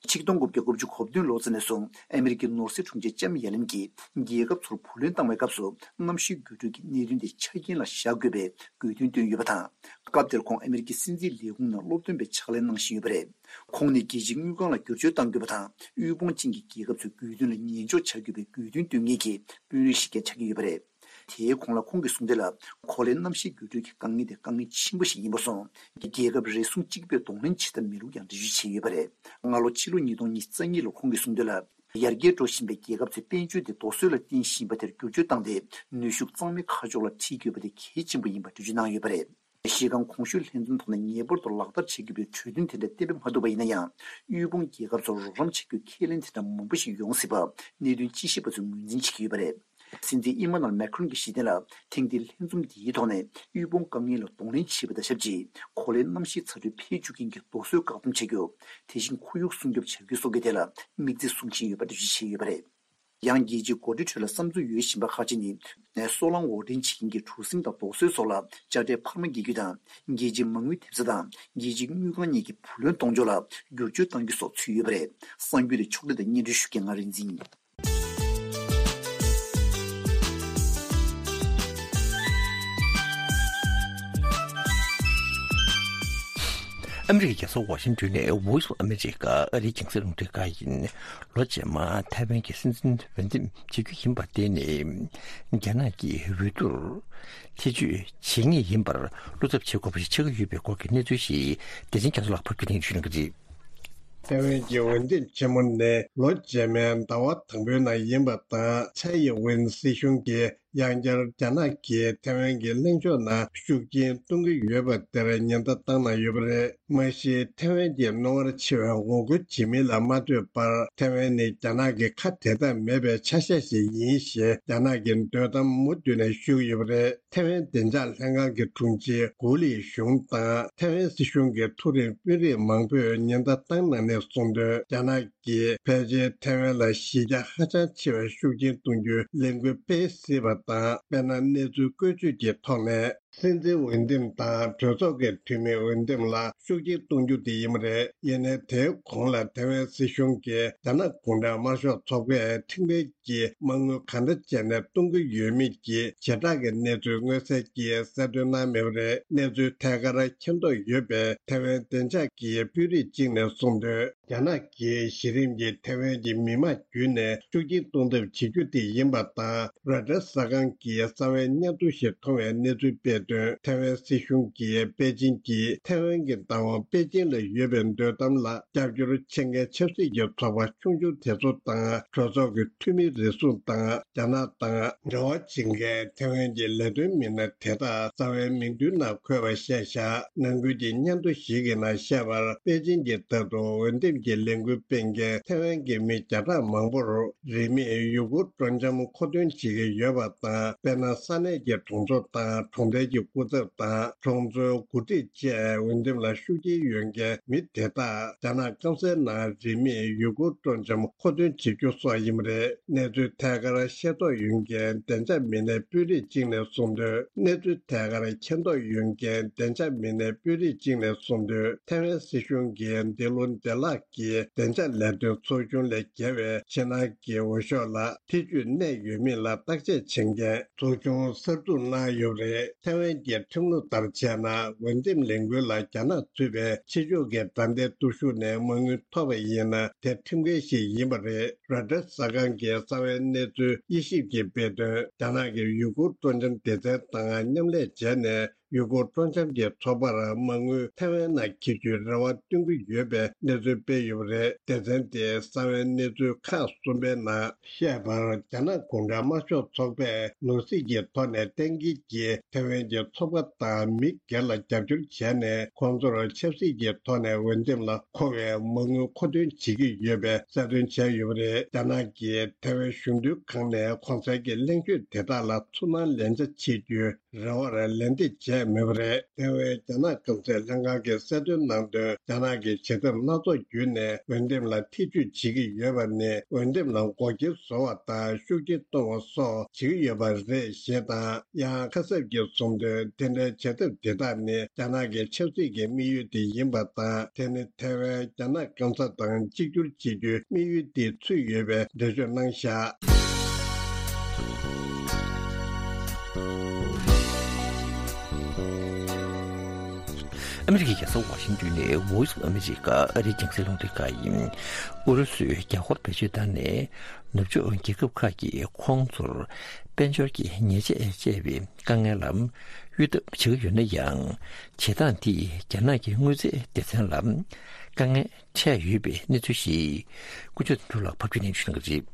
ཆིག་སྟོང་དགུ་བརྒྱ་དགུ་བཅུ་གོ་བདུན་ལོ་ཙམ་ནས་བཟུང་ཨ་མི་རི་ཀའི་ནོར་སྲིད་དྲུང་ཆེ་ལྕམ་ཡ་ལེན་གྱིས་རྒྱལ་ཁབ་ཚོར་བུ་ལོན་བཏང་བའི་སྐབས་སུ་གནམ་གཤིས་འགྱུར་འགྲོས་ཀྱི་གནད་དོན་དེ་ཆ་རྐྱེན་ལ་བཞག་དགོས་པའི་དགོས་འདུན་བཏོན་ཡོད་པ་དང་། སྐབས་དེར་ཁོང་ཨ་མི་རི་ཀའི་སྲིད་འཛིན་ལས་ཁུངས་ནང་སློབ་སྟོན་པའི་ཕྱག་ལས་གནང་བཞིན་ཡོད་པ་རེད། ཁོང་ནི་རྒྱལ་སྤྱིའི་དངུལ་ཁང་ལ་བསྒྱུར་བཅོས་གཏང་དགོས་པ་དང་། དབུལ་ཕོངས་ཅན་གྱི་རྒྱལ་ཁབ་ཚོའི་དགོས་འདུན་ལ་ཉན་འཇོག་བྱ་དགོས་པའི་དགོས་འདུན་བཏོན་མཁན་གྱི་དཔོན་རིགས་ཤིག་ཀྱང་ཆགས་ཀྱི་ཡོད་པ་རེད། དེའི་གོང་ལ་ཁོང་གིས་གསུངས་དོན་ལ། གོ་ལའི་གནམ་གཤིས་འགྱུར་འགྲོས་ཀྱི་དཀའ་ངལ་དེ་དཀའ་ངལ་ཆེན་པོ་ཞིག་ཡིན་པ་སོང་། རྒྱལ་ཁབ་རེ་ཟུང་གཅིག་པོས་གདོང་ལེན་བྱེད་ཐབས་མེད་ལུགས་ཀྱང་འགྲེལ་བརྗོད་བྱས་ཡོད་པ་རེད། སྔ་ལོ་ཕྱི་ལོ་ཉིས་སྟོང་ཉི་ཤུ་རྩ་གཉིས་ལོར་ཁོང་གིས་གསུངས་དོན་ལ། ཡར་རྒྱས་འགྲོ་བཞིན་པའི་རྒྱལ་ཁབ་ཚོས་དཔལ་འབྱོར་དེ་རྡོ་སོལ་ལ་བརྟེན་བཞིན་པ་དེར་བསྒྱུར་བཅོས་བཏང་སྟེ། ནུས་ཤུགས་གཙང་མའི་ཁ་ཕྱོགས་ལ་ཁྲིད་དགོས་པ་དེ་གལ་ཆེན་པོ་ཡིན་པ་འགྲེལ་བརྗོད་གནང་ཡོད་པ་རེད། གཞི་རྐང་གོང་ཞུས་ལྷན་འཛོམས་ཐོག་ནས་ངེས་པར་དུ་ལག་བསྟར་བྱེད་དགོས་པའི་གྲོས་མཐུན་དེ་འདྲ་གཏན་འབེབས་མ་ཐུབ་པ་ཡིན་ན་ཡང་། དབུལ་ཕོངས་རྒྱལ་ཁབ་ཚོར་རོགས་རམ་བྱེད་རྒྱུའི་ཁས་ལེན་དེ་འདྲ་མང་པོ་ཞིག་ཡོང་སྲིད་པ་གནད་དོན་དཔྱད་ཞིབ་པ་ཚོས་ངོས་འཛིན་བྱེད་ཀྱི་ཡོད་པ་རེད། སྲིད་འཛིན་ཨི་མ་ནུ་ཨེལ་མེ་ཁྲོན་གྱིས་གཞི་རྟེན་ལ་ཐེངས་འདིའི་ལྷན་འཛོམས་འདིའི་ཐོག་ནས་དབུལ་ཕོངས་དཀའ་ངལ་ལ་གདོང་ལེན་བྱེད་པ་དང་ཆབས་ཅིག་གོ་ལའི་གནམ་གཤིས་ཚ་དྲོད་འཕེལ་འཇུག་རྐྱེན་གྱི་རྡོ་སོལ་བཀག་སྡོམ་བྱ་རྒྱུ། དེ་བཞིན་ཁོར་ཡུག་སྲུང་སྐྱོབ་བྱ་རྒྱུ་སོགས་ཀྱི་ཐད་ལ་དམིགས་ཚད་བཟུང་བཞིན་ཡོད་པ་འགྲེལ་བརྗོད་བྱས་ཡོད་པ་རེད། ཡང་རྒྱལ་སྤྱིའི་འགོ་ཁྲིད་ཁྲོད་ལ་བསམ་ཚུལ་ཡོད་བཞིན་པ་ཁག་ཅིག་ནི། སོལ་རླངས་འོར་འདྲེན་བྱེད་མཁན་གྱི་གྲུ་གཟིངས་དང་རྡོ་སོལ་སོགས་ལ་དཔྱ་ཁྲལ་འཕར་མ་འགེལ་རྒྱུ་དང་། རྒྱལ་སྤྱིའི་མ་དངུལ་ཐེབས་རྩ་དང་རྒྱལ་སྤྱིའི་དངུལ་ཁང་གཉིས་ཀྱི་བུ་ལོན་གཏོང་ཕྱོགས་ལ་བསྒྱུར་བཅོས་གཏང་རྒྱུ་སོགས་ཚུད་ཡོད་པ་རེད། གསར་འགྱུར་དེ་ཕྱོགས་སྒྲིག་དང་སྙན་སྒྲོན་ཞུ་མཁན་ང་རིག་འཛིན་ཡིན། ཨ་མི་རི་ཀའི་རྒྱལ་ས་ཝ་ཤིང་ཏོན་ནས་Voice of America ཨ་རིའི་རྒྱང་སྲིང་རླུང་འཕྲིན་ཁང་ཡིན། ལོ་རྗེས་མ་ཐའེ་ཝན་གྱི་སྲིད་འཛིན་འོས་འདེམས་བྱེད་རྒྱུ་ཡིན་པར་བརྟེན་ནས། རྒྱ་ནག་གིས་འོས་བསྡུར་ཐེ་བྱུས་བྱེད་ངེས་ཡིན་པར་བློ་འཚབ་བྱེད་དགོས་པ་ཞིག་ཆགས་ཀྱི་ཡོད་པའི་སྐོར་གྱི་གནས་ཚུལ་ཞིག་བདེ་ཆེན་རྒྱ་མཚོ་ལགས་ཕབ་སྒྱུར་གནང་ཞུ་གནང་གི་རེད། ཐའེ་ཝན་གྱི་འོས་འདེམས་ཆེན་མོ་ནི་ལོ་རྗེས་མའི་ཟླ་བ་དང་པོའི་ནང་ཡིན་པ་དང་། ཚའེ་ཡི་ཝེན་སྲིད་གཞུང་གིས་ཡང་བསྐྱར་རྒྱ་ནག་གིས་ཐའེ་ཝན་གྱི་གླེང་ཕྱོགས་ནང་ཤུགས་རྐྱེན་གཏོང་གི་ཡོད་པ་དེར་ཉེན་བརྡ་བཏང་གནང་ཡོད་པ་རེད། མ་གཞི་ཐའེ་ཝན་གྱི་རྣོ་ངར་ཆེ་བའི་ངོ་རྒོལ་བྱེད་མིན་ལ་མ་ལྟོས་པར། ཐའེ་ཝན་ནི་རྒྱ་ནག་གི་ཁ་དེ་དག་མེད་པའི་ཆ་ཤས་ཤིག་ཡིན་ཞེས་རྒྱ་ནག་གི་འདོད་གཏམ་མུ་མཐུད་ནས་ཤོད་ཀྱི་ཡོད་པ་རེད། ཐའེ་ཝན་བདེ་འཇགས་ལྷན་ཁང་གི་དྲུང་ཆེ་གུ་ལི་ཞུང་དང་ཐའེ་ཝན་སྲིད་གཞུང་གི་མཐོ་རིམ་དཔོན་རིགས་མང་པོས་ཉེན་བརྡ་བཏང་གནང་ནས་གསུངས་དོན། རྒྱ་ནག་གིས་ཕལ་ཆེར་ཐའེ་ཝན་ལ་གཞི་རྒྱ་ཧ་ཅང་ཆེ་བའི་ཤུགས་རྐྱེན་གཏོང་རྒྱུའི་ལས་འགུལ་སྤེལ་སྲིད་པ་དང་། དཔེར་ན། གནས་ཚུལ་བཀོད་ཇུས་ཀྱི་ཐོག་ནས། སྲིད་འཛིན་འོས་འདེམས་དང་གྲོས་ཚོགས་ཀྱི་འཐུས་མིའི་འོས་འདེམས་ལ་ཤུགས་རྐྱེན་གཏོང་རྒྱུ་དེ་ཡིན་པ་རེད། ཡིན་ནའི་དེའི་གོང་ལ་ཐའེ་ཝན་སྲིད་གཞུང་གིས་རྒྱ་ནག་གུང་ཁྲན་དམར་ཤོག་ཚོགས་པས་ཁྲིམས་འགལ་གྱིས་མ་དངུལ་གང་འདྲ་བྱས་ནས་གཏོང་གི་ཡོད་མེད་ཀྱི་བྱེ་བྲག་གི་གནས་ཚུལ་མངོན་གསལ་གྱིས་གསལ་སྟོན་གནང་མེད་པ་རེད། གནས་ཚུལ་ཐད་ཀར་མཁྱེན་རྟོགས་ཡོད་པའི་ཐའེ་ཝན་བདེ་འཇགས་ཀྱི་དཔོན་རིགས་གཅིག་ནས་གསུངས་དོན། རྒྱ་ནག་གིས་གཞི་རིམ་གྱི་ཐའེ་ཝན་གྱི་མི་དམངས་བརྒྱུད་ནས་ཤུགས་རྐྱེན་གཏོང་ཐབས་བྱེད་རྒྱུ་དེ་ཡིན་པ་དང་། རོའི་ཊར་གསར་ཁང་གིས་རྩ་བའི་སྙན་ཐོ་ཞིག་མཐོང་བའི་གནས་ཚུལ་སྤེལ་དོན། ཐའེ་ཝན་སྲིད་གཞུང་གིས་པེ་ཅིན་གྱིས་ཐའེ་ཝན་གྱི་བདག་དབང་པེ་ཅིན་ལ་ཡོད་པའི་འདོད་གཏམ་ལ་རྒྱབ་སྐྱོར་བྱེད་མཁན་ཆབ་སྲིད་ཀྱི་ཚོགས་པ་ཆུང་ཆུང་དེ་ཚོ་དང་། གྲོས་ཚོགས་ཀྱི་འཐུས་མི་རེ་ཟུང་དང་། རྒྱ་ནག་དང་འབྲེལ་བ་བྱེད་མཁན་ཐའེ་ཝན་གྱི་ལས་དོན་མི་སྣ་དེ་དག་རྩ་བའི་མིང་མདུན་ནང་འཁོད་པ་བཤད་བཞག་ནང་ཁུལ་གྱི་སྙན་ཐོ་ཞིག་གི་ནང་བཤད་པར། པེ་ཅིན་གྱི་ལྟར་དུ་འོས་འདེམས་ཀྱི་ལས་འགུལ་སྤེལ་མཁན་ཐའེ་ཝན་གྱི་མི་བརྒྱ་ཕྲག་མང་པོར་རིན་མེད་ཡུ་གུར་སྤྲོ་འཆམ་མཁོ་འདོན་བྱེད་ཀྱི་ཡོད་པ་དང་། དཔེར་ན། ས་གནས་ཀྱི་གྲོང་ཚོ་དང་གྲོང་རྡལ་གྱི་སྐུ་ཚབ་དང་གྲོང་ཚོའི་འགོ་ཁྲིད་བཅས་འོས་འདེམས་ལ་ཤུགས་རྐྱེན་ཡོད་མཁན་མི་དེ་དག་རྒྱ་ནག་སྐམ་སའི་ནང་རིན་མེད་ཡུ་གུར་སྤྲོ་འཆམ་མཁོ་འདོན་བྱེད་རྒྱུ་སོགས་ཡིན་པ་རེད། གནས་ཚུལ་ཐད་ཀར་ཤེས་རྟོགས་ཡོད་མཁན་བདེ་འཇགས་མི་སྣའི་དཔོན་རིགས་གཅིག་ནས་གསུངས་དོན། གནས་ཚུལ་ཐད་ཀར་མཁྱེན་རྟོགས་ཡོད་མཁན་བདེ་འཇགས་མི་སྣའི་དཔོན་རིགས་གཅིག་ནས་གསུངས་དོན། ཐའེ་ཝན་སྲིད་གཞུང་གིས་འདི་ལོ་འདི་ལྷག་གི་བདེ་འཇགས་ལས་དོན་ཚོགས་ཆུང་ལས་བརྒལ་བའི་ཕྱི་ནང་གི་འོས་ཤོག་ལ་ཐེ་ཇུས་གནས་ཡོད་མེད་ལ་བརྟག་དཔྱད་བྱེད་མཁན་ཚོགས་ཆུང་གསར་འཛུགས་གནང་ཡོད་པ་རེད། ཐའེ་ཝན་གྱི་ཁྲིམས་ལུགས་ལྟར་བྱས་ན། འོས་འདེམས་ལས་འགུལ་ལ་རྒྱ་ནག་ཚུད་པའི་ཕྱི་ཕྱོགས་ཀྱི་དགྲ་ལྡན་སྟོབས་ཤུགས་ནས་མ་དངུལ་ཐོབ་པ་ཡིན་ན། དེ་ཁྲིམས་འགལ་ཞིག་ཡིན་པ་རེད། རོའི་ཊར་གསར་ཁང་གིས་རྩ་བའི་གནས་ཚུལ་དབྱེ་ཞིབ་ཀྱིས་སྤེལ་དོན། རྒྱ་ནག་གི་ཡུ་གུར་སྤྲོ་འཆམ་སྡེ་ཚན་དང་མཉམ་ལས་བྱས་ནས། ཡུ་གུར་སྤྲོ་འཆམ་གྱི་ཚོགས་པར་མ་དངུལ་ཐའེ་ཝན་ནང་འཁྱེར་རྒྱུའི་རེ་བ་བཏོན་གྱི་ཡོད་པའི་གནས་ཚུལ་སྤེལ་ཡོད་པ་རེད། སྡེ་ཚན་དེས་རྩ་བའི་གནས་ཚུལ་ཁག་གསུམ་པའི་ནང་བཤད་པར། རྒྱ་ནག་གུང་ཁྲན་དམར་ཤོག་ཚོགས་པས་ནོར་སྲིད་ཀྱི་ཐོག་ནས་གཏན་འཁེལ་གྱིས་ཐའེ་ཝན་གྱི་ཚོགས་པ་དང་མི་སྒེར་ལ་རྒྱབ་སྐྱོར་བྱས་ནས། ཁོང་ཚོར་ཆབ་སྲིད་ཀྱི་ཐོག་ནས་འོས་འདེམས་ལ་མཁོ་བའི་མ་དངུལ་མཁོ་འདོན་བྱེད་ཀྱི་ཡོད་པའི་གསལ་སྟོན་བྱས་ཡོད་པ་རེད། རྒྱ་ནག་གིས་ཐའེ་ཝན་གཞུང་དོན་ཁང་ནས་གོང་གསལ་གྱི་གླེང་བརྗོད་དེ་དག་ལ་ཚུར་སྣང་ལན་ཆ་བྱེད་རྒྱུའི་རེ་བར་ལན་འདེབས་བྱས་མེད་པ་རེད། ཐའེ་ཝན་རྒྱ་ནག་སྐམ་སའི་ལྷན་ཁང་གིས་གསལ་སྟོན་གནང་དོན། རྒྱ་ནག་གིས་བྱེད་ཐབས་སྣ་ཚོགས་བརྒྱུད་ནས་འོས་འདེམས་ལ་ཐེ་ཇུས་བྱེད་ཀྱི་ཡོད་པ་ནི། འོས་འདེམས་ལ་འགོག་རྐྱེན་བཟོ་བ་དང་ཤུགས་རྐྱེན་གཏོང་བ་སོགས་བྱེད་ཀྱི་ཡོད་པ་རེད་ཞེས་དང་། ཡང་ཁ་གསབ་ཀྱིས་གསུངས་དོན། དེ་འདྲའི་བྱེད་ཐབས་དེ་དག་ནི་རྒྱ་ནག་གི་ཆབ་སྲིད་ཀྱི་དམིགས་ཡུལ་དེ་ཡིན་པ་དང་། དེ་ནི་ཐའེ་ཝན་རྒྱ་ནག་སྐམ་ས་དང་གཅིག་གྱུར་བྱེད་རྒྱུའི་དམིགས་ཡུལ་དེ་ཚུད་ཡོད་པའི་འགྲེལ་བརྗོད་གནང་བཞག་ཨ་མི་རི་ཀའི་རྒྱལ་ས་ཝ་ཤིང་ཏོན་ནས་Voice of America ཨ་རིའི་རྒྱང་སྲིང་རླུང་འཕྲིན་ཁང་ཡིན། ཨུ་རུ་སུས་རྒྱ་སྒོར་བེད་སྤྱོད་བཏང་ནས་ནུབ་ཕྱོགས་རྒྱལ་ཁབ་ཁག་གིས་ཁོང་ཚོར་དཔལ་འབྱོར་གྱི་ཉེས་ཆད་བཅད་པའི་དཀའ་ངལ་ལ་གཡོལ་ཐབས་བྱེད་ཀྱི་ཡོད་ན་ཡང་། བྱེད་སྟངས་འདིས་རྒྱ་ནག་གི་དངུལ་རྩའི་སྡེ་ཚན་ལ་དཀའ་ངལ་འཕྲད་ཡོད་པའི་གནས་ཚུལ་ཞིག་ཀུན་སྤྱོད་དོན་གྲུབ་ལགས་ཕབ་སྒྱུར་གནང་བྱུང་གི་རེད།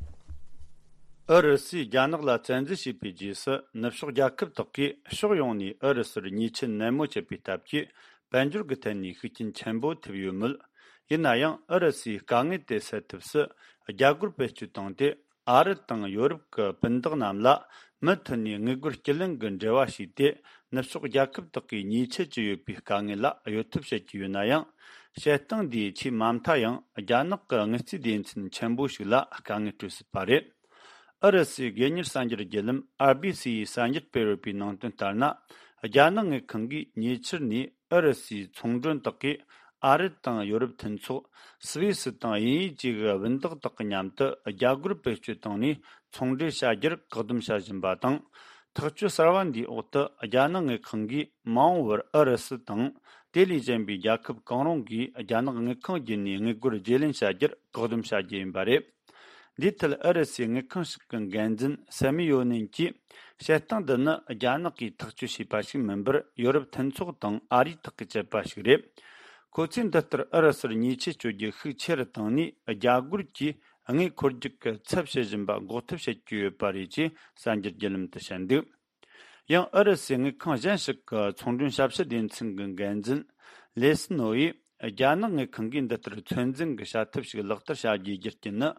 ཨུ་རུ་སུས་རྒྱ་ནག་ལ་བཙན་འཛུལ་བྱས་པའི་རྗེས་སུ། ནུབ་ཕྱོགས་རྒྱལ་ཁབ་དག་གིས་ཕྱོགས་ཡོངས་ནས་ཨུ་རུ་སུར་ཉེས་ཆད་ནན་མོ་བཅད་པའི་སྟབས་ཀྱིས། དཔལ་འབྱོར་གྱི་ཐད་ནས་ཤུགས་རྐྱེན་ཆེན་པོ་ཐེབས་ཡོད་མོད། ཡིན་ན་ཡང་། ཨུ་རུ་སུའི་དཀའ་ངལ་དེ་སེལ་ཐབས་སུ་རྒྱ་སྒོར་བེད་སྤྱོད་བཏང་སྟེ། ཨ་རི་དང་ཡོ་རོབ་ཀྱི་སྤུན་ཟླ་རྣམས་ལ་མུ་མཐུད་ནས་དངུལ་སྒོར་སྤྱི་ལེན་གྱི་འབྲེལ་བ་བྱས་ཏེ། ནུབ་ཕྱོགས་རྒྱལ་ཁབ་དག་གིས་ཉེས་ཆད་ཅི་ཡོད་པའི་དཀའ་ངལ་ལ་གཡོལ་ཐབས་བྱེད་ཀྱི་ཡོད་ན་ཡང་། བྱེད་སྟངས་འདིས་ཆེས་མ་མཐའ་ཡང་རྒྱ་ནག་གི་དངུལ་རྩིས་སྡེ་ཚན་ཆེན་པོ་ཞིག་ལ་དཀའ་ངལ་སྤྲོད་སྲིད་པ་རེད། ཨུ་རུ་སུའི་སྒེར་གཉེར་གསར་འགྱུར་བརྒྱུད་ལམ་ཨར་བྷི་སི་ཡིས་གསར་འགྱུར་སྤེལ་ཡོད་པའི་ནང་དོན་ལྟར་ན། རྒྱ་ནག་དངུལ་ཁང་གིས་ཉེ་ཆར་ནས་ཨུ་རུ་སུའི་ཚོང་མགྲོན་དག་གིས་ཨ་རི་དང་ཡོ་རོབ་མཐུན་ཚོགས། སུད་སི་དང་དབྱིན་ཡུལ་བཅས་ཀྱི་བུན་བདག་དག་གི་མཉམ་དུ་རྒྱ་སྒོར་བེད་སྤྱོད་བཏང་ནས་ཚོང་འབྲེལ་བྱ་རྒྱུར་བཀག་སྡོམ་བྱ་བཞིན་པ་དང་། ཐག་གཅོད་གསར་བ་འདིའི་འོག་ཏུ་རྒྱ་ནག་དངུལ་ཁང་གིས་མ་འོངས་པར་ཨུ་རུ་སུ་དང་དེ་ལས་གཞན་པའི་རྒྱལ་ཁབ་གང་རུང་གིས་རྒྱ་ནག་དངུལ་ཁང་བརྒྱུད་ནས་དངུལ་སྒོར་བརྗེ་ལེན་བྱ་རྒྱུར་བཀག་སྡོམ་བྱ་རྒྱུ་ཡིན་པ་རེད། འདིའི་ཐད་ཨུ་རུ་སུའི་དངུལ་ཁང་ཞིག་གི་འགན་འཛིན་སེ་མི་ཡོ་ནན་གྱིས། བྱེད་སྟངས་འདི་ནི་རྒྱ་ནག་གིས་ཐག་གཅོད་བྱས་པ་ཞིག་མིན་པར། ཡོ་རོབ་མཐུན་ཚོགས་དང་ཨ་རིས་ཐག་གིས་བཅད་པ་ཞིག་རེད། ཁོ་ཚོས་འདི་ལྟར་ཨུ་རུ་སུར་ཉེས་ཆད་གཅོད་རྒྱུའི་ཤུགས་ཆེ་རུ་བཏང་ནས། རྒྱ་སྒོར་གྱི་དངུལ་འཁོར་རྒྱུག་གི་ཚབ་བྱེད་བཞིན་པ་འགོག་ཐབས་བྱེད་ཀྱི་ཡོད་པ་རེད་ཅེས་གསར་འགྱུར་བརྒྱུད་ལམ་དུ་བཤད་འདུག་ཡང་ཨུ་རུ་སུའི་དངུལ་ཁང་གཞན་ཞིག་གི་ཚོང་མགྲོན་ཞབས་ཞུ་སྡེ་ཚན་གྱི་འགན་འཛིན་ལེ་སི་ནོ་ཡིས། རྒྱ་ནག་དངུལ་ཁང་གིས་འདི་ལྟར་ཚོད་འཛིན་གྱི་བྱ་ཐབས་ཤིག་ལག་བསྟར་བྱ་རྒྱུའི་རྒྱུ་རྐྱེན་ནི།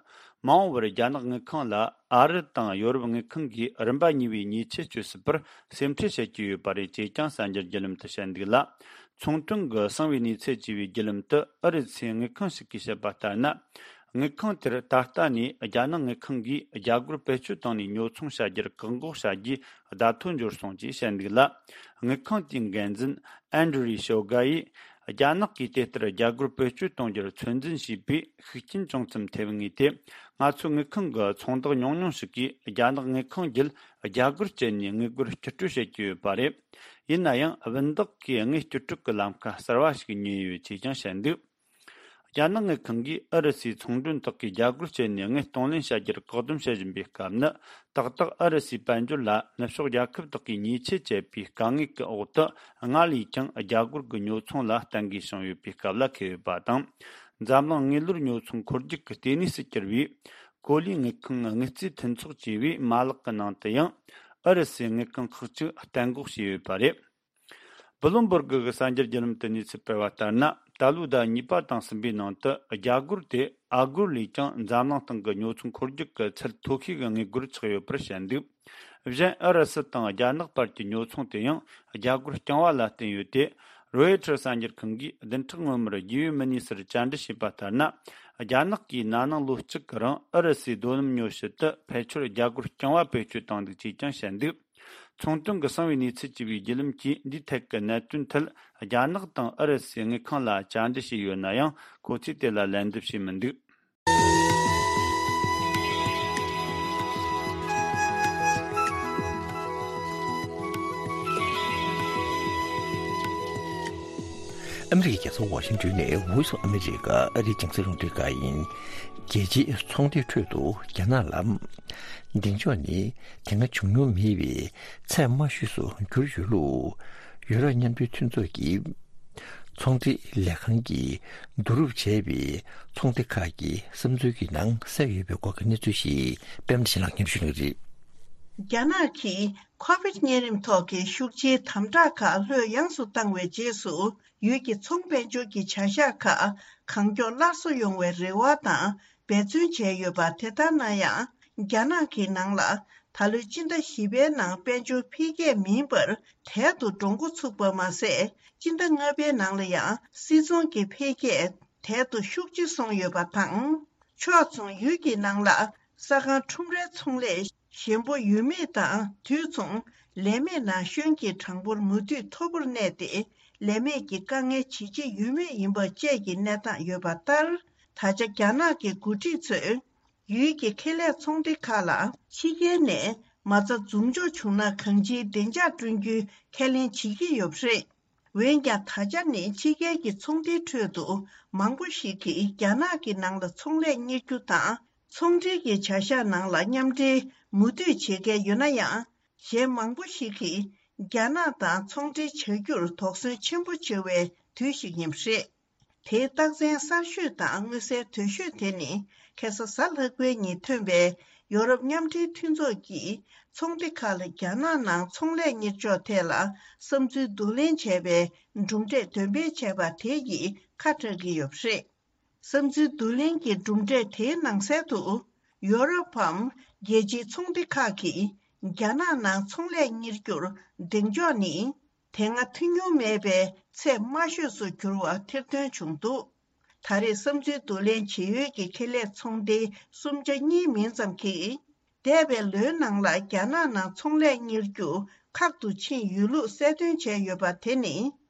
མ་འོངས་པར་རྒྱ་ནག་དངུལ་ཁང་ལ་ཨ་རི་དང་ཡོ་རོབ་དངུལ་ཁང་གིས་རིམ་པ་གཉིས་པའི་ཉེས་ཆད་གཅོད་སྲིད་པར་སེམས་ཁྲལ་བྱེད་ཀྱི་ཡོད་པ་རེད་ཅེས་ཀྱང་གསར་འགྱུར་བརྒྱུད་ལམ་དུ་བཤད་འདུག་ལ། ཚོང་དོན་གྱི་གསང་བའི་གནས་ཚུལ་ཅེས་པའི་བརྒྱུད་ལམ་དུ་ཨུ་རུ་སུའི་དངུལ་ཁང་ཞིག་གིས་བཤད་པ་ལྟར་ན། དངུལ་ཁང་དེར་ད་ལྟ་ནས་རྒྱ་ནག་དངུལ་ཁང་གིས་རྒྱ་སྒོར་བེད་སྤྱོད་བཏང་ནས་ཉོ་ཚོང་བྱ་རྒྱུར་བཀག་འགོག་བྱ་རྒྱུའི་བརྡ་ཐོ་འབྱོར་སོང་ཅེས་བཤད་འདུག་ལ། དངུལ་ཁང་དེའི་འགན་འཛིན་ཨན་ཌྲི་ཤོ་ག་ཡིས། རྒྱ་ནག་གིས་དེ་ལྟར་རྒྱ་སྒོར་བེད་སྤྱོད་གཏོང་རྒྱུར་ཚོད་འཛིན་བྱས་པའི་ཤུགས་རྐྱེན་ཅུང་ཙམ་ཐེབས་ངེས་ཏེ། ང་ཚོའི་དངུལ་ཁང་གི་ཚོང་བདག་ཉུང་ཉུང་ཞིག་གིས་རྒྱ་ནག་དངུལ་ཁང་བརྒྱུད་རྒྱ་སྒོར་བསྐྱལ་ནས་དངུལ་སྒོར་བསྐྱུར་སྤྲོད་བྱེད་ཀྱི་ཡོད་པ་རེད། ཡིན་ན་ཡང་བུན་བདག་གིས་དངུལ་བསྐྱུར་སྤྲོད་ཀྱི་ལམ་ཁ་གསར་བ་ཞིག་ཉོས་ཡོད་ཅེས་ཀྱང་བཤད་འདུག་རྒྱ་ནག་དངུལ་ཁང་གིས་ཨུ་རུ་སུའི་ཚོང་མགྲོན་དག་གིས་རྒྱ་སྒོར་བསྐྱལ་ནས་དངུལ་གཏོང་ལེན་བྱ་རྒྱུར་བཀག་སྡོམ་བྱེད་བཞིན་པའི་སྐབས་ནི། ཏག་ཏག་ཨུ་རུ་སུའི་དཔལ་འབྱོར་ལ་ནུབ་ཕྱོགས་རྒྱལ་ཁབ་དག་གིས་ཉེས་ཆད་བཅད་པའི་དཀའ་ངལ་གྱི་འོག་ཏུ། སྔར་ལས་ཀྱང་རྒྱ་སྒོར་གྱི་ཉོ་ཚོང་ལ་བརྟན་གྱིས་བྱུང་ཡོད་པའི་སྐབས་ལ་འཁེལ་ཡོད་པ་དང་། འཛམ་གླིང་དངུལ་ལོར་ཉོ་ཚོང་འཁོར་རྒྱུག་གི་ལྟེ་གནས་སུ་གྱུར་བའི་གོ་ལའི་དངུལ་ཁང་དངུལ་རྩིས་མཐུན་ཚོགས་ཅེས་པའི་མ་ལག་གི་ནང་དུ་ཡང་། ཨུ་རུ་སུའི་དངུལ་ཁང་ཁག་ཅིག་གཏན་འགོག་བྱས་ཡོད་པ་རེད། བྷི་ལུམ་སྦུར་གི་གསར་འགྱུར་བརྒྱུད་ལམ་དུ་གནས་ཚུལ་སྤེལ་བ་ལྟར་ན། ད་ལོའི་ཟླ་གཉིས་པ་དང་གསུམ་པའི་ནང་དུ་རྒྱ་སྒོར་དེ་ཨ་སྒོར་ལས་ཀྱང་འཛམ་གླིང་སྟེང་གི་ཉོ་ཚོང་འཁོར་རྒྱུག་གི་ཚད་མཐོ་ཤོས་ཀྱི་དངུལ་སྒོར་ཆགས་ཡོད་པར་བཤད་འདུག་གཞན་ཨུ་རུ་སུ་དང་རྒྱ་ནག་བར་གྱི་ཉོ་ཚོང་དེ་ཡང་རྒྱ་སྒོར་རྐྱང་བ་ལ་བརྟེན་ཡོད་དེ། རོའི་ཊར་གསར་འགྱུར་ཁང་གིས་བདུན་ཕྲག་སྔོན་མར་རྒྱལ་ཡོངས་མི་སྣའི་སར་བཅར་འདྲི་བྱས་པ་ལྟར་ན། རྒྱ་ནག་གིས་ན་ནིང་ལོ་གཅིག་གི་རིང་ཨུ་རུ་སུའི་རྡོ་སྣུམ་ཉོ་ཆེད་དུ་ཕལ་ཆེར་རྒྱ་སྒོར་རྐྱང་བ་བེད་སྤྱོད་བཏང་འདུག་ཅེས་ཀྱང་བཤད་འདུག་ཚོང་དོན་གྱི་གསང་བའི་གནས་ཚུལ་ཅེས་པའི་བརྒྱུད་ལམ་གྱིས་འདིའི་ཐད་ཀྱི་གནད་དོན་ཐད་རྒྱ་ནག་དང་ཨུ་རུ་སུའི་དངུལ་ཁང་ལ་བཅར་འདྲི་བྱས་ཡོད་ན་ཡང་། ཁོ་ཚོས་དེ་ལ་ལན་འདེབས་བྱས་མི་འདུག་ཨ་མི་རི་ཀའི་རྒྱལ་ས་ཝ་ཤིང་ཏོན་ནས་Voice of America ཨ་རིའི་རྒྱང་སྲིང་རླུང་འཕྲིན་ཁང་ཡིན། རྒྱལ་སྤྱིའི་ཚོང་འབྲེལ་ཁྲོད་དུ་རྒྱ་ནག་ལ། གདེང་འཇོག་ནི་དེ་སྔ་བྱུང་མྱོང་མེད་པའི་ཚད་དམའ་ཤོས་སུ་གྱུར་ཡོད་ལུགས། ཡུ་རོབ་མཉམ་འབྲེལ་མཐུན་ཚོགས་ཀྱི་ཚོང་འབྲེལ་ལས་ཁང་གིས་བསྡུ་རུབ་བྱས་པའི་ཚོང་སྡེ་ཁག་གི་བསམ་ཚུལ་གྱི་ནང་གསལ་ཡོད་པའི་སྐོར་གྱི་གནས་ཚུལ་ཞིག་པད་མ་བདེ་ཆེན་ལགས་སྙན་ཞུ་གནང་གི་རེད། རྒྱ་ནག་གིས་ཁོ་བིད་གཉན་རིམས་ཐོག་གི་ཤུགས་ཆེའི་དམ་དྲག་ཁག་ལྷོད་ཡངས་སུ་བཏང་བའི་རྗེས་སུ། ཡུལ་གྱི་ཚོང་དཔལ་འབྱོར་གྱི་བྱ་གཞག་ཁག་གང་མགྱོགས་སླར་གསོ་ཡོང་བའི་རེ་བ་དང་འབད་བརྩོན་བྱས་ཡོད་པ། དེ་ལྟར་ན་ཡང་། རྒྱ་ནག་གི་ནང་ལ་ད་ལོའི་སྤྱི་ཟླ་བཞི་པའི་ནང་དཔལ་འབྱོར་འཕེལ་རྒྱས་མིན་པར། དལ་དུ་འགྲོ་འགོ་ཚུགས་པ་མ་ཟད། སྤྱི་ཟླ་ལྔ་པའི་ནང་ལ་ཡང་སྲིད་ཚོང་གི་འཕེལ་རྒྱས་དལ་དུ་ཤུགས་ཆེ་སོང་ཡོད་པ་དང་། ཕྱོགས་མཚུངས་ཡུལ་གྱི་ནང་ལ་ས་ཁང་ཁྲོམ་རའི་ཚོང་ལས་ཞན་པོ་ཡོད་མེད་དང་། དུས་མཚུངས་ལས་མེད་ན་གཞོན་གྱི་གྲངས་འབོར་མུ་མཐུད་མཐོ་པོར་གནས་ཏེ། ལས་མེད་ཀྱི་དཀའ་ངལ་ཇེ་ཆེ་ཡོད་མུས་ཡིན་པ་བཅས་ཀྱི་གནས་སྟངས་ཡོད་པ་ལྟར། ད་ཆ་རྒྱ་ནག་གི་འགོ་ཁྲིད་ཚོས་ཡུལ་གྱི་ཁེ་ལས་ཚོང་སྡེ་ཁག་ལ་ཕྱི་རྒྱལ་ནས་མ་རྩ་འཛུགས་འཇོག་བྱུང་ན་གང་ཅིའི་བདེ་འཇགས་བསྐྲུན་རྒྱུའི་ཁས་ལེན་བྱེད་ཀྱི་ཡོད་པ་རེད། འོན་ཀྱང་། ད་ཆ་ནི་ཕྱི་རྒྱལ་གྱི་ཚོང་སྡེའི་ཁྲོད་དུ་མང་པོ་ཞིག་གིས་རྒྱ་ནག་གི་ནང་ལ་ཚོང་ལས་གཉེར་རྒྱུ་དང་། ཚོང་འབྲེལ་གྱི་བྱ་གཞག་ནང་ལ་མཉམ་འབྲེལ་མུ་མཐུད་བྱེད་མཁན་ཡོད་ན་ཡང་། གཞན་མང་པོ་ཞིག་གིས་རྒྱ་ནག་དང་ཚོང་འབྲེལ་བྱ་རྒྱུར་དོགས་ཟོན་ཆེན་པོ་བྱེད་པའི་དུས་ཤིག་ཡིན་པ་རེད། དེའི་རྟགས་མཚན་གསར་ཤོས་དང་མངོན་གསལ་དོད་ཤོས་དེ་ནི། ཁ་སང་གཟའ་ལྷག་པའི་ཉིན་ཐོན་པའི་ཡོ་རོབ་མཉམ་འབྲེལ་མཐུན་ཚོགས་ཀྱིས་ཚོང་སྡེ་ཁག་ལ་རྒྱ་ནག་ནང་ཚོང་ལས་གཉེར་ཕྱོགས་ཐད་ལ་བསམ་ཚུལ་བསྡུ་ལེན་བྱས་པའི་གྲུབ་འབྲས་འདོན་སྤེལ་བྱས་པ་དེ་ཡིས་ཁ་གྲག་གི་ཡོད་པ་རེད། བསམ་ཚུལ་བསྡུ་ལེན་གྱི་གྲུབ་འབྲས་དེའི་ནང་གསལ་དུ། ཡོ་རོབ་བམ་རྒྱལ་སྤྱིའི་ཚོང་སྡེ་ཁག་གིས་རྒྱ་ནག་ནང་ཚོང་ལས་གཉེར་རྒྱུར་གདེང་འཇོག་ནི། དེ་སྔ་ཐོན་མྱོང་མེད་པའི་ཚད་དམའ་ཤོས་སུ་གྱུར་བ་ཐེར་འདོན་བྱུང་འདུག་ད་རེས་བསམ་ཚུལ་བསྡུ་ལེན་བྱེད་ཡུལ་གྱི་ཁེ་ལས་ཚོང་སྡེ་གསུམ་ཆ་གཉིས་མིན་ཙམ་གྱིས། འདས་པའི་ལོའི་ནང་ལ་རྒྱ་ནག་ནང་ཚོང་ལས་གཉེར་རྒྱུ་ཁག་ཏུ་ཕྱིན་ཡོད་ལུགས་གསལ་སྟོན་བྱས་ཡོད་པ་དེ་ནི།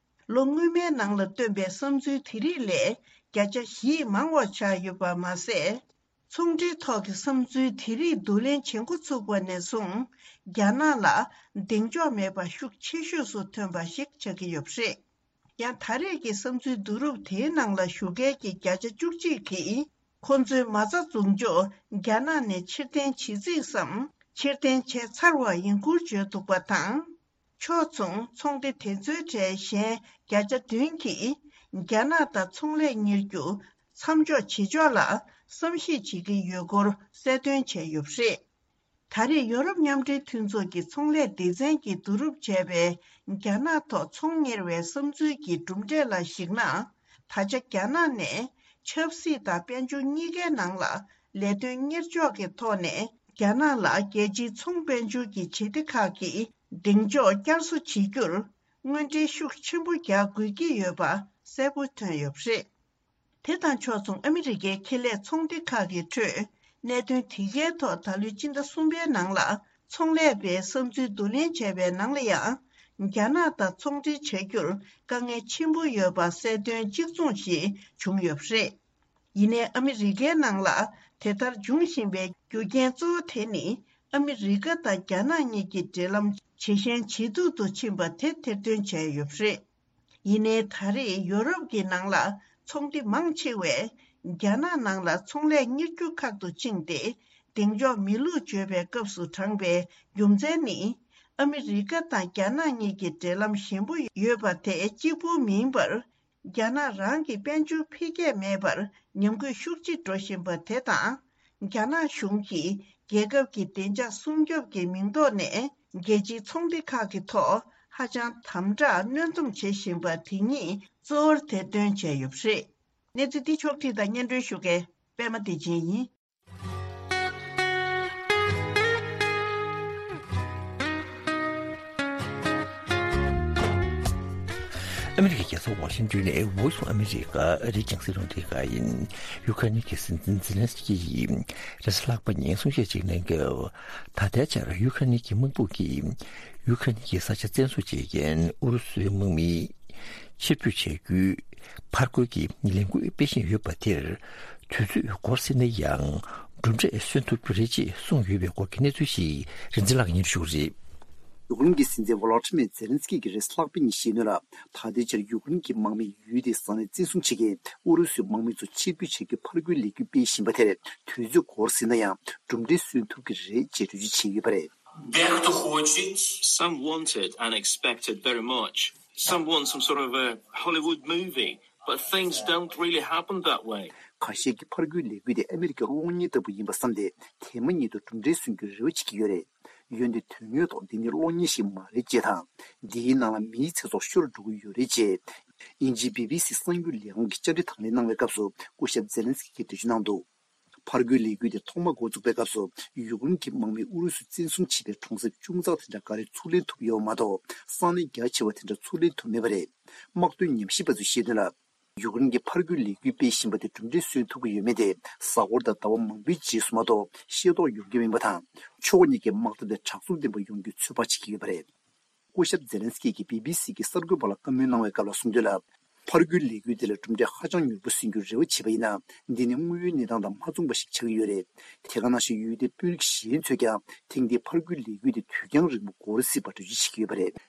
ལོ་སྔོན་མའི་ནང་ལ་བཏོན་པའི་བསམ་ཚུལ་དེ་རིགས་ལས་བརྒྱ་ཆ་བཞི་མང་བ་ཆགས་ཡོད་པ་མ་ཟད། ཚོང་འབྲེལ་ཐོག་གི་བསམ་ཚུལ་དེ་རིགས་བསྡུ་ལེན་བྱེད་འགོ་ཚུགས་པ་ནས་བཟུང་། རྒྱ་ནག་ལ་གདེང་འཇོག་མེད་པ་ཤུགས་ཆེ་ཤོས་སུ་ཐོན་པ་ཞིག་ཆགས་ཀྱི་ཡོད་པ་རེད། ཡང་ད་རེས་ཀྱི་བསམ་ཚུལ་བསྡུ་རུབ་དེའི་ནང་ལ་ཞུགས་མཁན་གྱི་བརྒྱ་ཆ་བཅུ་གཅིག་གིས། ཁོ་ཚོའི་མ་རྩ་འཛུགས་འཇོག་རྒྱ་ནག་ནས་ཕྱིར་འཐེན་བྱེད་རྩིས་སམ། ཕྱིར་འཐེན་བྱས་ཚར་བ་ཡིན་ཁུལ་བརྗོད་འདུག་པ་དང་། ཕྱོགས་མཚུངས་ཚོང་སྡེ་དེ་ཚོའི་གྲས་གཞན་བརྒྱ་ཆ་བདུན་གྱིས། རྒྱ་ནག་དང་ཚོང་ལས་གཉེར་རྒྱུ་མཚམས་འཇོག་བྱེད་ཕྱོགས་ལ་བསམ་ཤེས་བྱེད་ཀྱི་ཡོད་སྐོར་གསལ་སྟོན་བྱས་ཡོད་པ་རེད། ད་རེས་ཡོ་རོབ་མཉམ་འབྲེལ་མཐུན་ཚོགས་ཀྱི་ཚོང་ལས་སྡེ་ཚན་གྱིས་བསྡུ་རུབ་བྱས་པའི་རྒྱ་ནག་ཐོག་ཚོང་གཉེར་བའི་བསམ་ཚུལ་གྱི་གྲུབ་འབྲས་ལ་གཞིགས་ན། ད་ཆ་རྒྱ་ནག་ནས་ཆབ་སྲིད་དང་དཔལ་འབྱོར་གཉིས་ཀའི་ནང་ལ་ལས་དོན་གཉེར་ཕྱོགས་ཀྱི་ཐོག་ནས་རྒྱ་ནག་ལ་རྒྱལ་སྤྱིའི་ཚོང་དཔལ་འབྱོར་གྱི་བྱེད་གཏེ་ཁག་གིས་གདེང་འཇོག་བསྐྱར་གསོ་བྱེད་རྒྱུར་དངོས་འབྲེལ་ཤུགས་ཆེན་པོ་རྒྱག་དགོས་ཀྱི་ཡོད་པ་གསལ་པོ་ཐོན་ཡོད་པ་རེད། དེ་དང་ཕྱོགས་མཚུངས་ཨ་མི་རི་ཀའི་ཁེ་ལས་ཚོང་སྡེ་ཁག་གི་ཁྲོད་གནད་དོན་དེ་གའི་ཐོག་ད་ལོའི་སྤྱི་ཟླ་གསུམ་པའི་ནང་ལ་ཚོང་ལས་པའི་བསམ་ཚུལ་བསྡུ་ལེན་བྱས་པའི་ནང་ལ་ཡང་། རྒྱ་ནག་དང་ཚོང་འབྲེལ་བྱ་རྒྱུར་དཀའ་ངལ་ཆེན་པོ་ཡོད་པ་གསལ་སྟོན་གཅིག་མཚུངས་ཤིག་བྱུང་ཡོད་པ་རེད། ཡིན་ནའི་ཨ་མི་རི་ཀའི་ནང་ལ་དེ་ལྟར་འབྱུང་བཞིན་པའི་རྒྱུ་རྐྱེན་གཙོ་བོ་དེ་ནི། ཨ་མི་རི་ཀ་དང་རྒྱ་ནག་གཉིས་ཀྱི་འབྲེལ་ལམ་ཇེ་ཞན་ཇེ་སྡུག་ཏུ་ཕྱིན་པ་དེ་ཐེར་འདོན་བྱས་ཡོད་པ་རེད། ཡིན་ནའི་ད་རེས་ཡོ་རོབ་ཀྱི་ནང་ལ་ཚོང་སྡེ་མང་ཆེ་བས་རྒྱ་ནག་ནང་ལ་ཚོང་ལས་གཉེར་རྒྱུ་ཁག་ཏུ་ཕྱིན་ཏེ། གདེང་འཇོག་མེད་ལུགས་བརྗོད་པའི་སྐབས་སུ་དྲངས་པའི་རྒྱུ་མཚན་ནི། ཨ་མི་རི་ཀ་དང་རྒྱ་ནག་གཉིས་ཀྱི་འབྲེལ་ལམ་ཞན་པོ་ཡོད་པ་དེ་གཅིག་པུ་མིན་པར། རྒྱ་ནག་རང་གི་དཔལ་འབྱོར་འཕེལ་རྒྱས་མེད་པར་ཉམས་རྒུད་ཤུགས་ཆེ་འགྲོ་བཞིན་པ་དེ་དང་། རྒྱ་ནག་གཞུང་གིས་རྒྱལ་ཁབ་ཀྱི་བདེ་འཇགས་སྲུང་སྐྱོབ་ཀྱི་མིང་ཐོག་ནས་རྒྱལ་སྤྱིའི་ཚོང་སྡེ་ཁག་གི་ཐོག་ཧ་ཅང་དམ་དྲག་གནོན་སྡོམ་བྱེད་བཞིན་པ་དེ་ཉིད་གཙོ་བོར་ཐེར་འདོན་བྱས་ཡོད་པ་རེད། གནས་ཚུལ་འདི་ཕྱོགས་བསྒྲིགས་དང་སྙན་སྒྲོན་ཞུ་མཁན་པད་མ་བདེ་ཆེན་ཡིན། ཨ་མི་རི་ཀའི་རྒྱལ་ས་ཝ་ཤིང་ཏོན་ནས་Voice of America ཨ་རིའི་རྒྱང་སྲིང་རླུང་འཕྲིན་ཁང་ཡིན། ཡུ་ཁ་ནི་གི་སྲིད་འཛིན་ཛེ་ལན་སི་ཀི་ཡིས་རེས་གཟའ་ལྷག་པ་ཉིན་གསུང་བཤད་ཅིག་གནང་སྐབས། ད་ལྟའི་ཆར་ཡུ་ཁ་ནི་གི་དམག་དཔུང་གིས་ཡུ་ཁ་ནི་གི་ས་ཆ་བཙན་བཟུང་བྱེད་མཁན་ཨུ་རུ་སུའི་དམག་མི་ཕྱིར་འབུད་བྱ་རྒྱུའི་ཕར་རྒོལ་གྱི་ལས་འགུལ་སྤེལ་བཞིན་ཡོད་པ་དེར། དུས་ཚོད་འགོར་སྲིད་ན་ཡང་། གྲུབ་འབྲས་སོན་ཐུབ་རྒྱུ་རེད་ཅེས་གསུངས་ཡོད་པའི་སྐོར་གྱི་གནས་ཚུལ་ཞིག་རིན་འཛིན་ལགས་ཉེར་ཞུ་རེད། ཡུཀ་རེན་གྱི་སྲིད་འཛིན་ཝོ་ལོ་ཏི་མེ་ཛེ་ལན་སི་ཀི་གིས་རེས་ལྷག་པའི་ཉིན་བཤད་དོན་ལ། ད་ལྟའི་ཆར་ཡུཀ་རེན་གྱི་དམག་མིས་ཡུལ་དེའི་ས་གནས་བཙན་བཟུང་བྱེད་མཁན་ཨུ་རུ་སུའི་དམག་མི་ཚོ་ཕྱིར་འབུད་བྱེད་རྒྱུའི་ཕར་རྒོལ་ལས་འགུལ་སྤེལ་བཞིན་པ་དེར་དུས་ཚོད་འགོར་ཟིན་ན་ཡང་གྲུབ་འབྲས་སོན་ཐུབ་ཀྱི་རེད་ཅེས་འགྲེལ་བརྗོད་བྱས་ཡོད་པ་རེད། Дехто хоче, some want it and expect it very much. Some want some sort of a Hollywood movie, but things don't really happen that way. ཁ་ཤས་ཀྱིས་ཕར་རྒོལ་ལས་འགུལ་དེ་ཨ་མི་རི་ཀའི་གློག་བརྙན་ལྟ་བུ་ཡིན་པ་བསམ་སྟེ་དེ་མ་ཉིད་དུ་གྲུབ་འབྲས་སོན་རྒྱུའི་རེ་བ་བྱེད་ཀྱི་ཡོད་རེད། འོན་ཏེ་དོན་དངོས་ཐོག་འདི་ནི་གློག་བརྙན་ཞིག་མ་རེད་ཅེས་དང་། འདིའི་ནང་ལ་མིའི་ཚེ་སྲོག་ཤོར་འགྲོ་གི་ཡོད་རེད་ཅེས། དབྱིན་ཇིའི་བི་བི་སི་གསར་འགྱུར་ལས་ཁང་གིས་བཅར་འདྲི་དང་ལེན་གནང་བའི་སྐབས་སུ་སྐུ་ཞབས་ཛེ་ལན་སི་ཀིས་འགྲེལ་བརྗོད་གནང་འདུག་ཕར་རྒོལ་ལས་འགུལ་དེ་ཐོག་མ་འགོ་བཙུགས་པའི་སྐབས་སུ་ཡུཀ་རེན་གྱི་དམག་མིས་ཨུ་རུ་སུ་བཙན་བཟུང་བྱས་པའི་གྲོང་གསེབ་ཅུང་ཙག་དེ་འདྲ་ག་རེ་ཚུར་ལེན་ཐུབ་ཡོད་མ་གཏོགས་ས་གནས་རྒྱ་ཆེ་བ་དེ་འདྲ་ཚུར་ལེན་ཐུབ་མེད་པ་རེད། དམག་དོན་ཉམས་ཞིབ་པ་ཚོས་བཤད་དོན་ལ། ཡུཀ་རེན་གྱིས་ཕར་རྒོལ་ལས་འགུལ་སྤེལ་བཞིན་པ་དེ་གྲུབ་འབྲས་སོན་ཐུབ་ཀྱི་ཡོད་མེད་དེ་གཟའ་འཁོར་དང་ཟླ་བ་མང་པོའི་རྗེས་སུ་མ་གཏོགས་ཤེས་རྟོགས་ཡོང་གི་མིན་པ་དང་། ཕྱོགས་གཉིས་ཀའི་དམག་འཐབ་དེ་དྲག་རྩུབ་ལྡན་པ་ཡོང་རྒྱུའི་ཚོད་དཔག་བྱེད་ཀྱི་ཡོད་པ་རེད། སྐུ་ཞབས་ཛེ་ལན་སི་ཀི་གིས་བི་བི་སི་གི་གསར་འགོད་པ་ལ་བཀའ་མོལ་གནང་བའི་སྐབས་ལ་གསུངས་དོན་ལ། ཕར་རྒོལ་ལས་འགུལ་དེ་ལ་གྲུབ་འབྲས་ཧ་ཅང་མྱུར་པོ་སོན་རྒྱུར་རེ་བ་བྱས་པ་ཡིན་ན། འདི་ནི་དངོས་ཡོད་གནས་སྟངས་དང་མ་མཚུངས་པ་ཞིག་ཆགས་ཀྱི་ཡོད་རེད། དེ་ག་ནང་བཞིན་ཡུལ་དེའི་དཔོན་རིགས་གཞན་ཚོས་ཀྱང་ཐེངས་འདིའི་ཕར་རྒོལ་ལས་འགུལ་དེ་དུས་འགྱངས་རིང་པོ་འགོར་སྲིད་པར་འགྲེལ་བརྗོད་བྱེད་ཀྱི་ཡོད་པ་རེད།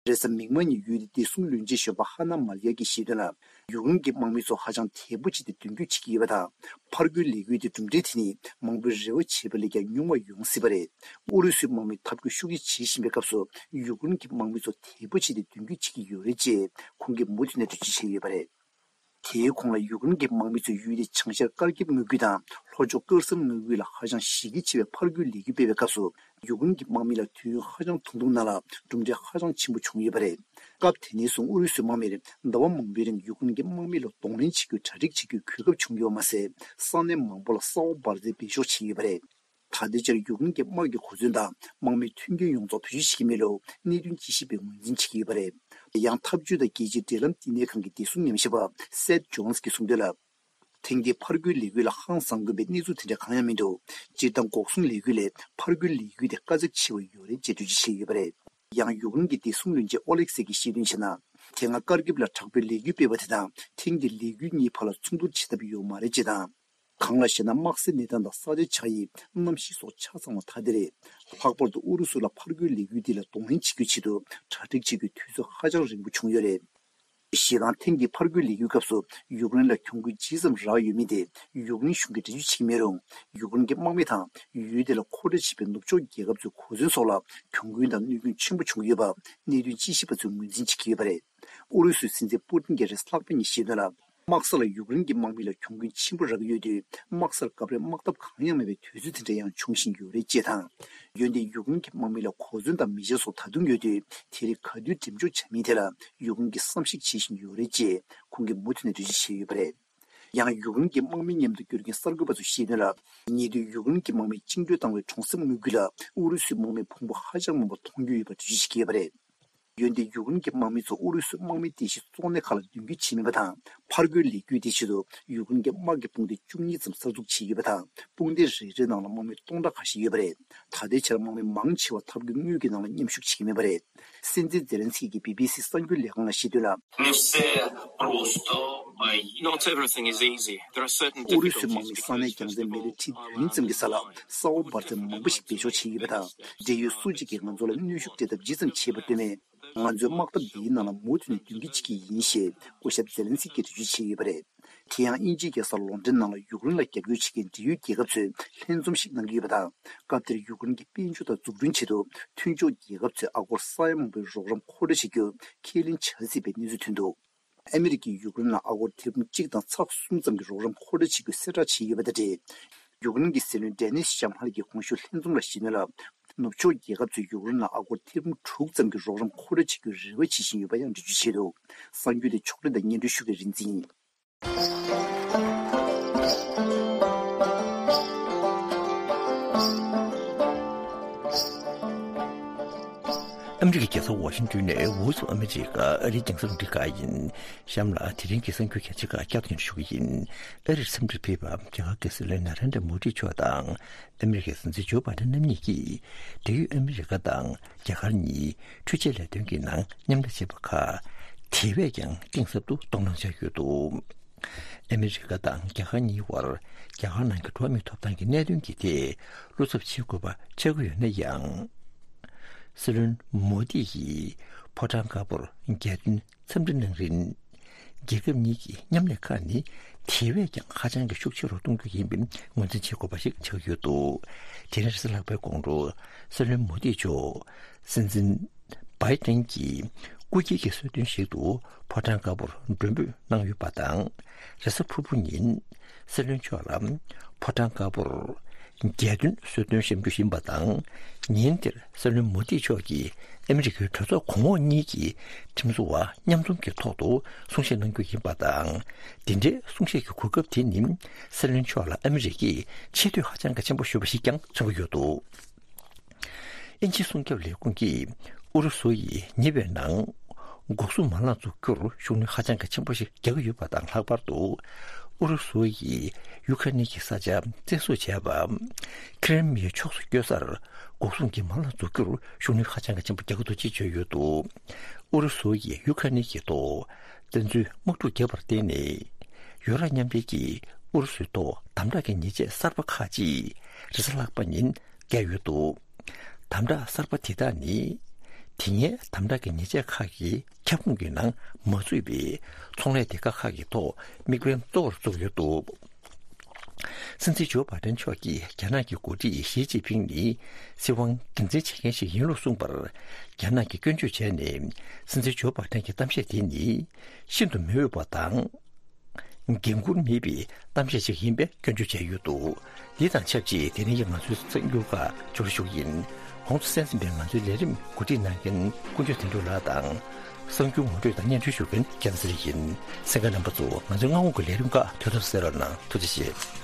རེས་གཟའ་མིག་དམར་ཉིན་ཡུལ་དེའི་བདེ་སྲུང་བློན་ཆེན་གཞོན་པ་ཧ་ན་མ་ལི་ཡ་གིས་བཤད་དོན་ལ། ཡུཀ་རེན་གྱི་དམག་མི་ཚོ་ཧ་ཅང་དལ་པོ་བྱས་ཏེ་མདུན་སྐྱོད་བྱེད་ཀྱི་ཡོད་པ་དང་། ཕར་རྒོལ་ལས་འགུལ་དེ་གྲུབ་འབྲས་དེ་ནི་མང་པོས་རེ་བ་བྱས་པ་ལས་ཀྱང་ཉུང་བ་ཡོང་སྲིད་པ་རེད། ཨུ་རུ་སུའི་དམག་མིས་འཐབ་རྒོལ་ཤུགས་ཆེ་བྱེད་བཞིན་པའི་སྐབས་སུ་ཡུཀ་རེན་གྱི་དམག་མི་ཚོ་དལ་པོ་བྱས་ཏེ་མདུན་སྐྱོད་བྱེད་ཀྱི་ཡོད་རེད་ཅེས་ཁོང་གིས་མུ་མཐུད་ནས་འགྲེལ་བརྗོད་བྱས་ཡོད་པ་རེད། དེའི་གོང་ལ་ཡུཀ་རེན་གྱི་དམག་མི་ཚོས་ཡུལ་དེའི་བྱང་ཤར་ཀར་ཀིབ་མངའ་ཁུལ་དང་ལྷོ་ཕྱོགས་ཀར་སན་མངའ་ཁུལ་ལ་ཧ་ཅང་གཞི་རྒྱ་ཆེ་བའི་ཕར་རྒོལ་ལས་འགུལ་སྤེལ་བའི་སྐབས་སུ། ཡུཀ་རེན་གྱི་དམག་མི་ལ་དུས་ཡུན་ཧ་ཅང་ཐུང་ཐུང་ནང་ལ་གྲུབ་འབྲས་ཧ་ཅང་ཆེན་པོ་བྱུང་ཡོད་པ་རེད། སྐབས་དེ་ནས་བཟུང་ཨུ་རུ་སུའི་དམག་མིར་ཟླ་བ་མང་པོའི་རིང་ཡུཀ་རེན་གྱི་དམག་མི་ལ་གདོང་ལེན་བྱེད་རྒྱུའི་གྲ་སྒྲིག་བྱེད་རྒྱུའི་གོ་སྐབས་བྱུང་ཡོད་པ་མ་ཟད། ས་གནས་མང་པོ་ལ་ས་འོག་འབར་རྫས་སྦས་འཇོག་བྱས་ཡོད་པ་རེད། ད་ལྟའི་ཆར་ཡུཀ་རེན་གྱི་དམག་གི་གོ་མཚོན་དང་དམག་མིའི་མཐུན་རྐྱེན་ཡོངས་རྫོགས་བེད་སྤྱོད་བྱེད་ཀྱི་མེད་ལུགས་གནད་དོན་དཔྱད་ཞིབ་པས་ངོས་འཛིན་བྱེད་ཀྱི་ཡོད་པ་རེད། ཡང་འཐབ་ཇུས་དང་རྒྱལ་སྤྱིའི་འབྲེལ་ལམ་བསྟི་གནས་ཁང་གི་བདེ་སྲུང་ཉམས་ཞིབ་པ་སེད་ཇོན་སི་གྱིས་གསུངས་དོན་ལ། ཐེངས་འདིའི་ཕར་རྒོལ་ལས་འགུལ་ལ་ཧང་སང་དགོས་པའི་གནས་ཚུལ་དེ་འདྲ་གང་ཡང་མི་འདུག་སྤྱིར་བཏང་འགོག་སྲུང་ལས་འགུལ་ལས་ཕར་རྒོལ་ལས་འགུལ་དེ་དཀའ་ཚེགས་ཆེ་བ་ཡོད་རེད་ཅེས་འགྲེལ་བརྗོད་བྱས་ཡོད་པ་རེད། ཡང་ཡུཀ་རེན་གྱི་བདེ་སྲུང་བློན་ཆེན་ཨོ་ལེག་སེ་གྱིས་བཤད་དོན་བྱས་ན། དེ་སྔ་ཀར་ཀིབ་ལ་དྲག་པོའི་ལས་འགུལ་སྤེལ་བ་དེ་དང་ཐེངས་འདིའི་ལས་འགུལ་གཉིས་བར་ལ་མཚུངས་བསྡུར་བྱེད་ཐབས་ཡོད་མ་རེད་ཅེས་དང་། གང་ལ་ཞེ་ན། དམག་སའི་གནས་སྟངས་དང་ས་ཆའི་ཆགས་དབྱིབས། གནམ་གཤིས་སོགས་ཆ་ཚང་བ་ཐ་དད་རེད། ལྷག་པར་དུ་ཨུ་རུ་སུ་ལ་ཕར་རྒོལ་ལས་འགུལ་འདི་ལ་གདོང་ལེན་བྱེད་རྒྱུའི་ཆེད་དུ་གྲ་སྒྲིག་བྱེད་རྒྱུའི་དུས་ཚོད་ཧ་ཅང་རིང་པོ་བྱུང་ཡོད་རེད། ཞེ་སྡང་ཐེངས་ཀྱི་ཕར་རྒོལ་ལས་འགུལ་སྐབས་སུ་ཡུཀ་རེན་ལ་གྱོང་གུན་ཇི་ཙམ་རག་ཡོད་མེད་དེ་ཡུཀ་རེན་གཞུང་གིས་འགྲེལ་བརྗོད་བྱེད་ཀྱི་མེད་རུང་། ཡུཀ་རེན་གྱི་དམག་མི་དང་ཡུལ་དེ་ལ་མཁོ་སྤྲོད་བྱེད་པའི་ནུབ་ཕྱོགས་རྒྱལ་ཁབ་ཚོའི་གོ་མཚོན་སོགས་ལ་གྱོང་གུན་དང་གནོད་སྐྱོན་ཆེན་པོ་བྱུང་གི་ཡོད་པ་གནད་དོན་དཔྱད་ཞིབ་པ་ཚོས་ངོས་འཛིན་བྱེད་ཀྱི་ཡོད་པ་རེད། ཨུ་རུ་སུའི་སྲིད་འཛིན་པུ་ཏིན་གྱིས་རེས་ལྷག་པ་ཉིན་བཤད་དོན་ལ། དམག་ས་ལ་ཡུཀ་རེན་གྱི་དམག་མི་ལ་གྱོང་གུན་ཆེན་པོ་རག་གི་ཡོད་དུས། དམག་སར་སྐབས་རེ་དམག་འཐབ་གང་ཡང་མེད་པའི་དུས་ཚོད་དེ་འདྲ་ཡང་འབྱུང་བཞིན་ཡོད་རེད་ཅེས་དང་། འོན་ཏེ་ཡུཀ་རེན་གྱི་དམག་མི་ལ་གོ་མཚོན་དང་མེ་མཆེད་སོགས་ད་དུང་ཡོད་དུས། དེ་རིགས་ག་དུས་འགྲེམས་འཇོག་བྱ་མིན་ཐད་ལ་ཡུཀ་རེན་གྱིས་བསམ་གཞིག་བྱེད་བཞིན་ཡོད་རེད་ཅེས་ཁོང་གིས་མུ་མཐུད་ནས་འགྲེལ་བརྗོད་བྱས་ཡོད་པ་རེད། ཡང་ཡུཀ་རེན་གྱི་དམག་མི་མཉམ་དུ་བསྐྱོད་མཁན་གསར་འགོད་པ་ཚོས་བཤད་དོན་ལ། ཉེ་དུས་ཡུཀ་རེན་གྱི་དམག་མིས་བཅིངས་འགྲོལ་བཏང་བའི་གྲོང་གསེབ་དངུལ་ཁུལ་ལ་ཨུ་རུ་སུའི་དམག་མིས་ཕུང་པོ་ཧ་ཅང་མང་པོ་མཐོང་རྒྱུ་ཡོད་པ་འགྲེལ་བརྗོད་བྱེད་ཀྱི་ཡོད་པ་རེད། འོན་ཏེ་ཡུཀ་རེན་གྱི་དམག་མི་ཚོ་ཨུ་རུ་སུའི་དམག་མིའི་རྟེན་གཞི་གཙོ་གནད་ཁག་ལ་མདུན་སྐྱོད་བྱས་མེད་པ་དང་། ཕར་རྒོལ་ལས་འགུལ་དེའི་ཆེད་དུ་ཡུཀ་རེན་གྱི་དམག་གི་དཔུང་སྡེ་བཅུ་གཉིས་ཙམ་གསར་འཛུགས་བྱས་ཡོད་པ་དང་། དཔུང་སྡེ་རེ་རེའི་ནང་ལ་དམག་མི་སྟོང་ཕྲག་ཁ་ཤས་ཡོད་པ་རེད། ད་ལྟའི་ཆར་དམག་མི་མང་ཆེ་བ་འཐབ་རྒོལ་དངུལ་གྱི་ནང་ལ་མཉམ་ཞུགས་བྱེད་ཀྱི་མེད་པ་རེད། སྲིད་འཛིན་ཛེ་ལན་སི་ཀི་གིས་བི་བི་སི་གསར་འགྱུར་ལས་ཁང་ལ་བཤད་དོན་ལ། Не все просто. Not everything is easy. There are certain difficulties because, first of all, our land is ཨུ་རུ་སུའི་དམག་མིས་ས་གནས་རྒྱང་སྲིང་མེ་ལེ་ཁྲིའི་དུས་ཡུན་ཙམ་གྱི་ས་ལ་ས་འོག་འབར་རྫས་མང་པོ་ཞིག་སྦས་འཇོག་བྱས་ཡོད་པ་དང་། འབྲེལ་ཡོད་སུ་གཅིག་གིས་ང་ཚོ་ལ་གནོན་ཤུགས་སྤྲད་ཐབས་ཇི་ཙམ་བྱས་པ་ལྟོས་མེད། ང་ཚོའི་དམག་འཐབ་འདིའི་ནང་ལ་མུ་མཐུད་ནས་མདུན་སྐྱོད་བྱེད་ཀྱི་ཡིན་ཞེས་སྐུ་ཞབས་ཛེ་ལན་སི་ཀིས་འགྲེལ་བརྗོད་བྱས་ཡོད་པ་རེད། དེ་ཡང་དབྱིན་ཇིའི་རྒྱལ་ས་ལོན་ཌོན་ནང་ལ་ཡུཀ་རེན་ལ་རྒྱབ་སྐྱོར་བྱེད་མཁན་འབྲེལ་ཡོད་རྒྱལ་ཁབ་ཚོས་ལྷན་འཛོམས་ཤིག་གནང་གི་ཡོད་པ་དང་། སྐབས་དེར་ཡུཀ་རེན་གྱི་དཔལ་འབྱོར་དང་འཛུགས་སྐྲུན་ཆེད་དུ་མཐུན་ཕྱོགས་རྒྱལ་ཁབ་ཚོས་ཨ་སྒོར་ས་ཡ་མང་པོའི་རོགས་རམ་མཁོ་སྤྲོད་བྱེད་རྒྱུ་ཁས་ལེན་བྱ་སྲིད་པའི་གནས་ཚུལ་ཐོན་འདུག་ཨ་མི་རི་ཀས་ཡུཀ་རེན་ལ་ཨ་སྒོར་ཐེར་འབུམ་གཅིག་དང་ཚེག་གསུམ་ཙམ་གྱི་རོགས་རམ་མཁོ་སྤྲོད་བྱེད་རྒྱུའི་གསལ་བསྒྲགས་བྱས་ཡོད་པ་དང་འབྲེལ། ཡུཀ་རེན་གྱི་སྲིད་བློན་ཌེ་ནིས་ཤམ་ཧལ་གྱིས་གོང་ཞུས་ལྷན་འཛོམས་ལ་བཤད་དོན་ལ། ནུབ་ཕྱོགས་རྒྱལ་ཁབ་ཚོས་ཡུཀ་རེན་ལ་ཨ་སྒོར་ཐེར་འབུམ་དྲུག་ཙམ་གྱི་རོགས་རམ་མཁོ་སྤྲོད་བྱེད་རྒྱུའི་རེ་བ་བྱེད་བཞིན་ཡོད་པ་ཡང་འགྲེལ་བརྗོད་བྱས་འདུག་གསར་འགྱུར་དེ་ཕྱོགས་སྒྲིག་དང་སྙན་སྒྲོན་ཞུ་མཁན་རིག་འཛིན་ཡིན། ཨ་མི་རི་ཀའི་རྒྱལ་ས་ཝ་ཤིང་ཏོན་ནས་Voice of America ཨ་རིའི་རྒྱང་སྲིང་རླུང་འཕྲིན་ཁང་ཡིན། གཤམ་ལ་དེ་རིང་གི་གསར་འགྱུར་གལ་ཆེ་ཁག་བསྐྱར་དུ་སྙན་སྒྲོན་ཞུ་གི་ཡིན། ཨ་རིར་འཚམས་འདྲིར་ཕེབས་པ་རྒྱ་གར་གྱི་སྲིད་བློན་ན་རེན་དྲ་མོ་དི་མཆོག་དང་ཨ་མི་རི་ཀའི་སྲིད་འཛིན་ཇོ་བྷའི་ཌེན་རྣམ་གཉིས་ཀྱིས་འབྲེལ་ཡོད་ཨ་མི་རི་ཀ་དང་རྒྱ་གར་གཉིས་འཕྲུལ་ཆས་ལས་དོན་གྱི་ནང་མཉམ་ལས་བྱེད་པ་ཁག་དེ་བས་ཀྱང་གཏིང་ཟབ་ཏུ་གཏོང་གནང་བྱས་ཡོད་འདུག་ཨ་མི་རི་ཀ་དང་རྒྱ་གར་གཉིས་བར་རྒྱ་གར་ནང་གི་འགྲོ་བ་མིའི་ཐོབ་ཐང་གི་གནད་དོན་གྱི་ཐད་བློ་འཚབ་བྱེད་དགོས་པ་ཆགས་ཀྱི་ཡོད་ན་ཡང་། སྲིད་བློན་མོ་དི་ཡིས་ཕོ་བྲང་དཀར་པོར་རྒྱལ་དོན་འཚམས་འདྲི་གནང་རིང་། རྒྱལ་ཁབ་གཉིས་ཀྱི་མཉམ་ལས་ཁག་ནི་དེ་བས་ཀྱང་ཧ་ཅང་གི་ཤུགས་ཆེ་རུ་གཏོང་རྒྱུ་ཡིན་པའི་ངོས་འཛིན་བྱེད་དགོས་པ་ཞིག་ཆགས་ཡོད་འདུག་དེ་རིང་རེས་གཟའ་ལྷག་པའི་དགོང་དྲོ་སྲིད་བློན་མོ་དི་མཆོག་སྲིད་འཛིན་བྷའི་ཏན་གྱི་སྐུ་སྐྱེས་ཀྱི་གསོལ་སྟོན་ཞིག་ཏུ་ཕོ་བྲང་དཀར་པོར་མགྲོན་འབོད་གནང་ཡོད་པ་དང་། རེས་གཟའ་ཕུར་བུ་ཉིན་སྲིད་བློན་མཆོག་ལ་ཕོ་བྲང་དཀར་པོར་རྒྱལ་དོན་གསོལ་སྟོན་ཞུ་རྒྱུ་ཡིན་པ་དང་། ཉིན་དེར་སྲིད་བློན་མོ་དི་མཆོག་གིས་ཨ་མི་རི་ཀའི་གྲོས་ཚོགས་གོང་འོག་གཉིས་ཀྱི་ཁྲིམས་བཟོ་བ་མཉམ་འཛོམས་ཀྱི་ཐོག་ཏུ་གསུང་བཤད་གནང་རྒྱུ་ཡིན་པ་དང་། འདི་འདྲའི་གསུང་བཤད་ཀྱི་གོ་སྐབས་དེ་ནི་སྲིད་བློན་མཆོག་ལ་ཨ་མི་རི་ཀས་ཆེ་བསྟོད་ཧ་ཅང་གི་ཆེན་པོ་ཞུས་པ་ཞིག་ཀྱང་མཚོན་གྱི་ཡོད་འདུག་དབྱིན་ཇིའི་སྲུང་སྐྱོབ་ལས་ཁུངས་ཀྱིས་ཨུ་རུ་སུ་ཡིས་ཉེ་བའི་ནང་འགོག་སྲུང་མ་ལག་འཛུགས་རྒྱུར་ཤུགས་སྣོན་ཧ་ཅང་གི་ཆེན་པོ་ཞིག་རྒྱག་གི་ཡོད་པ་དང་ལྷག་པར་དུ། ཨུ་རུ་སུ་ཡིས་ཡུ་ཁ་ནི་གི་ས་ཆ་བཙན་བཟུང་བྱས་པ། ཁི་རི་མིའི་ཕྱོགས་སུ་བསྐྱོད་སར་འགོག་སྲུང་གི་མ་ལག་འཛུགས་རྒྱུར་ཤུགས་སྣོན་ཧ་ཅང་གི་ཆེན་པོ་རྒྱག་གི་འདུག་ཅེས་བརྗོད་ཡོད་འདུག་ཨུ་རུ་སུ་ཡིས་ཡུ་ཁ་ནི་གི་ཐོག་བཙན་འཛུལ་དམག་འཁྲུག་བརྒྱབ་པར་བརྟེན་ནས། ཡུ་རོབ་མཉམ་འབྲེལ་གྱིས་ཨུ་རུ་སུའི་ཐོག་དམ་དྲག་གི་ཉེས་ཆད་གསར་པ་ཁག་ཅིག་རེས་གཟའ་ལྷག་པ་ཉིན་བཀལ་ཡོད་འདུག་དམ་དྲག་གསར་པ་དེ་དག་ནི། དེ་སྔའི་དམ་དྲག་གི་ཉེས་ཆད་ཁག་གི་ཁྱབ་ཁོངས་ཀྱི་ནང་མ་ཚུད་པའི་ཚོང་ལས་སྡེ་ཁག་ཁག་གི་ཐོག་དམིགས་འབེན་གཙོ་བོར་བཙུགས་ཡོད་འདུག་སྲིད་འཛིན་ཇོ་བྷའི་ཏན་མཆོག་གིས་རྒྱ་ནག་གི་འགོ་ཁྲིད་ཞི་ཅིན་ཕིང་ནི་སྲིད་དབང་སྒེར་འཛིན་བྱེད་མཁན་ཞིག་ཡིན་ལུགས་གསུངས་པར། རྒྱ་ནག་གིས་སྐྱོན་བརྗོད་བྱས་ནས། སྲིད་འཛིན་ཇོ་བྷའི་ཏན་གྱི་གཏམ་བཤད་དེ་ནི་ཤིན་ཏུ་མི་འོས་པ་དང་། འགན་འཁུར་མེད་པའི་གཏམ་བཤད་ཅིག་ཡིན་པའི་སྐྱོན་བརྗོད་བྱས་ཡོད་འདུག་འདི་དང་ཆབས་ཅིག་དེ་རིང་གི་ང་ཚོའི་གསར་འགྱུར་ཁག་ཕྱོགས་བསྒྲིགས་ཞུ་གི་ཡིན། གོང་དུ་གསན་ཟིན་པའི་ང་ཚོའི་ལས་རིམ་གོ་སྒྲིག་གནང་མཁན་དཀོན་མཆོག་དོན་གྲུབ་ལགས་དང་། གསར་འགྱུར་ངོ་སྤྲོད་དང་སྙན་སྒྲོན་ཞུ་མཁན་རྒྱལ་མཚན་ཡིན། གསན་མཁན་རྣམ་པ་ཚོ་ང་ཚོའི་སྔ་དགོང་གི་ལས་རིམ་ཁག་དུས་ཐོག་གསན་རོགས་གནང་། ཐུགས་རྗེ་ཆེ།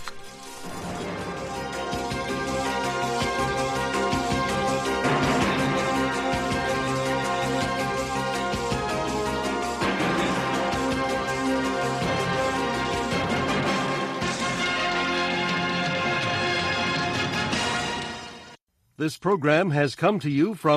This program has come to you from